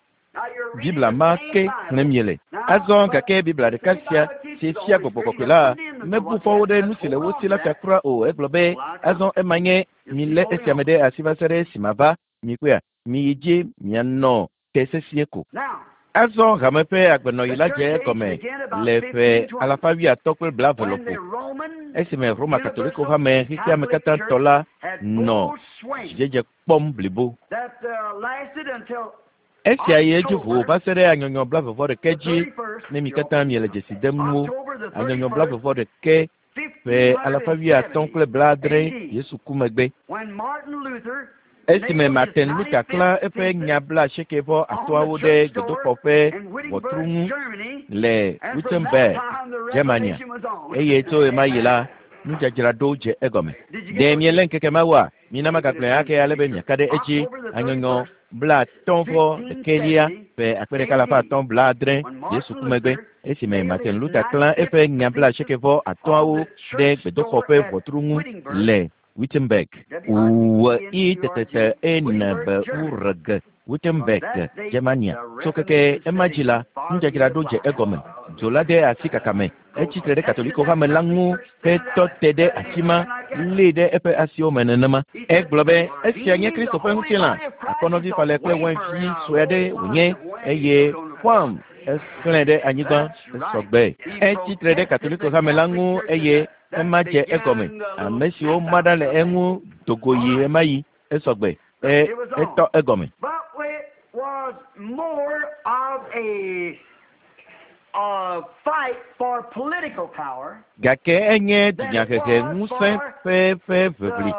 Biblia ma ke xlẽm miele. Azɔ gake Biblia ɖeka sia si fia gbɔgbɔ kɔkɔe la mebu fɔ wo ɖe nu si le wo si la ta kura o. Egblɔ be, azɔ ema nye milé esia me ɖe asi va se ɖe esime va. Mikpɔea? Miyi dzi mianɔ te sesĩe ko. Azɔ hame ƒe agbenɔɣi la dze egɔme le ƒe alafa wuiatɔ̃ kple blaeve lɔƒo, esime Roma Katoliko hame xexeame katã tɔ la nɔ dzidzedze kpɔm blibo. Esia yi edzi ʋuu va se ɖe anyɔnyɔ blaeve-vɔ-ɖekɛ dzi, ne mi katã miele dzesi dem nuwo. Anyɔnyɔ blaeve-vɔ-ɖekɛ ƒe alafa wuiatɔ̃ kple blaadre Yesu ku megbe. Esime Martin Luther klã eƒe nya blaasieke vɔ atɔ̃awo ɖe gbedoxɔ ƒe ʋɔtru ŋu le Wittenberg, Germania, eye tso ɣemaɣi la, nudzadzraɖo dze egɔme. Ɖe mielé ŋkeke mawoa? Mina magagblɔe ake ale be miaka ɖe edzi. Anyɔnyɔ blaatɔ̃ vɔ ɖekɛlia ƒe akpe ɖeka alafa atɔ̃ blaadre Yesu ku megbe, esime Martin Luther klã eƒe nya blaasieke vɔ atɔ̃awo ɖe gbedoxɔ ƒe ʋɔtru ŋu le Wittenberg. W I T T E N B U R G, Wittenberg, Germania. Tso keke ema dzi la, nudzadzraɖo dze egɔme. Dzo la de asi kaka me. Etsi tre ɖe Katoliko hame la ŋu hetɔ te ɖe afima, lée ɖe eƒe asiwo me nenema. Egblɔ be, Esia nye Kristo ƒe ŋutilã, akɔnɔvi falɛ kple wainvi sue aɖe wònye, eye Juan exlẽe ɖe anyigba esɔ gbe. Etsi tre ɖe Katoliko hame la ŋu eye ema dze egɔme. Ame siwo ma ɖa le eŋu do go yi ɣemaɣi esɔ gbe. E, etɔ egɔme. Gake enye dunyahehe ŋusẽ ƒe ƒe ʋiʋli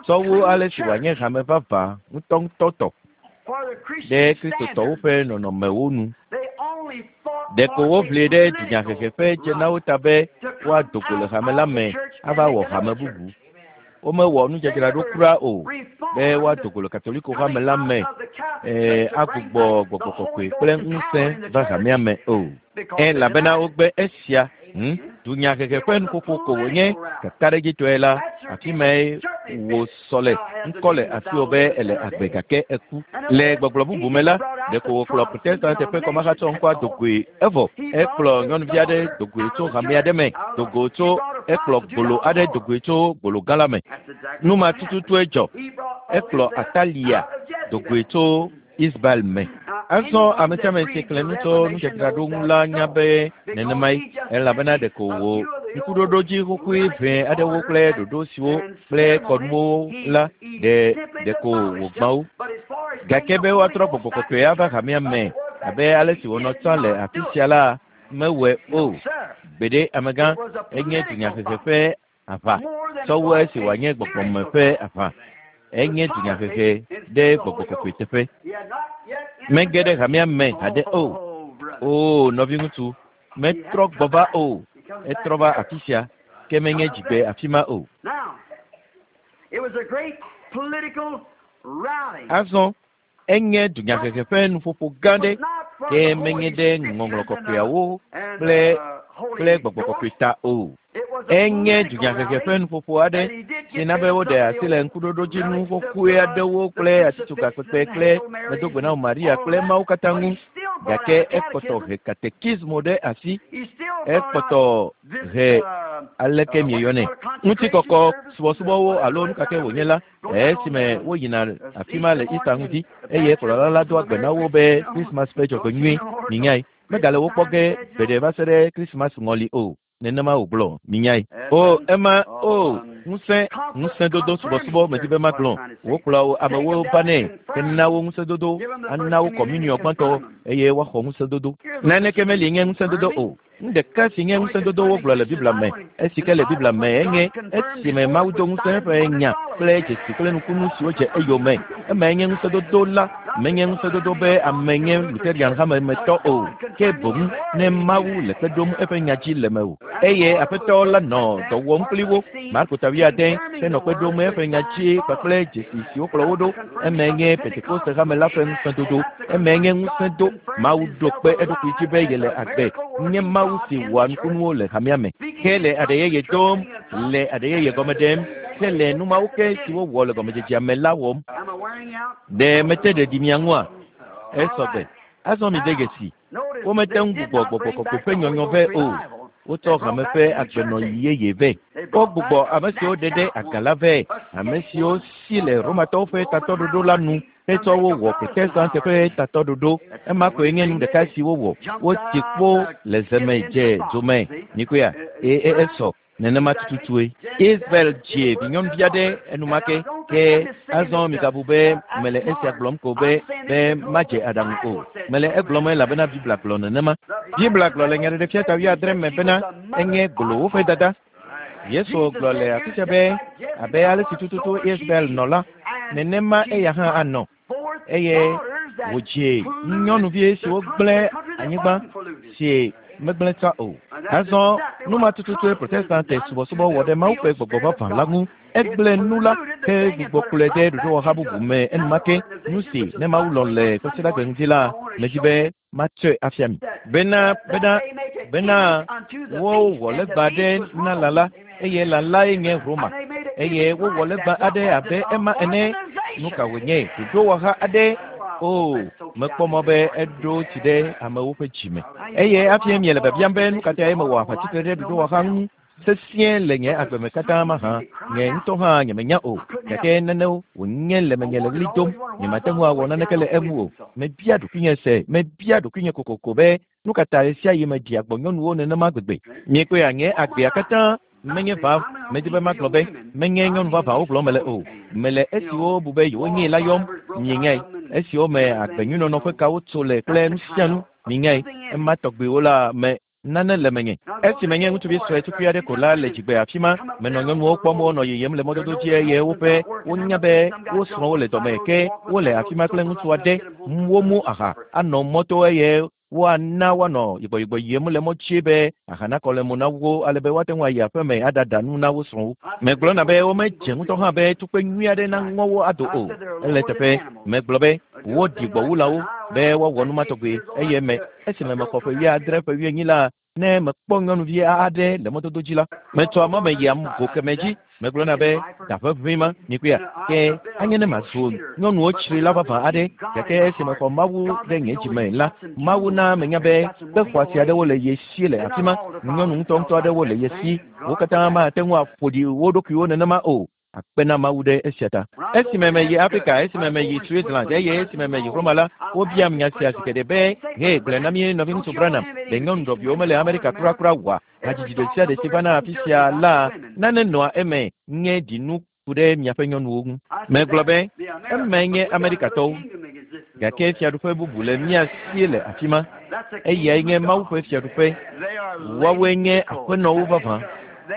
sɔ wu ale si wòanye hame vavã ŋutɔŋutɔ tɔ ɖe Kristotɔwo ƒe nɔnɔmewo nu. Ɖeko woʋli ɖe dunyahehe ƒe dzenawo ta be woado go le hame la me ava wɔ hame bubu. Womewɔ nudzadzraɖo kura o be woado go le Katoliko hame la me ee, agbugbɔ gbɔgbɔ kɔkɔe kple ŋusẽ va hamea me o. Elabena wogbe esia. Hm, dunyahehe ƒe nuƒoƒo ko wònye. Kakaɖedzitɔe la, afi mae wòsɔ le. Ŋkɔ le asiwò be èle agbe gake èku. Le gbɔgblɔ bubu me la, ɖeko wòkplɔ Protestant ƒe kɔmahatsɔ ŋkɔa do goe evɔ ekplɔ nyɔnuvi aɖe do goe tso hame aɖe me, do go tso ekplɔ gbolo aɖe do goe tso gbolo gã la me. Nu ma tututue dzɔ. Ekplɔ Atalia do goe tso Isbael me. Azɔ ame sia ame si xlẽ nu tso nudzadzraɖo ŋu la nya be nenemae, elabena ɖeko wò ŋkuɖoɖodzi xoxoe ʋɛ aɖewo kple ɖoɖo siwo kple kɔnuwo la ɖe ɖeko wògbã wo. Gake be woatrɔ gbɔgbɔ kɔkɔe ava hamea me abe ale si wònɔ tsã le afi sia la, mewɔe o. Gbeɖe, amegã, enye dunyahehe ƒe aʋa sɔ wu esi wòanye gbɔgbɔme ƒe aʋa. Enye dunyahehe ɖe gbɔgbɔ kɔkɔe teƒe. Mege ɖe hamea me haɖe o. Oo, nɔviŋutsu, metrɔ gbɔ va o. Etrɔ va afi sia, ke menye dzigbe afi ma o. Azɔ enye dunyahehe ƒe nuƒoƒo gã ɖe, ke menye ɖe ŋɔŋlɔ kɔkɔeawo kple kple gbɔgbɔ kɔkɔe ta o. Enye dunyahehe ƒe nuƒoƒo aɖe si na be woɖe asi le ŋkuɖoɖodzinu xoxoe aɖewo kple atitsoga kpekpe kple Medogbenao Maria kple mawo katã ŋu, gake ekpɔtɔ he katekismo ɖe asi. Ekpɔtɔ he aleke mieyɔnɛ ŋutikɔkɔ subɔsubɔwo alo nu ka ke wònye la esime woyina afi ma le Easter ŋdi eye kplɔla la doa gbe na wo be Krismas ƒe dzɔgbenyui, minyae. Megale wo kpɔ ge gbeɖe va se ɖe Krismas ŋɔli o. Nenema wògblɔ, minyae. O, ema, o, ŋusẽ, ŋusẽdodo subɔsubɔ medi be magblɔ. Wokplɔa wo amewo vanɛ hena wo ŋusẽdodo, ana wo kɔmuniɔ gbãtɔ eye woaxɔ ŋusẽdodo. Naneke meli nye ŋusẽdodo o. Nu ɖeka si nye ŋusẽdodo wogblɔ le Biblia me, esi ke le Biblia me enye esime Mawu do ŋusẽ eƒe nya kple dzesi kple nukunu siwo dze eyome. Emae nye ŋusẽdodo la, menye ŋusẽdodo be ame nye Luterian hame me tɔ o, ke boŋ ne Mawu le kpe ɖom eƒe nya dzi le mewò. Eye Aƒetɔ la nɔ dɔ wɔm kpli wo, Marko ta wuiade, henɔ kpe ɖom eƒe nya dzi kpakple dzesi siwo kplɔ wo ɖo. Emae nye Pentekoste hame la ƒe ŋusẽdodo. Emae nye ŋusẽdo. Mawu ɖo kpe eɖokui dzi be yele agbe. nye Mawu si wɔa nukunuwo le hamea me. Ke le aɖe yeye dom, le aɖe yeye gɔme ɖem, ke le nu mawo ke si wowɔ le gɔmedzedzea me la wɔm. Ɖe mete ɖeɖi mia ŋua? Esɔgbe. Azɔ mide dzesi. Womete ŋu gbugbɔ Gbɔgbɔ Kɔkɔe ƒe nyɔnyɔ vɛ o. Wotsɔ hame ƒe agbenɔɣi yeye vɛ. Wogbugbɔ ame siwo ɖe ɖe aga la vɛ, ame siwo si le Romatɔwo ƒe tatɔɖoɖo la nu hetsɔ wo wɔ Protestante ƒe tatɔɖoɖo. Ema koe nye nu ɖeka si wowɔ. Wotsi kpo le ze me dze dzo me. Mikpɔea? E, e, esɔ. Nenema tututue. Israel dzi vinyɔnuvi aɖe enumake. Ke azɔ migabu be mele esia gblɔm ko be be madze aɖaŋu o. Mele egblɔm elabena Biblia gblɔ nenema. Biblia gblɔ le Nyaɖeɖefia ta wuiadre me bena enye golowo ƒe dada. Yesu gblɔ le afi sia be abe ale si tututu Israel nɔ la, nenema eya hã anɔ. Eye wòdzi nyɔnuvi siwo gblẽ anyigba si megblẽ tsã o. Azɔ nu ma tututue Protestante subɔsubɔ wɔ ɖe Mawu ƒe gbɔgbɔ vavã la ŋu. Egblẽ nu la ke gbugbɔ kplɔe de ɖoɖowɔha bubu me enumake. Nu si ne Mawu lɔ̃ le Kwasiɖagbe ŋdi la, medi be matsɔe afia mi. Bena, bena, bena wowɔ legba aɖe na lã la, eye lã lae nye Roma. Eye wowɔ legba aɖe abe ema ene. Nu ka wònye? Ɖoɖowɔha aɖe. O, mekpɔ mɔ be eɖo tsi ɖe amewo ƒe dzi me. Eye hafi miele biabiam be nu ka tae mewɔ aʋatsitre ɖe ɖoɖowɔha ŋu sesĩe le nye agbe me katã mahã, nye ŋutɔ hã nyemenya o. Gake nanewo wònye le menye le ɣli dom. Nyemate ŋu awɔ naneke le eŋu o. Mebia ɖokuinye se, mebia ɖokuinye kokoko be nu ka ta ɣesiaɣi meɖia gbɔ nyɔnuwo nenema gbegbe. Miekpɔea, nye agbea katã menye va, medi be magblɔ be menye nyɔnu vavãwo gblɔm mele o. Mele esiwo bu be yewonyee la yɔm. Mienyae, esiwo me agbenyuinɔnɔ ƒe kawo tso le kple nu sia nu. Mienyae, ema tɔgbiwo la me nane le menye. Esi menye ŋutsuvi sue tukui aɖe ko la le dzigbe afi ma, menɔ nyɔnuwo kpɔm wonɔ yiyim le mɔdodo dzi eye woƒe wonya be wo srɔ̃wo le dɔme ke wole afi ma kple ŋutsu aɖe. Womu aha anɔ mɔto eye woana woanɔ yibɔyibɔ yiyim le mɔ dzi be aha nakɔ le mo na wo ale be woate ŋu ayi aƒe me aɖaɖa nu na wo srɔ̃wo. Megblɔna be womedze ŋutɔ hã be tukpe nyui aɖe naŋɔ wo ado o. Ele teƒe. Megblɔ be woɖi gbɔwulawo be woawɔ nu ma tɔgbi eye me esime mexɔ ƒe wuiadre ƒe wuienyi la, ne mekpɔ nyɔnuvi aɖe le mɔdodo dzi la, metsɔa mɔ me yia go keme dzi. Megblɔna be ɖaƒe ʋĩ ma, mikpɔea? Ke anye ne mazu nyɔnuwo tsrila vavã aɖe. Gake esi mexɔ Mawu ɖe nye dzi me la, Mawu na menya be kpe xɔasi aɖewo le ye si le afi ma. Nyɔnu ŋutɔŋutɔ aɖewo le ye si. Wo katã mate ŋu aƒo ɖi wo ɖokuiwo nenema o. Akpe na Mawu ɖe esia ta. Esime meyi Afrika, esime meyi Switzerland eye esime meyi Roma la, wobiam nya sia zi geɖe be, Hee, gblɔe na mí nɔviŋutsu Branham, ɖe nyɔnu ɖɔviwo mele Amerika kurakura oa? Hadzidzi ɖe sia ɖe si vana afi sia la, nane nɔa eme nye ɖinu ku ɖe miaƒe nyɔnuwo ŋu. Megblɔ be, Emae nye Amerikatɔwo. Gake fiaɖuƒe bubu le mía si le afi ma. Eyae nye Mawu ƒe fiaɖuƒe. Woawoe nye aƒenɔwo vavã.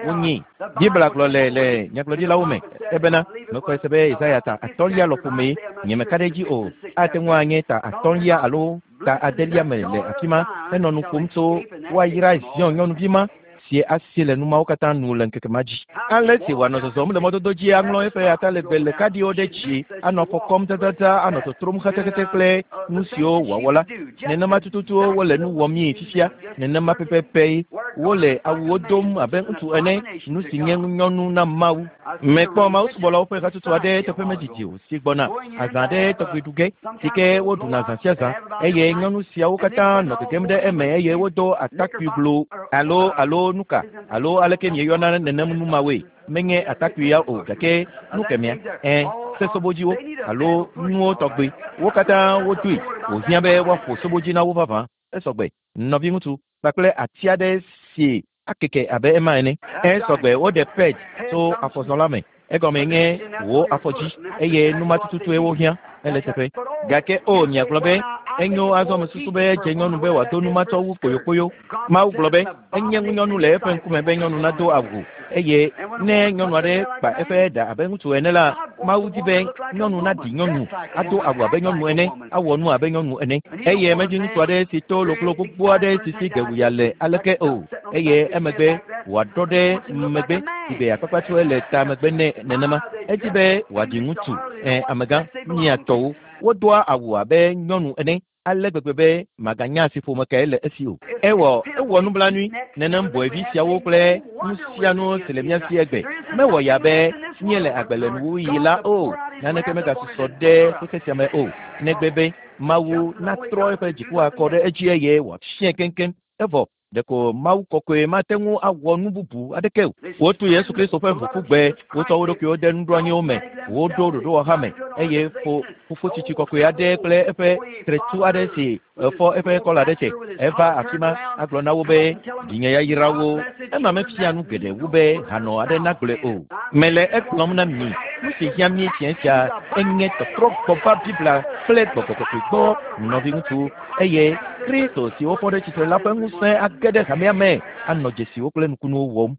Wonyi. Biblia gblɔ le le nyagblɔɖilawo me ebena mexɔe se be Yesaya ta atɔ̃lia lɔƒo mee, nyemeka ɖe edzi o, ate ŋu anye ta atɔ̃lia alo ta adelia me le afi ma henɔ nu ƒom tso woayra Zion nyɔnuvi ma si asi le nu mawo katã nu le ŋkeke ma dzi. Ale si wòanɔ zɔzɔm le mɔdodo dzi aŋlɔ eƒe atalegbe le kaɖiwo ɖe dzi, anɔ afɔ kɔm dzadzadza, anɔ totrom xɛxɛxɛ kple nu siwo wòawɔ la, nenema tututu wole nu wɔmii fifia. Nenema pɛpɛpɛ wole awuwo dom abe ŋutsu ene, nu si nye ŋunyɔnu na Mawu. Mekpɔ mawusubɔlawo ƒe hatsotso aɖe teƒe medidi o si gbɔna azã aɖe tɔgbi ɖu ge, si ke woɖuna zã sia zã, eye nyɔnu siawo katã nɔ gegem ɖe eme eye wodo atakpui glo alo alo nuka alo aleke mieyɔna nenem nu mawoe. Menye atakpui ya o, gake nu kemɛa, ẽ, sesobodziwo alo nuwo tɔgbi. Wo katã wodoe wòhiã be woaƒo sobodzi na wo vavã. Esɔgbe, nɔviŋutsu, kpakple ati aɖe si akeke abe ema ene. Esɔgbe, woɖe ped tso afɔzɔla me. Egɔmee nye wò afɔdzi, eye nu ma tututue wohiã. Ele eteƒe. Gake o, miagblɔ be, Enyo, azɔ mesusu be edze nyɔnu be wòado nu ma tsɔ wu kpoyokpoyo. Mawu gblɔ be, Enye ŋunyɔnu le eƒe ŋkume be nyɔnu nado awu, eye ne nyɔnu aɖe kpa eƒe ɖa abe ŋutsu ene la, Mawu di be nyɔnu naɖi nyɔnu, ado awu abe nyɔnu ene, awɔ nu abe nyɔnu ene. Eye medi ŋutsu aɖe si to loklo gbogbo aɖe si si gewuya le aleke o, eye emegbe wòaɖɔ ɖe megbe si be akpakpatsɔe le ta megbe nɛ nenema. Edi be wòaɖi ŋutsu, ẽ, amegã, mia tɔwo. Wodoa awu abe nyɔnu ene. Ale gbegbe be maganya asiƒome kae le esi o. Ewɔ ewɔ nublanui nenem bɔevi siawo kple nu sia nu si le mía si egbe. Mewɔ ya be míele agbe le nuwuɣi la o. Naneke megasusɔ ɖe xexe sia me o. Negbe be Mawu natrɔ eƒe dziku akɔ ɖe edzi eye wòafiae keŋkeŋ. Evɔ ɖeko Mawu kɔkɔe mate ŋu awɔ nu bubu aɖeke o. Wotu Yesu Kristo ƒe ʋu ƒu gbe, wotsɔ wo ɖokuiwo de nuɖoanyiwo me, woɖo ɖoɖowɔha me, eye fo fofo tsitsi kɔkɔe aɖe kple eƒe tretu aɖe si efɔ eƒe kɔla ɖe te eva afi ma agblɔ na wo be vinye yayrawo. Ema mefia nu geɖe wu be hanɔ aɖe nagblɔe o. Mele egblɔm na mi, nu si hiã mí fiẽ sia enye tɔtrɔ gbɔ va Biblia kple gbɔgbɔ kɔkɔe gbɔ, nɔviŋutsu, eye Kristo si wofɔ ɖe tsitre la ƒe ŋusẽ age ɖe hamea me anɔ dzesiwo kple nukunuwo wɔm.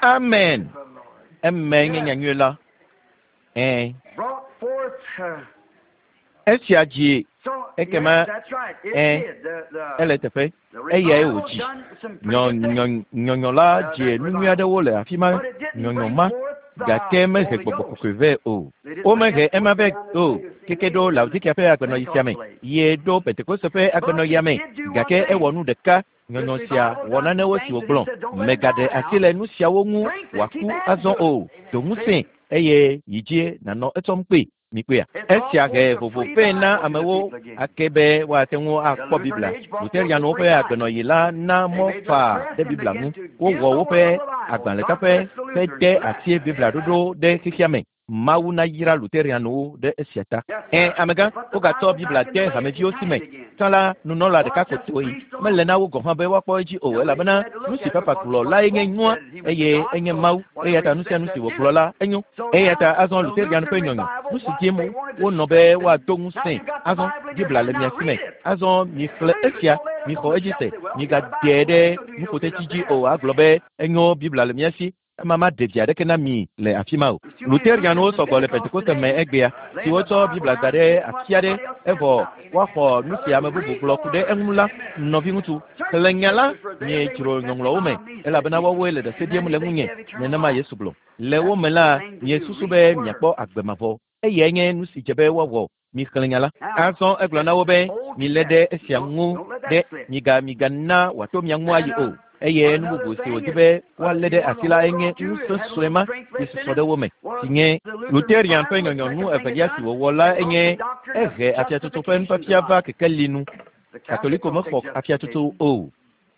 Amen. Eme nye nyanyui la. Ɛ̃. Esia dzi ekema ɛ̃ ele teƒe eyae wòdzi. Nyɔnyɔ la dze nu nyui aɖewo le afi ma nyɔnyɔ ma gake mehe gbɔgbɔ kɔkɔe vɛ o. Womehe ema vɛ o keke ɖo Laodikea ƒe agbenɔɣi sia me ye ɖo Pentekoste ƒe agbenɔɣia me gake ewɔ nu ɖeka. Nyɔnyɔ sia wɔ nanewo si wògblɔ. Mègaɖe asi le nu siawo ŋu wòaku azɔ o. Do ŋusẽ eye yi dzi nànɔ etsɔm kpee. Mikpɔea? Esia he vovo vɛ na amewo ake be woate ŋu akpɔ Biblia. Luterianwo ƒe agbenɔɣi la na mɔ faa ɖe Biblia ŋu. Wowɔ woƒe agbalẽtaƒe ƒe de asi Biblia ɖoɖo ɖe xexea me. Mawu nayra Luterianwo ɖe esia ta. Ẽ, amegã, wogatsɔ Biblia de hameviwo si me. Tsã la, nunɔla ɖeka ko toe. Mele na wo gɔ̃ hã be woakpɔ edzi o elabena nu si Papa gblɔ lae nye nyoa eye enye Mawu. Eya ta nu sia nu si wògblɔ la enyo. Eya ta azɔ Luterian ƒe nyɔnyɔ, nu si dim wonɔ be woado ŋusẽe. Azɔ Biblia le mia si me. Azɔ mixlẽ esia, mixɔ edzi se, migaɖee ɖe nuƒotetsi dzi o agblɔ be enyo Biblia le mia si. Ema maɖe vi aɖeke na mi le afi ma o. Luterianwo sɔgbɔ le Pentekoste me egbea si wotsɔ Biblia da ɖe afi aɖe evɔ woaxɔ nu si ame bubu gblɔ ku ɖe eŋu la. Nɔviŋutsu, xlẽ nya la miedzro ŋɔŋlɔwo me elabena woawoe le ɖase ɖim le ŋunye. Nenema Yesu gblɔ. Le wo me la, miesusu be miakpɔ agbe mavɔ. Eyae nye nu si dze be woawɔ. Mixlẽ nya la. Azɔ egblɔ na wo be milé ɖe esia ŋu ɖe miga migana wòato mia ŋu ayi o. Eye nu bubu si wòdi be woalé ɖe asi la enye ŋusẽ sue ma si susɔ ɖe wo me si nye Luterian ƒe nyɔnyɔnu evelia si wòwɔ la enye ehe afiatsotso ƒe nufiafia va kekeli nu. Katoliko mexɔ afiatsotso o.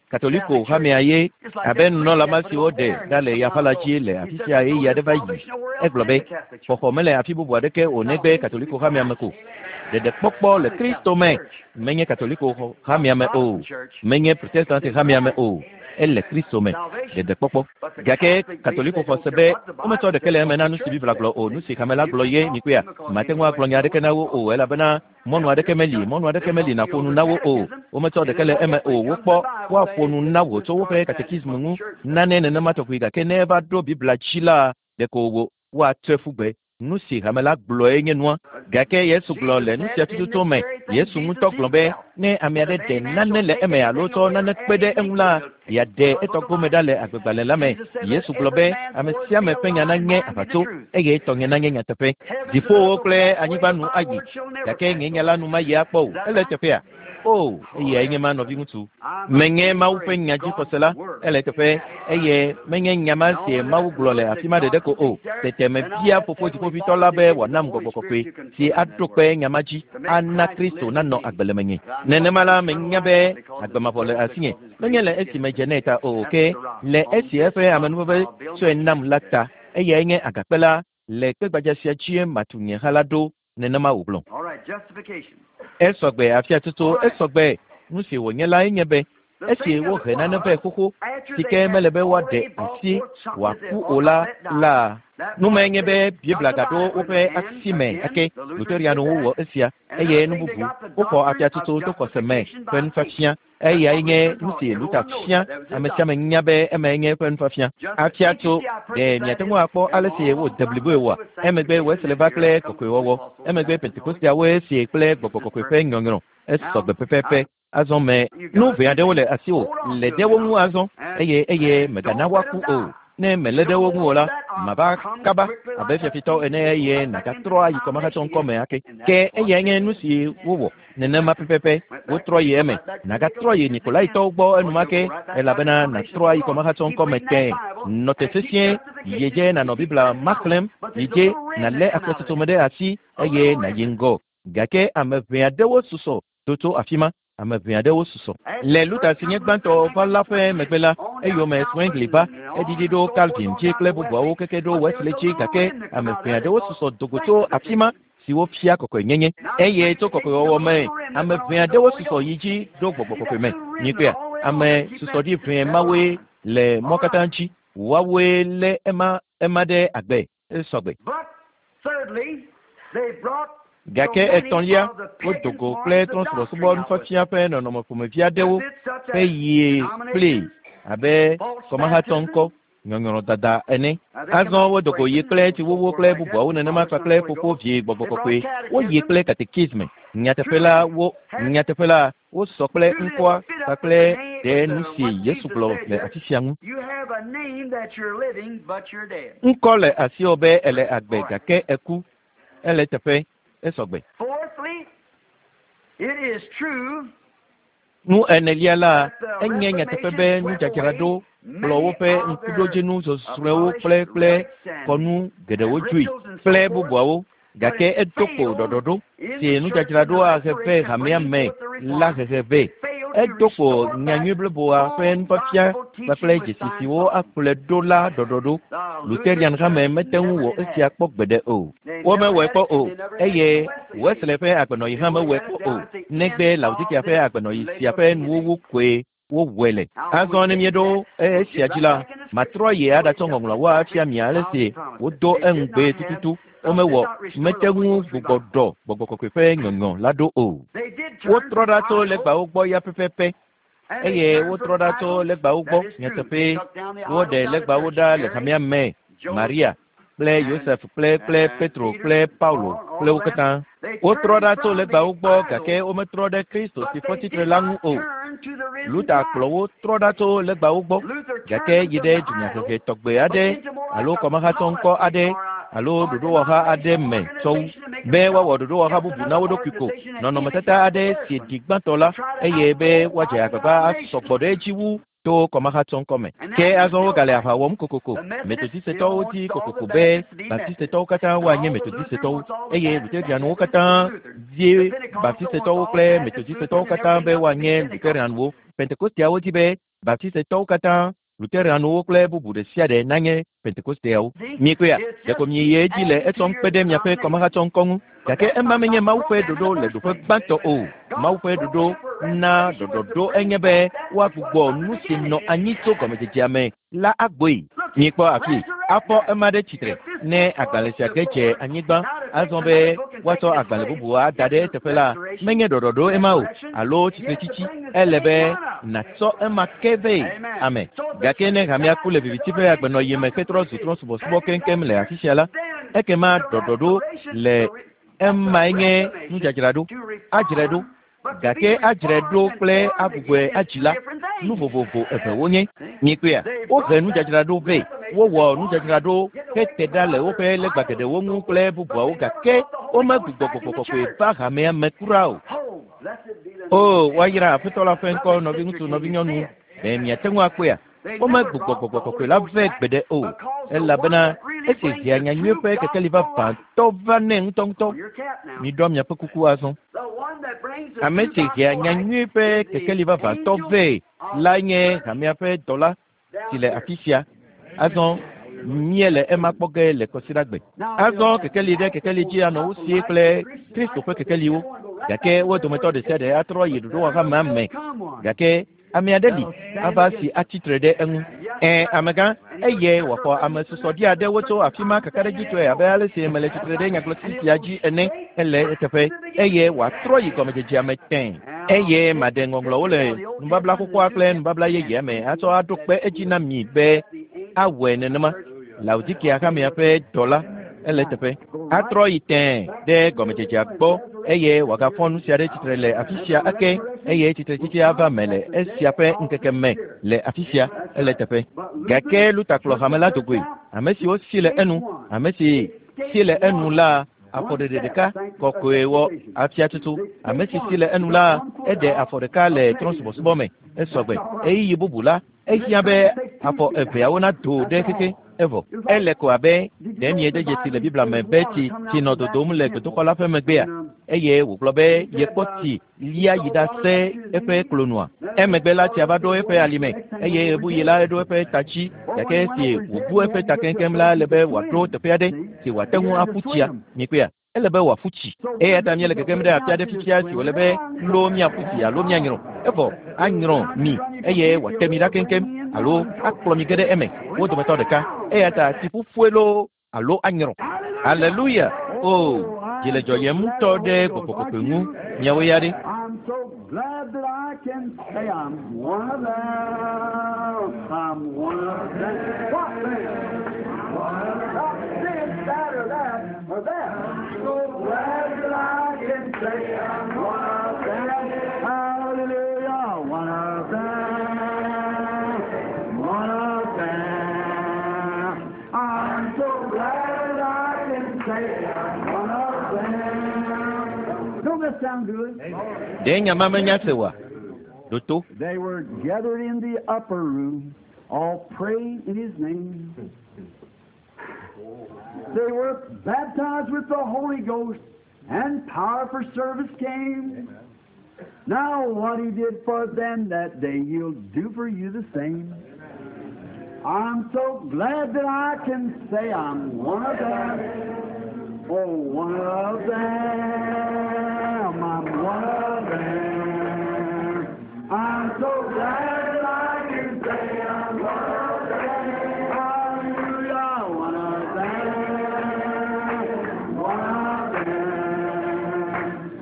Katoliko hamea ye abe nunɔla ma si woɖe ɖa le yaƒala dzi le afi sia ɣeyiɣi aɖe va yi. Egblɔ be xɔxɔ mele afi bubu aɖeke o negbe Katoliko hamea me ko. Ɖeɖekpɔkpɔ le Kristo me menye Katoliko hamea me o, menye Protestant hamea me o, ele Kristo me. Ɖeɖekpɔkpɔ. Gake Katoliko xɔ se be wometsɔ ɖeke le eme na nu si Biblia gblɔ o, nu si hame la gblɔ ye mikpɔea. Mate ŋu agblɔ nya aɖeke na wo o elabena mɔnu aɖeke meli, mɔnu aɖeke meli nàƒo nu na wo o. Wometsɔ ɖeke le eme o. Wokpɔ woaƒo nu na wò tso woƒe katekismu ŋu nane nenema tɔgbi gake ne eva ɖo Biblia dzi la, ɖeko wò woatsɔe ƒu gbe. Nu si hame la gblɔe nye nua. Gake Yesu gblɔ le nu sia tututu me. Yesu ŋutɔ gblɔ be ne ame aɖe ɖe nane le eme alo tsɔ nane kpe ɖe eŋu la, yeaɖe etɔ gome ɖa le agbegbalẽ la me. Yesu gblɔ be ame sia ame ƒe nya nanye aʋatso eye tɔnye nanye nyateƒe. Dziƒowo kple anyigba nu ayi gake nye nya la nu mayi akpɔ o. Ele teƒea? O, eyae nye ma nɔviŋutsu. Menye Mawu ƒe nya dzixɔse la, ele teƒe eye menye nya ma si Mawu gblɔ le afi ma ɖeɖe ko o. Tete mebia Fofo Dziƒoʋĩtɔ la be wòanam gbɔgbɔ kɔkɔe si aɖo kpe nya ma dzi ana Kristo nanɔ agbe le menye. Nenema la menya be agbe mavɔ le asinye. Menye le esi medze nɛ ta o ke le esi eƒe amenuveve tsɔe nam la ta. Eyae nye agakpe la le kpegbadza sia dzie matu nye ha la ɖo. Nenema wògblɔ. Esɔgbe afiatsotso esɔgbe. Nu si wònye lae nye be esi wohe nane vɛ xoxo si ke mele be woaɖe asi wòaku o la la nu mae nye be Biblia gaɖo woƒe asi me ake. Luterianwo wɔ esia eye nu bubu woxɔ afiatsotso to xɔse me ƒe nufiafia. Eyae nye nu si Luther fia. Ame sia ame nya be emae nye eƒe nufiafia. Afiatso, ɖe miate ŋu akpɔ ale si wode bliboe oa? Emegbe Wesley va kple kɔkɔewɔwɔ. Emegbe Pentekosteawoe sie kple gbɔgbɔ kɔkɔe ƒe nyɔnyrɔ. Esɔgbe pɛpɛpɛ. Azɔ me nu ʋɛ aɖewo le asiwò. Lé ɖe wo ŋu azɔ eye eye mègana woaku o. Ne mèlé ɖe wo ŋu o la, Mava kaba abe fiafitɔ ene eye nàgatrɔ ayi kɔmahatsɔ ŋkɔ me ake. Ke eyae nye nu si wowɔ nenema pɛpɛpɛ. Wotrɔ yi eme. Nàgatrɔ yi Nikolaitɔwo gbɔ enumake elabena nàtrɔ ayi kɔmahatsɔ ŋkɔ me tẽe. Nɔ te sesĩe, yi dze nànɔ Biblia ma xlẽm, yi dze nàlé akpɔsɔsɔ me ɖe asi eye nàyi ŋgɔ. Gake ame ʋɛ aɖewo susɔ do tso afi ma. Ame ʋɛ aɖewo susɔ. Le Luther si nye gbãtɔ va la ƒe megbe la, eyome Zwingli va, eɖiɖi ɖo Calvin dzi kple bubuawo keke ɖo Wesley dzi gake ame ʋɛ aɖewo susɔ do go tso afi ma siwo fia kɔkɔenyenye. Eye tso kɔkɔewɔwɔ me, ame ʋɛ aɖewo susɔ yi dzi ɖo gbɔgbɔ kɔkɔe me. Nyikpea, ame susɔɖi ʋɛ mawoe le mɔ katã dzi. Woawoe lé ema ema ɖe agbe esɔgbe. Gake etɔ̃lia, wodo go kple trɔ̃subɔsubɔ nufiafia ƒe nɔnɔme ƒomevi aɖewo ƒe yie kplii abe kɔmahatsɔ ŋkɔ, nyɔnyrɔdada ene. Azɔ wodo go yi kple tsiwuwu kple bubuawo nenema kpakple ƒoƒo vi gbɔgbɔ kɔkɔe. Woyi kple katekisme. Nyateƒe la, wo nyateƒe la, wosɔ kple ŋkɔa kpakple ɖe nu si Yesu gblɔ le afi sia ŋu. Ŋkɔ le asiwò be èle agbe gake èku. Ele eteƒe, esɔgbe. Nu enelia la, enye nyateƒe be nudzadzraɖo kplɔ woƒe ŋkuɖodzinu zɔzrɔ̃ewo kple kple kɔnu geɖewo dzoe kple bubuawo gake edo kpo ɖɔɖɔɖo si nudzadzraɖoa he vɛ hamea me la hehe vɛ. Edo kpo nyanyui bliboa ƒe nufiafia kpakple dzesi siwo akplɔe ɖo la ɖɔɖɔɖo. Luterian hame mete ŋu wɔ esia kpɔ gbeɖe o. Womewɔe kpɔ o, eye Wesley ƒe agbenɔɣi hã mewɔe kpɔ o, negbe Laodikea ƒe agbenɔɣi sia ƒe nuwuwu koe wowɔe le. Azɔ ne míeɖo esia dzi la, matrɔ yi aɖatsɔ ŋɔŋlɔawo afia mi ale si wodo eŋugbee tututu. Womewɔ, mete ŋu gbugbɔ ɖɔ gbɔgbɔ kɔkɔe ƒe nyɔnyɔ la ɖo o. Wotrɔ ɖa tso legbawo gbɔ ya pɛpɛpɛ eye wotrɔ ɖa tso legbawo gbɔ nyateƒee. Woɖe legbawo ɖa le hamea me, Maria kple Yosef kple kple Petro kple Paulo kple wo katã. Wotrɔ ɖa tso legbawo gbɔ gake wometrɔ ɖe Kristo si fɔ tsitre la ŋu o. Luther kplɔ wo trɔ ɖa tso legbawo gbɔ gake yi ɖe dunyahehe tɔgbe aɖe alo kɔmahatsɔ ŋkɔ aɖe alo ɖoɖowɔha aɖe me tsɔ wu be woawɔ ɖoɖowɔha bubu na wo ɖokui ko nɔnɔmetata aɖe si ɖi gbãtɔ la eye be woadze agbagba asɔ gbɔ ɖe edzi wu to kɔmahatsɔ ŋkɔ me. Ke azɔ wogale aʋa wɔm kokoko. Metodistetɔwo di kokoko be Baptistetɔwo katã woanye Metodistetɔwo eye Luterianwo katã die Baptistetɔwo kple Metodistetɔwo katã be woanye Luterianwo. Pentekosteawo di be Baptistetɔwo katã, Luterianwo kple bubu ɖe sia ɖe nanye Pentekosteawo. Miekpɔea? Ɖeko mieyi edzi le etsɔm kpe ɖe miaƒe kɔmahatsɔ ŋkɔ ŋu. Gake ema menye Mawu ƒe ɖoɖo le ɖoƒe gbãtɔ o. Mawu ƒe ɖoɖo na ɖɔɖɔɖo enye be woagbugbɔ nu si nɔ anyi tso gɔmedzedzea me la agbɔe. Miekpɔ afi afɔ ema ɖe tsitre ne agbalẽ sia ge dze anyigba azɔ be woatsɔ agbalẽ bubu ada ɖe eteƒe la, menye ɖɔɖɔɖo ema o alo tsitretsitsi. Ele be nàtsɔ ema ke vɛ. Ame. Gake ne hamea ku le viviti ƒe agbenɔɣi me hetrɔ zu trɔ̃subɔsubɔ keŋkeŋ le afi sia la, ekema ɖɔɖɔɖo le emae nye nudzadzraɖo. Adzrae ɖo. Gake adzrae ɖo kple agbugbɔe adzi la, nu vovovo eve wonye. Miekpɔea? Wohe nudzadzraɖo vɛ. Wowɔ nudzadzraɖo hete ɖa le woƒe legba geɖewo ŋu kple bubuawo gake womegbugbɔ gbɔgbɔ kɔkɔe va hamea me kura o. O, woayra Aƒetɔ la ƒe ŋkɔ, nɔviŋutsu, nɔvinyɔnu. Ɖe miate ŋu akpɔea? Womegbugbɔ gbɔgbɔ kɔkɔe la vɛ gbeɖe o, elabena esi hea nyanyui ƒe kekeli vavãtɔ va nɛ ŋutɔŋutɔ. Miɖɔ miaƒe kuku azɔ. Ame si hea nyanyui ƒe kekeli vavãtɔ vɛ lae nye hamea ƒe dɔla si le afi sia. Azɔ míele ema kpɔ ge le kɔsiɖagbe. Azɔ kekeli ɖe kekeli dzi anɔ wo sie kple Kristo ƒe kekeliwo, gake wo dometɔ ɖe sia ɖe atrɔ yi ɖoɖowɔhamea me. Gake ame aɖe li ava si atsi tre ɖe eŋu. Ẽ, amegã, eye wòaxɔ ame susɔɖi aɖewo tso afi ma kakaɖedzitɔe abe ale si mele tsitre ɖe nyagblɔɖi sia dzi ene. Ele eteƒe, eye wòatrɔ yi gɔmedzedzea me tẽ. Eye maɖe ŋɔŋlɔwo le nubabla xoxoa kple nubabla yeyea me atsɔ aɖo kpe edzi na mi be awɔe nenema. Laodikea hamea ƒe dɔla ele eteƒe. Atrɔ yi tẽe ɖe gɔmedzedzea gbɔ eye wòagafɔ nu sia ɖe tsitre le afi sia ake eye tsitretsitsi ava me le esia ƒe ŋkeke me le afi sia. Ele eteƒe. Gake Luther kplɔ hame la do goe. Ame siwo si le enu, ame si si le enu la, afɔɖeɖe ɖeka kɔkɔe wɔ afia tutu. Ame si si le enu la, eɖe afɔ ɖeka le trɔ̃subɔsubɔ me. Esɔgbe. Ɣeyiɣi bubu la, ehiã be afɔ eveawo nado ɖe xexe. Evɔ. Ele ko abe ɖe miede dzesi le Biblia me be tsi tsi nɔ dodom le gbedoxɔ la ƒe megbea, eye wògblɔ be yekpɔ tsi lia yi ɖase eƒe klonua. Emegbe la tsia va ɖo eƒe alime, eye ɣebuɣi la eɖo eƒe ta dzi. Gake esi wòbu eƒe ta keŋkeŋ la, ele be wòaɖo teƒe aɖe si wòate ŋu aƒu tsia. Mikpɔea? Ele be wòaƒu tsi. Eya ta míele gegem ɖe afi aɖe fifia si wòle be loo míaƒu tsi alo míanyrɔ. Evɔ anyrɔ mi eye wòate mi ɖa keŋkeŋ alo akplɔ mi ge ɖe eme, wo dometɔ ɖeka. Eya ta tsiƒuƒue loo alo anyrɔ. Aleluya! Oo, dzi le dzɔyem ŋutɔ ɖe Gbɔgbɔ Kɔkɔe ŋu. Miawo ya ɖe? Ɖe nya ma menya se oa? Ɖo to. They were gathered in the upper room, all praying in his name. They were baptized with the Holy Ghost, and power for service came. Now what he did for them that day, he'll do for you the same. I'm so glad that I can say I'm one of them. Oh, one of them. I'm one of them. I'm so glad that I can say I'm one of them. Hallelujah, one of them. One of them.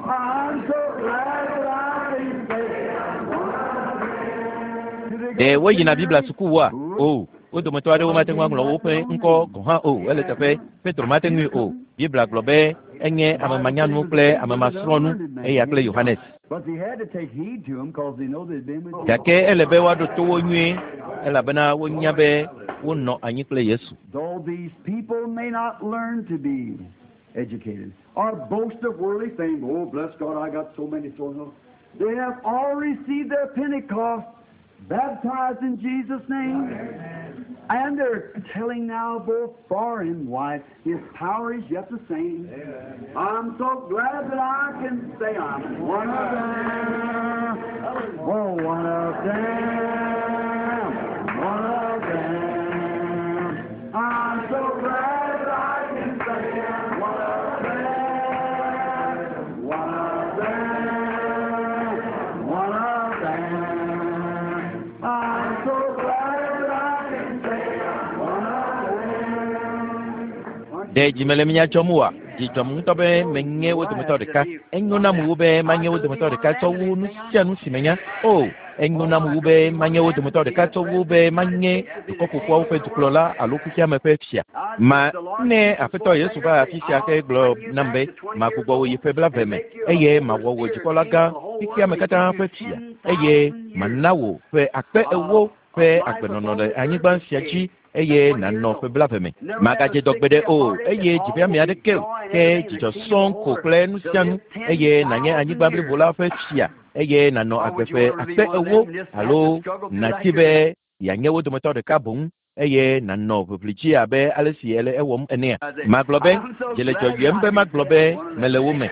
I'm so glad that I can say I'm one of them. Ɖe woyina Biblia sukuwoa? O, wo dometɔ aɖewo mate ŋu aŋlɔ woƒe ŋkɔ gɔ̃ hã o. Ele teƒe, Petro mate ŋui o. Biblia gblɔ be enye ame manyanu kple ame masrɔ̃nu, eya kple Yohanes. Gake ele be woaɖo to wo nyuie, elabena wonya be wonɔ anyi kple Yesu. Though these people may not learn to be educated or boast of worldly fame, oh, bless God, I got so many so and so. They have all received their Pentecost, baptized in Jesus' name. And they're telling now both far and wide, His power is yet the same. I'm so glad that I can say I'm one of them. Oh, one of them. One of them. I'm so glad that I can say I'm one of them. One of them. One of them. I'm so glad that I can say I'm one of them. Ɖe dzi mele mía dzɔm oa? Dzi dzɔm ŋutɔ be menye wo dometɔ ɖeka. Enyo nam wu be manye wo dometɔ ɖeka tsɔ wu nu sia nu si menya. O, enyo nam wu be manye wo dometɔ ɖeka tsɔ wu be manye Dukɔ Ƒoƒuawo ƒe dukplɔla alo xexeame ƒe fia. Ma, ne Aƒetɔ Yesu va afi sia ke gblɔ nam be, Magbugbɔ wò yi ƒe blaeve me, eye mawɔ wò dzikpɔlagã, xexeame katã ƒe fia, eye mana wò ƒe akpe ewo ƒe agbenɔnɔ le anyigba sia dzi, eye nànɔ ƒe blaeve me. Màgadze dɔ gbeɖe o, eye dzi ƒe ame aɖeke o, ke dzidzɔ sɔŋ ko kple nu sia nu, eye nànye anyigba blibo la ƒe fia, eye nànɔ agbe ƒe akpe ewo, alo nàdi be yeanye wo dometɔ ɖeka boŋ, eye nànɔ ʋiʋli dzi abe ale si èle ewɔm enea? Magblɔ be, Dzi le dzɔyɔem be magblɔ be mele wo me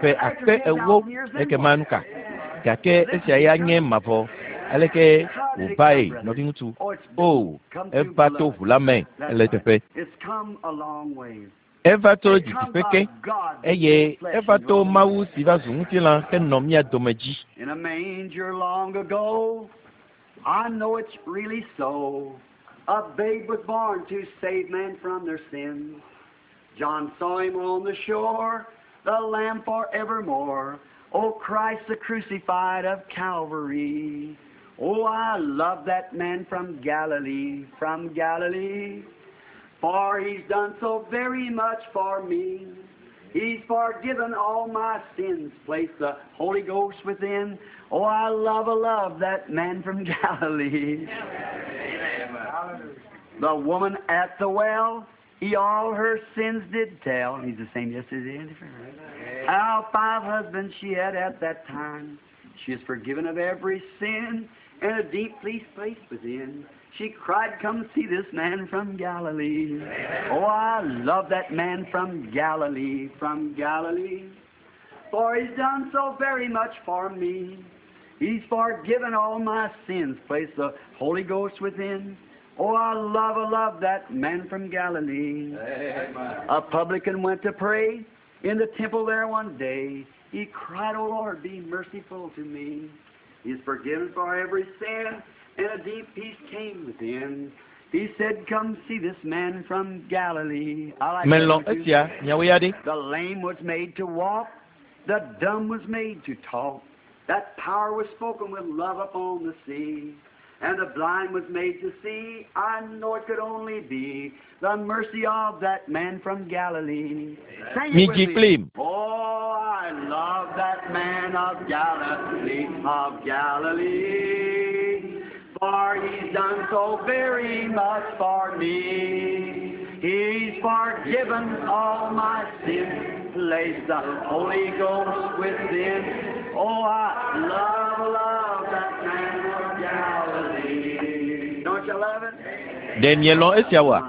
ƒe akpe ewo, ekema nu ka? Gake esia ya nye mavɔ. Aleke wòvae, nɔviŋutsu? O, eva to ʋu la me le teƒe. Eva to didiƒe ke, eye eva to Mawu si va zu ŋutilã henɔ mía dome dzi. In a manger long ago, I know it's really so. A babe was born to save man from their sins. John saw him on the shore, the Lamb forevermore. Oh, Christ the crucified of Calvary. Oh, I love that man from Galilee, from Galilee. For he's done so very much for me. He's forgiven all my sins, placed the Holy Ghost within. Oh, I love, I love that man from Galilee. The woman at the well, he all her sins did tell. He's the same yesterday and forever. How 5 husbands she had at that time. She is forgiven of every sin, and a deep peace place within. She cried, come see this man from Galilee. Oh, I love that man from Galilee, from Galilee. For he's done so very much for me. He's forgiven all my sins, placed the Holy Ghost within. Oh, I love that man from Galilee. Amen. A publican went to pray in the temple there one day. He cried, Oh, Lord, be merciful to me. He's forgiven for every sin, and a deep peace came within. He said, come see this man from Galilee. I like Melɔ̃ that one too. esia, miawo ya ɖe. The lame was made to walk. The dumb was made to talk. That power was spoken with love upon the sea. And the blind was made to see. I know it could only be the mercy of that man from Galilee. Sing it with Midzi me. kplim. Oh, I love that man of Galilee, of Galilee. For he's done so very much for me. He's forgiven all my sins, placed the Holy Ghost within. Oh, I love, love that man of Galilee. Don't you love it? Ɖe mielɔ̃ esia oa?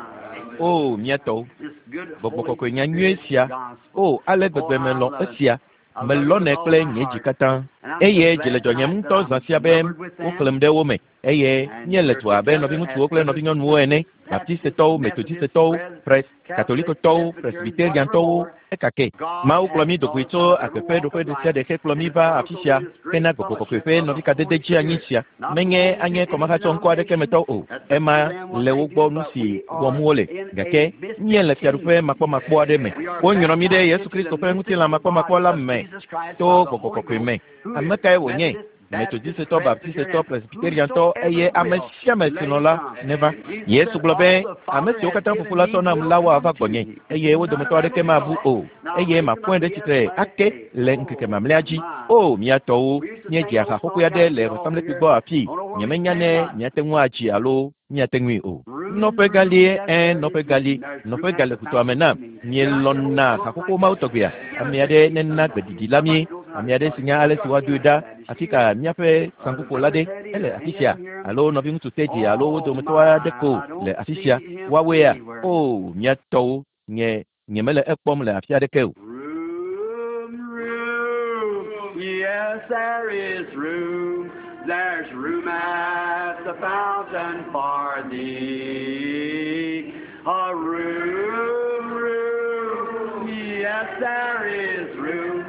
O, mía tɔwo, This good gbɔgbɔ Holy kɔkɔe nya nyuie Spirit sia. gospel. O, ale gbegbe Oh, I melɔ̃ love it. esia. I love it Melɔ̃nɛ with all kple my nye dzi heart. katã. And I'm so Eye dzi glad le dzɔnyem tonight ŋutɔ that zã I'm sia be numbered with them. woxlẽm ɖe wo me eye And míele we're du abe together nɔviŋutsuwo as kple brothers nɔvinyɔnuwo and ene, sisters, Baptistetɔwo, Baptist, Metodistetɔwo, Methodist, Pres, Catholic, Katolikotɔwo, Presbyterian, Presbyteriantɔwo, whatever. ekake. God Mawu kplɔ has mí do goe brought us tso out of every agbe ƒe walk ɖoƒe of ɖe sia life ɖe hekplɔ and mí has va brought afi us sia over this great hena gbɔgbɔ kɔkɔe fellowship ƒe of the nɔvikadede Holy dzi anyi Spirit. sia. Not Menye belonging to anye any kɔmahatsɔ ŋkɔ aɖeke me denomination. tɔ o. That's up to Ema them what le they wo do, gbɔ nu but si we wɔm are wole. in a Gake mystic míele fiaɖuƒe kingdom. makpɔmakpɔ aɖe me. We are Wonyrɔ mí ɖe baptized Yesu into Kristo the ƒe ŋutilã mystical makpɔmakpɔ body la of me Jesus Christ to by the gbɔgbɔ Holy kɔkɔe Ghost, me. who Ame is kae wònye? Methodist, Baptist, Metodistetɔ, Presbyterian, Baptistetɔ, and Presbyteriantɔ eye whosoever ame will, sia ame let si him lɔ̃ la come. neva. Jesus Yesu said, gblɔ be All the ame Father siwo has katã given Fofo la me tsɔ nam will la come woava to gbɔnye me. eye wo None dometɔ of them aɖeke will be mabu lost. o Now eye raise them mafɔe up ɖe again at tsitre the last ake day. le ŋkeke Oh, mamlɛa dzi. my. O, mía tɔwo, We used to sing míedzea old ha songs xoxoe aɖe out le here all vɔsamlekpui here. gbɔ afii. Don't know where we Nyemenya stand ne now. miate ŋu adzi alo míate ŋui o. Room, Nɔƒe room, galie, yes, ẽ, there nɔƒe is room. galie, There's room nɔƒe at gale the ʋutoame fountain nam. for me. You like that old Mielɔ̃na song haƒoƒo like mawo that? tɔgbea? Give Ame us aɖe that nena somebody. gbeɖiɖi la mí. Somebody knows how Ame to aɖe start si it. nya ale Put si your woadoe hand ɖa up, Baptist. afi You ka míaƒe the saŋkuƒola brother ɖe Teddy, ele or afi any of sia them here. alo nɔviŋutsu Teddy alo wo Oh dometɔ aɖe my, ko I le don't afi see sia. him Woawoea? anywhere. O, mía tɔwo, nye nyemele ekpɔm le afi aɖeke o. Room, room, yes, there is room. There's room at the fountain for thee. A room, room, yes, there is room.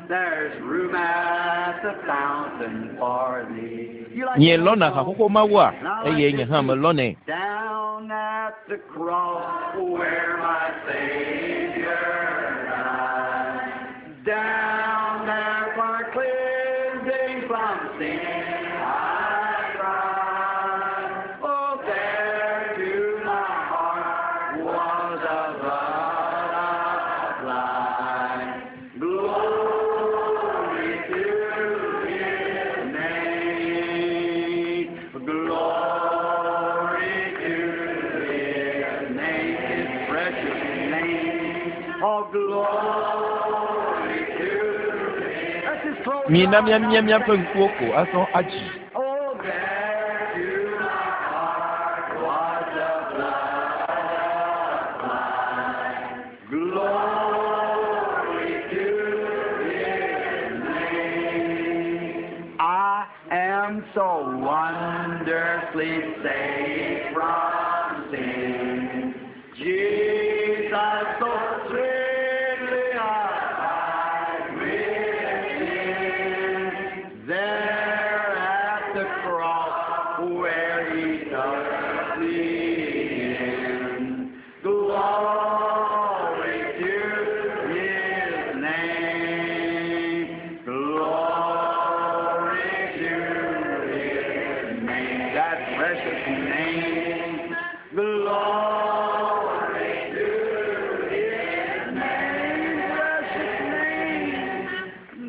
There's room at the fountain for thee. You like that old Mielɔ̃na song? haƒoƒo mawoa? And I like Eye nye this hã too. melɔ̃nɛ. Down at the cross where my Savior died. Down there for cleansing from sin I cried. Oh, there to my heart was the blood applied. Glory to His name. Glory to His name, His precious name. Oh, glory to His. Let's just close Mina our eyes now míamia and míaƒe sing. ŋkuwo ko azɔ adzi. Oh, there to my heart was the blood applied. Glory to His name. I am so wonderfully saved from sin. Jesus so sweetly abide within. There at the cross where He took me in. Glory to His name. Glory to His name. That precious name. Glory to His name. Precious name.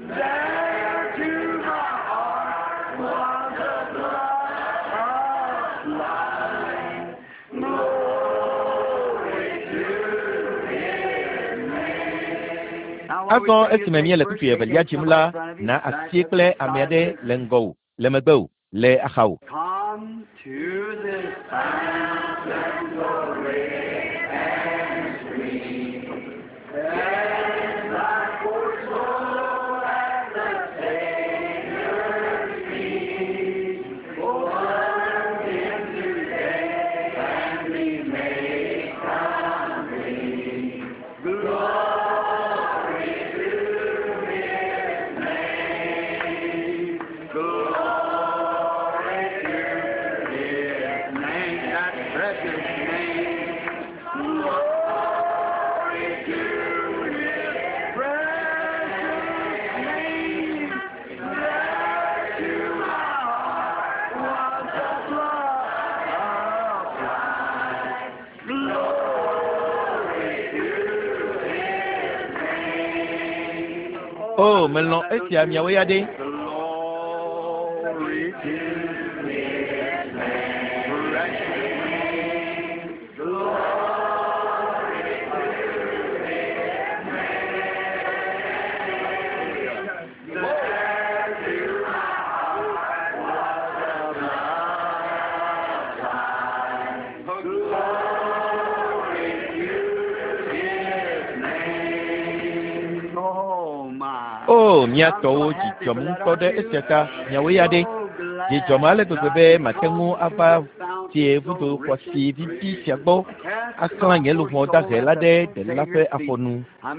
There to my heart was the blood applied. Glory Azɔ esime míele kpukpui evelia dzim la, na asie kple ame aɖe le ŋgɔwò, le megbewò, le axawò. Come to this fountain so rich and sweet. Cleanse thy poor soul at the Savior's feet. Plunge him today and be made complete. Glory to His name. Glory to His name, that precious name. Glory to His precious name. There to my heart was the blood applied. Glory to His name. O, melɔ̃ esia miawo ya ɖe. Glory to His name, precious name. Glory to His name. There to my heart was the blood applied. Glory to His name. Oh my. O, mía tɔwo dzi dzɔm ŋutɔ ɖe esia ta miawo ya ɖe. Dzi dzɔm ale gbegbe be mate ŋu ava tie vudo xɔasi vivi sia gbɔ axlã nye luʋɔ dahe la ɖe Ɖela ƒe afɔnu.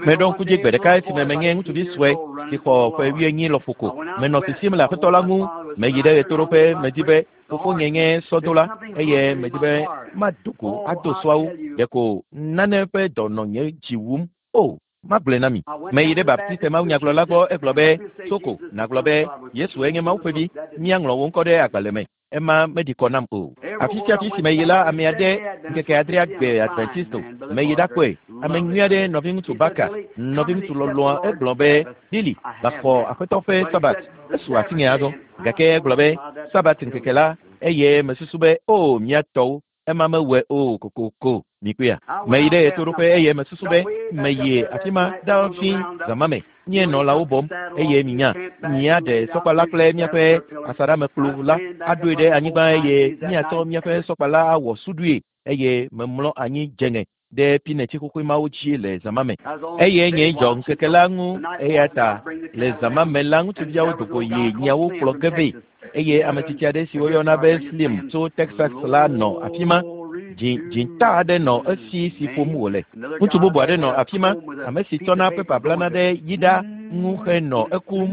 Meɖo ŋku dzi gbe ɖeka esime menye ŋutsuvi sue si xɔ ƒe wuienyi lɔƒo ko. Menɔ sisim le Aƒetɔ la ŋu. Meyi ɖe ɣetoɖoƒe medi be fofonye nye sɔdola eye medi be mado go ado sɔawo. Ɖeko nane ƒe dɔ nɔ nye dzi wum. O, magblɔe na mi. Meyi ɖe Baptiste mawunyagblɔla gbɔ egblɔ be, Soko, nàgblɔ be Yesue nye Mawu ƒe vi. Míaŋlɔ wò ŋkɔ ɖe agbalẽ me. Ema meɖi kɔ nam o. Afi sia afi si meyi la, ame aɖe ŋkeke adrea gbe Adventisto. Meyi ɖakpɔe. Ame nyui aɖe, nɔviŋutsu Barker, nɔviŋutsu lɔlɔ̃a, egblɔ be, Billy, va xɔ Aƒetɔ ƒe Sabat. Esu asinye azɔ. Gake egblɔ be, Sabat ŋkeke la, eye mesusu be, O, mía tɔwo, ema mewɔe o kokoko. Mikpɔea? Meyi ɖe ɣetoɖoƒe eye mesusu be meyi afi ma ɖa fi zãma me. Míenɔ lãwo bɔm eye minya míaɖe sɔkpa la kple míaƒe asaɖamekplu la aɖoe ɖe anyigba eye míatsɔ míaƒe sɔkpa la awɔ suɖui eye memlɔ anyi dze ŋe ɖe pineti xoxoe mawo dzi le zãma me. Eye nye dzɔ ŋkeke la ŋu eya ta le zãma me la ŋutsuviawo do go yi nyiawo kplɔ ge vɛ eye ame tsitsi aɖe si woyɔna be Slim tso Texas la nɔ afi ma. Dzi dzĩta aɖe nɔ esi si ƒom wòle. Ŋutsu bubu aɖe nɔ afi ma, ame si tsɔna pepa blana ɖe yiɖa ŋu henɔ ekum.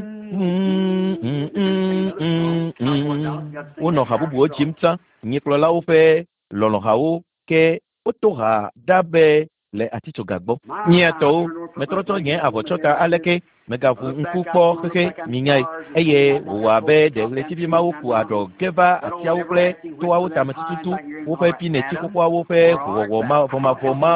Wonɔ ha bubuwo dzim tsã, nyikplɔlawo ƒe lɔlɔ̃hawo ke woto ha ɖa be le atitsoga gbɔ. Mía tɔwo, metrɔtrɔ nye avɔtsɔta aleke megaʋu ŋku kpɔ xexe minyae eye wòwɔ abe ɖe ɣletivi mawo ku aɖɔ ge va atiawo kple toawo tame tututu woƒe pineti xoxoawo ƒe ʋuwɔwɔ mavɔmavɔ ma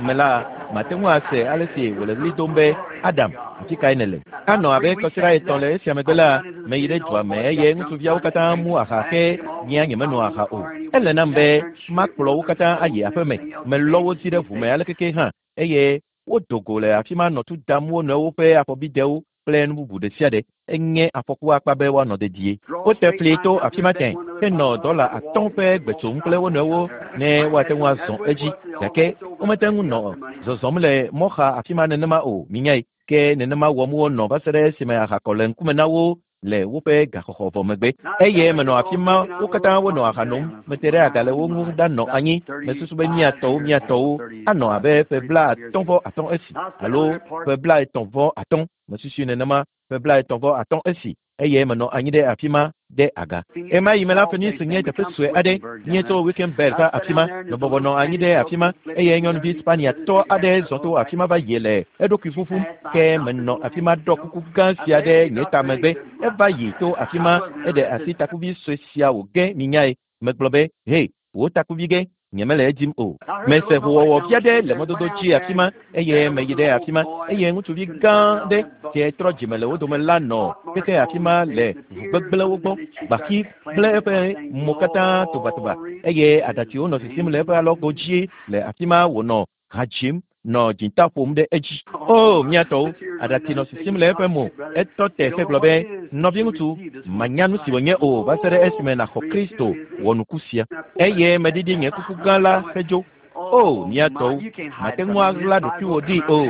me la mate ŋu ase ale si wòle ɣli dom be Adam, afi kae nèle? Anɔ abe kɔsiɖa etɔ̃ le esia megbe la, meyi ɖe dua me eye ŋutsuviawo katã mu aha ke nyea nyemeno aha o. Ele nam be makplɔ wo katã ayi aƒe me. Melɔ wo dzi ɖe ʋu me alekeke hã eye wodo go le afi ma nɔ tu dam wo nɔewo ƒe afɔbidewo kple nu bubu ɖe sia ɖe. Enye afɔku akpa be woanɔ dedie. Wote fli to afi ma tẽ henɔ dɔla atɔ̃ ƒe gbe tsom kple wo nɔewo ne woate ŋu azɔ edzi gake womete ŋu nɔ zɔzɔm le mɔxa afi ma nenema o minyae. Ke nenema wɔm wonɔ va se ɖe esime aha kɔ le ŋkume na wo le woƒe gaxɔxɔ vɔ megbe. Eye menɔ afi ma wo katã wonɔ aha nom. Mete ɖe aga le wo ŋu ɖanɔ anyi. Mesusu be mía tɔwo mía tɔwo anɔ abe ƒe 35 esi alo ƒe 33. Mesusui nenema ƒe 33 esi eye menɔ anyi ɖe afi ma ɖe aga. Ema yi me la Phoenix nye teƒe sue aɖe. Míetso Wickenburg va afi ma. Mebɔbɔ nɔ anyi ɖe afi ma eye nyɔnuvi Spaniatɔ aɖe zɔ to afi ma va yi le eɖokui ƒuƒum. Ke menɔ afi ma ɖɔ kuku gã sia ɖe nye ta megbe. Eva yi to afi ma eɖe asi takuvi sue sia wòge minyae. Megblɔ be, He, wò takuvi ge, nyemele edim o. Mese ʋuwɔwɔ vi aɖe le mɔdodo dzi afi ma eye meyi ɖe afi ma eye ŋutsuvi gã aɖe si trɔ dzime le wo dome la nɔ keke afi ma le ʋu gbegblẽwo gbɔ. Gbaxi gblẽ eƒe mo katã tobatoba eye aɖatsiwo nɔ sisim le eƒe alɔgo dzi le afi ma wònɔ ha dzim. nɔ dzinta ƒom ɖe edzi. O, mía tɔwo, aɖatsi nɔ sisim le eƒe mo. Etɔ te hegblɔ be, Nɔviŋutsu, mànya nu si wònye o va se ɖe esime nàxɔ Kristo wɔnuku sia. Eye meɖiɖi nye kuku gã la hedzo. O, mía tɔwo, màte ŋu aɣla ɖokuiwò ɖi o.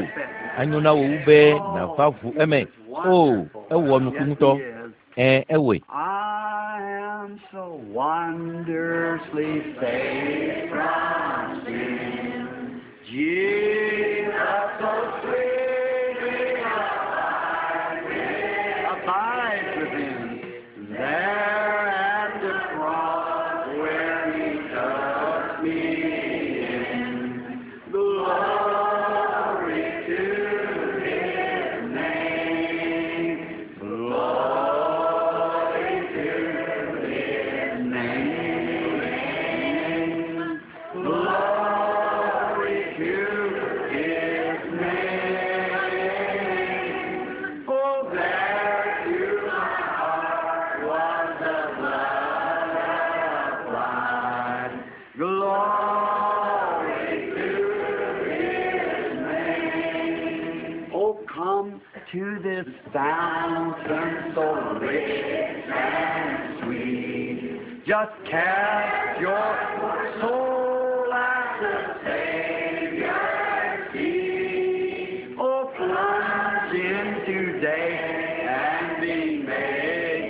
Anyo na wò wu be nàva ʋu eme. O, ewɔ nuku ŋutɔ. Ẽ, ewɔe. I am so wondrously saved from sin. Jesus so sweetly abides within. There at the cross where he took me in. Glory to his name. Glory to his name. Glory to his name. Oh, there to my heart was the blood applied. Glory to his name. Oh, come to this fountain so rich and sweet. Just cast your soul at the Savior's feet. Oh, plunge in today and be made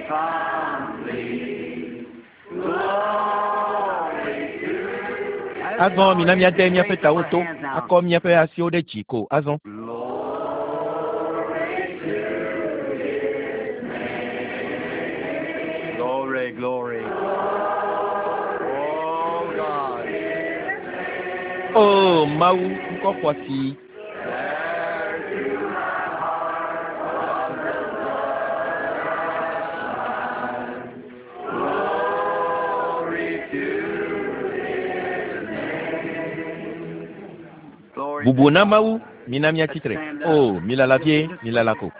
complete. Glory to Azɔ mina míade míaƒe tawo to akɔ míaƒe asiwo ɖe dzi ko azɔ. Glory, glory. Oh God. O Mawu, ŋkɔ xɔasi. Glory to his name. Glory Bubu na Mawu, mina míatsi tre. O, milala vie, milala ko.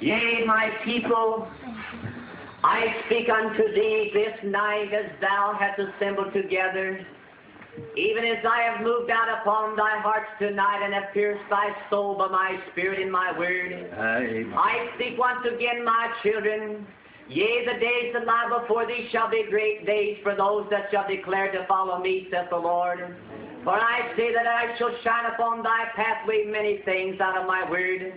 Yea, my people, I speak unto thee this night as thou hast assembled together, even as I have moved out upon thy hearts tonight and have pierced thy soul by my spirit and my word. Amen. I speak once again, my children. Yea, the days that lie before thee shall be great days for those that shall declare to follow me, saith the Lord. For I say that I shall shine upon thy pathway many things out of my word.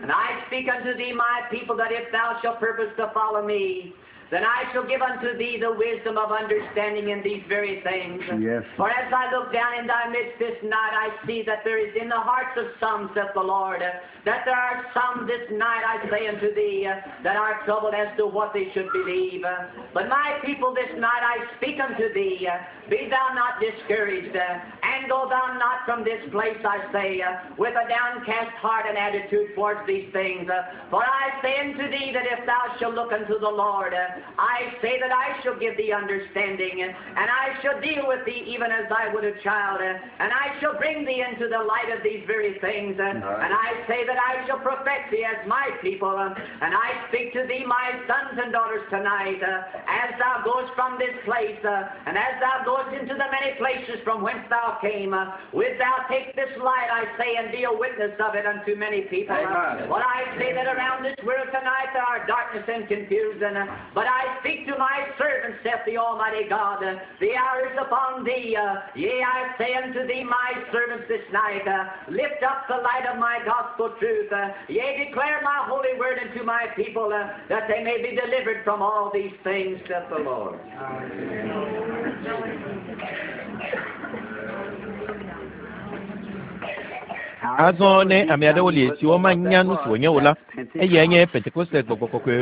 And I speak unto thee, my people, that if thou shalt purpose to follow me, then I shall give unto thee the wisdom of understanding in these very things. Yes. For as I look down in thy midst this night, I see that there is in the hearts of some, saith the Lord, that there are some this night, I say unto thee, that are troubled as to what they should believe. But my people, this night I speak unto thee, be thou not discouraged, and go thou not from this place, I say, with a downcast heart and attitude towards these things. For I say unto thee that if thou shalt look unto the Lord, I say that I shall give thee understanding, and I shall deal with thee even as I would a child, and I shall bring thee into the light of these very things, and I say that I shall perfect thee as my people, and I speak to thee, my sons and daughters, tonight, as thou goest from this place, and as thou goest into the many places from whence thou came, wilt thou take this light, I say, and be a witness of it unto many people. Amen. But I say that around this world tonight there are darkness and confusion, but I speak to my servants, saith the Almighty God, the hour is upon thee. Yea, I say unto thee, my servants, this night, lift up the light of my gospel truth. Yea, declare my holy word unto my people, that they may be delivered from all these things, saith the Lord. Azɔ ne ame aɖewo li siwo manya nu si wònye o la, eyae nye Pentekoste Gbɔgbɔ Kɔkɔe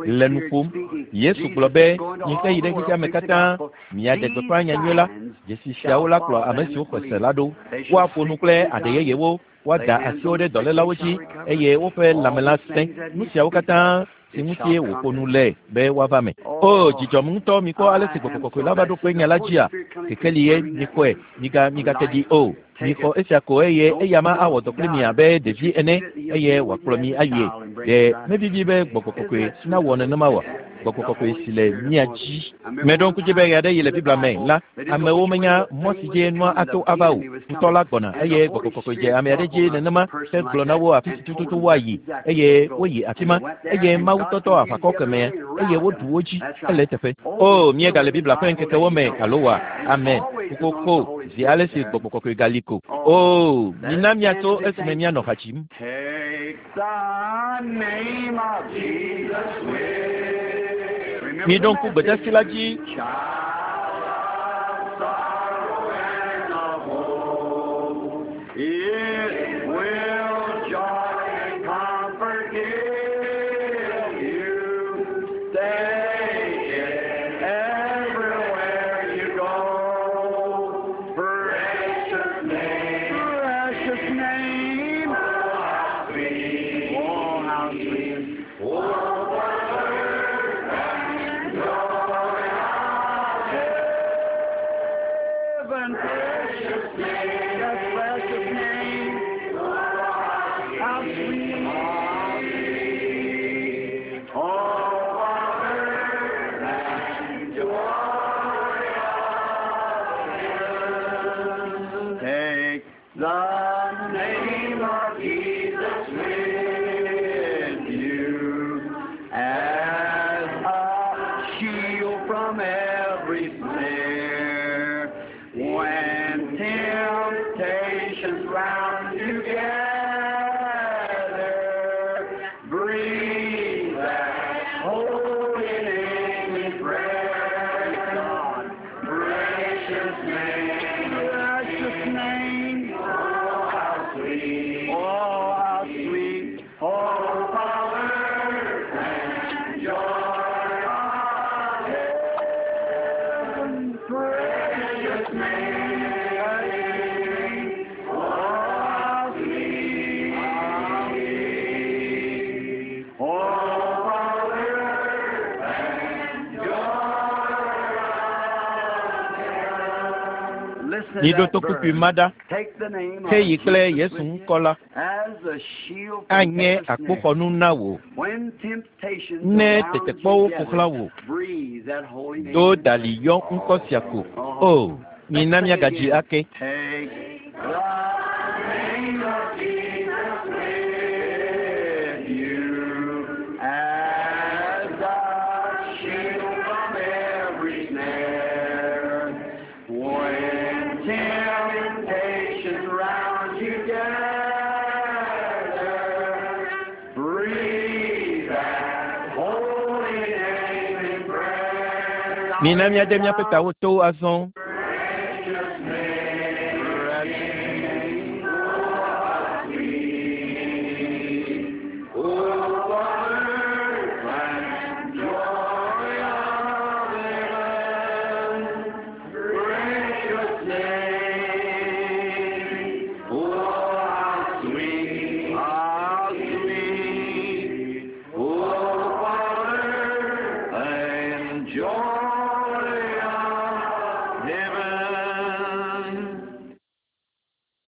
le nu ƒom. Yesu gblɔ be, Mixe yi ɖe xexea me katã, miaɖe gbeƒã nyanyui la. Dzesi siawo la kplɔ ame siwo xɔe se la ɖo. Woaƒo nu kple aɖe yeyewo, woada asiwo ɖe dɔlélawo dzi, eye woƒe lãme la sẽ. Nu siawo katã si ŋutie wòƒo nu le be woava me. O, dzi dzɔm ŋutɔ mikpɔ ale si Gbɔgbɔ Kɔkɔe la va ɖo kpe nya la dzia. Kekeli ye, mikpɔe, miga, migate ɖi o. Mixɔ esia ko eye eyama awɔ dɔ kpli mi abe ɖevi ene eye wòakplɔ mi ayie. Ɖe mevivi be Gbɔgbɔ Kɔkɔe nawɔ nenema oa? Gbɔgbɔ Kɔkɔe si le mía dzi. Meɖo ŋku dzi be ɣeaɖeɣi le Biblia me la, amewo menya mɔ si dzi nua ato ava o. Futɔ la gbɔna eye Gbɔgbɔ Kɔkɔe dze ame aɖe dzi nenema hegblɔ na wo afi si tututu woayi eye woyi afi ma eye Mawu tɔtɔ aʋakɔ kemɛa eye woɖu wo dzi. Ele eteƒe. O, míegale Biblia ƒe ŋkekewo me, alo wa? Amen. Kokoko, zi ale si Gbɔgbɔ Kɔkɔe gali ko. O, mina míatso esime míanɔ ha dzim. Miɖo ŋku gbedeasi la dzi. Miɖo to kpukpui ma ɖa. Heyi kple Yesu ŋkɔ la anye akpoxɔnu na wò. Ne tetekpɔwo ƒo xlã wò, do dali yɔ ŋkɔ sia ko. O, mina míagadzi ake. Mina míade míaƒe tawo to azɔ.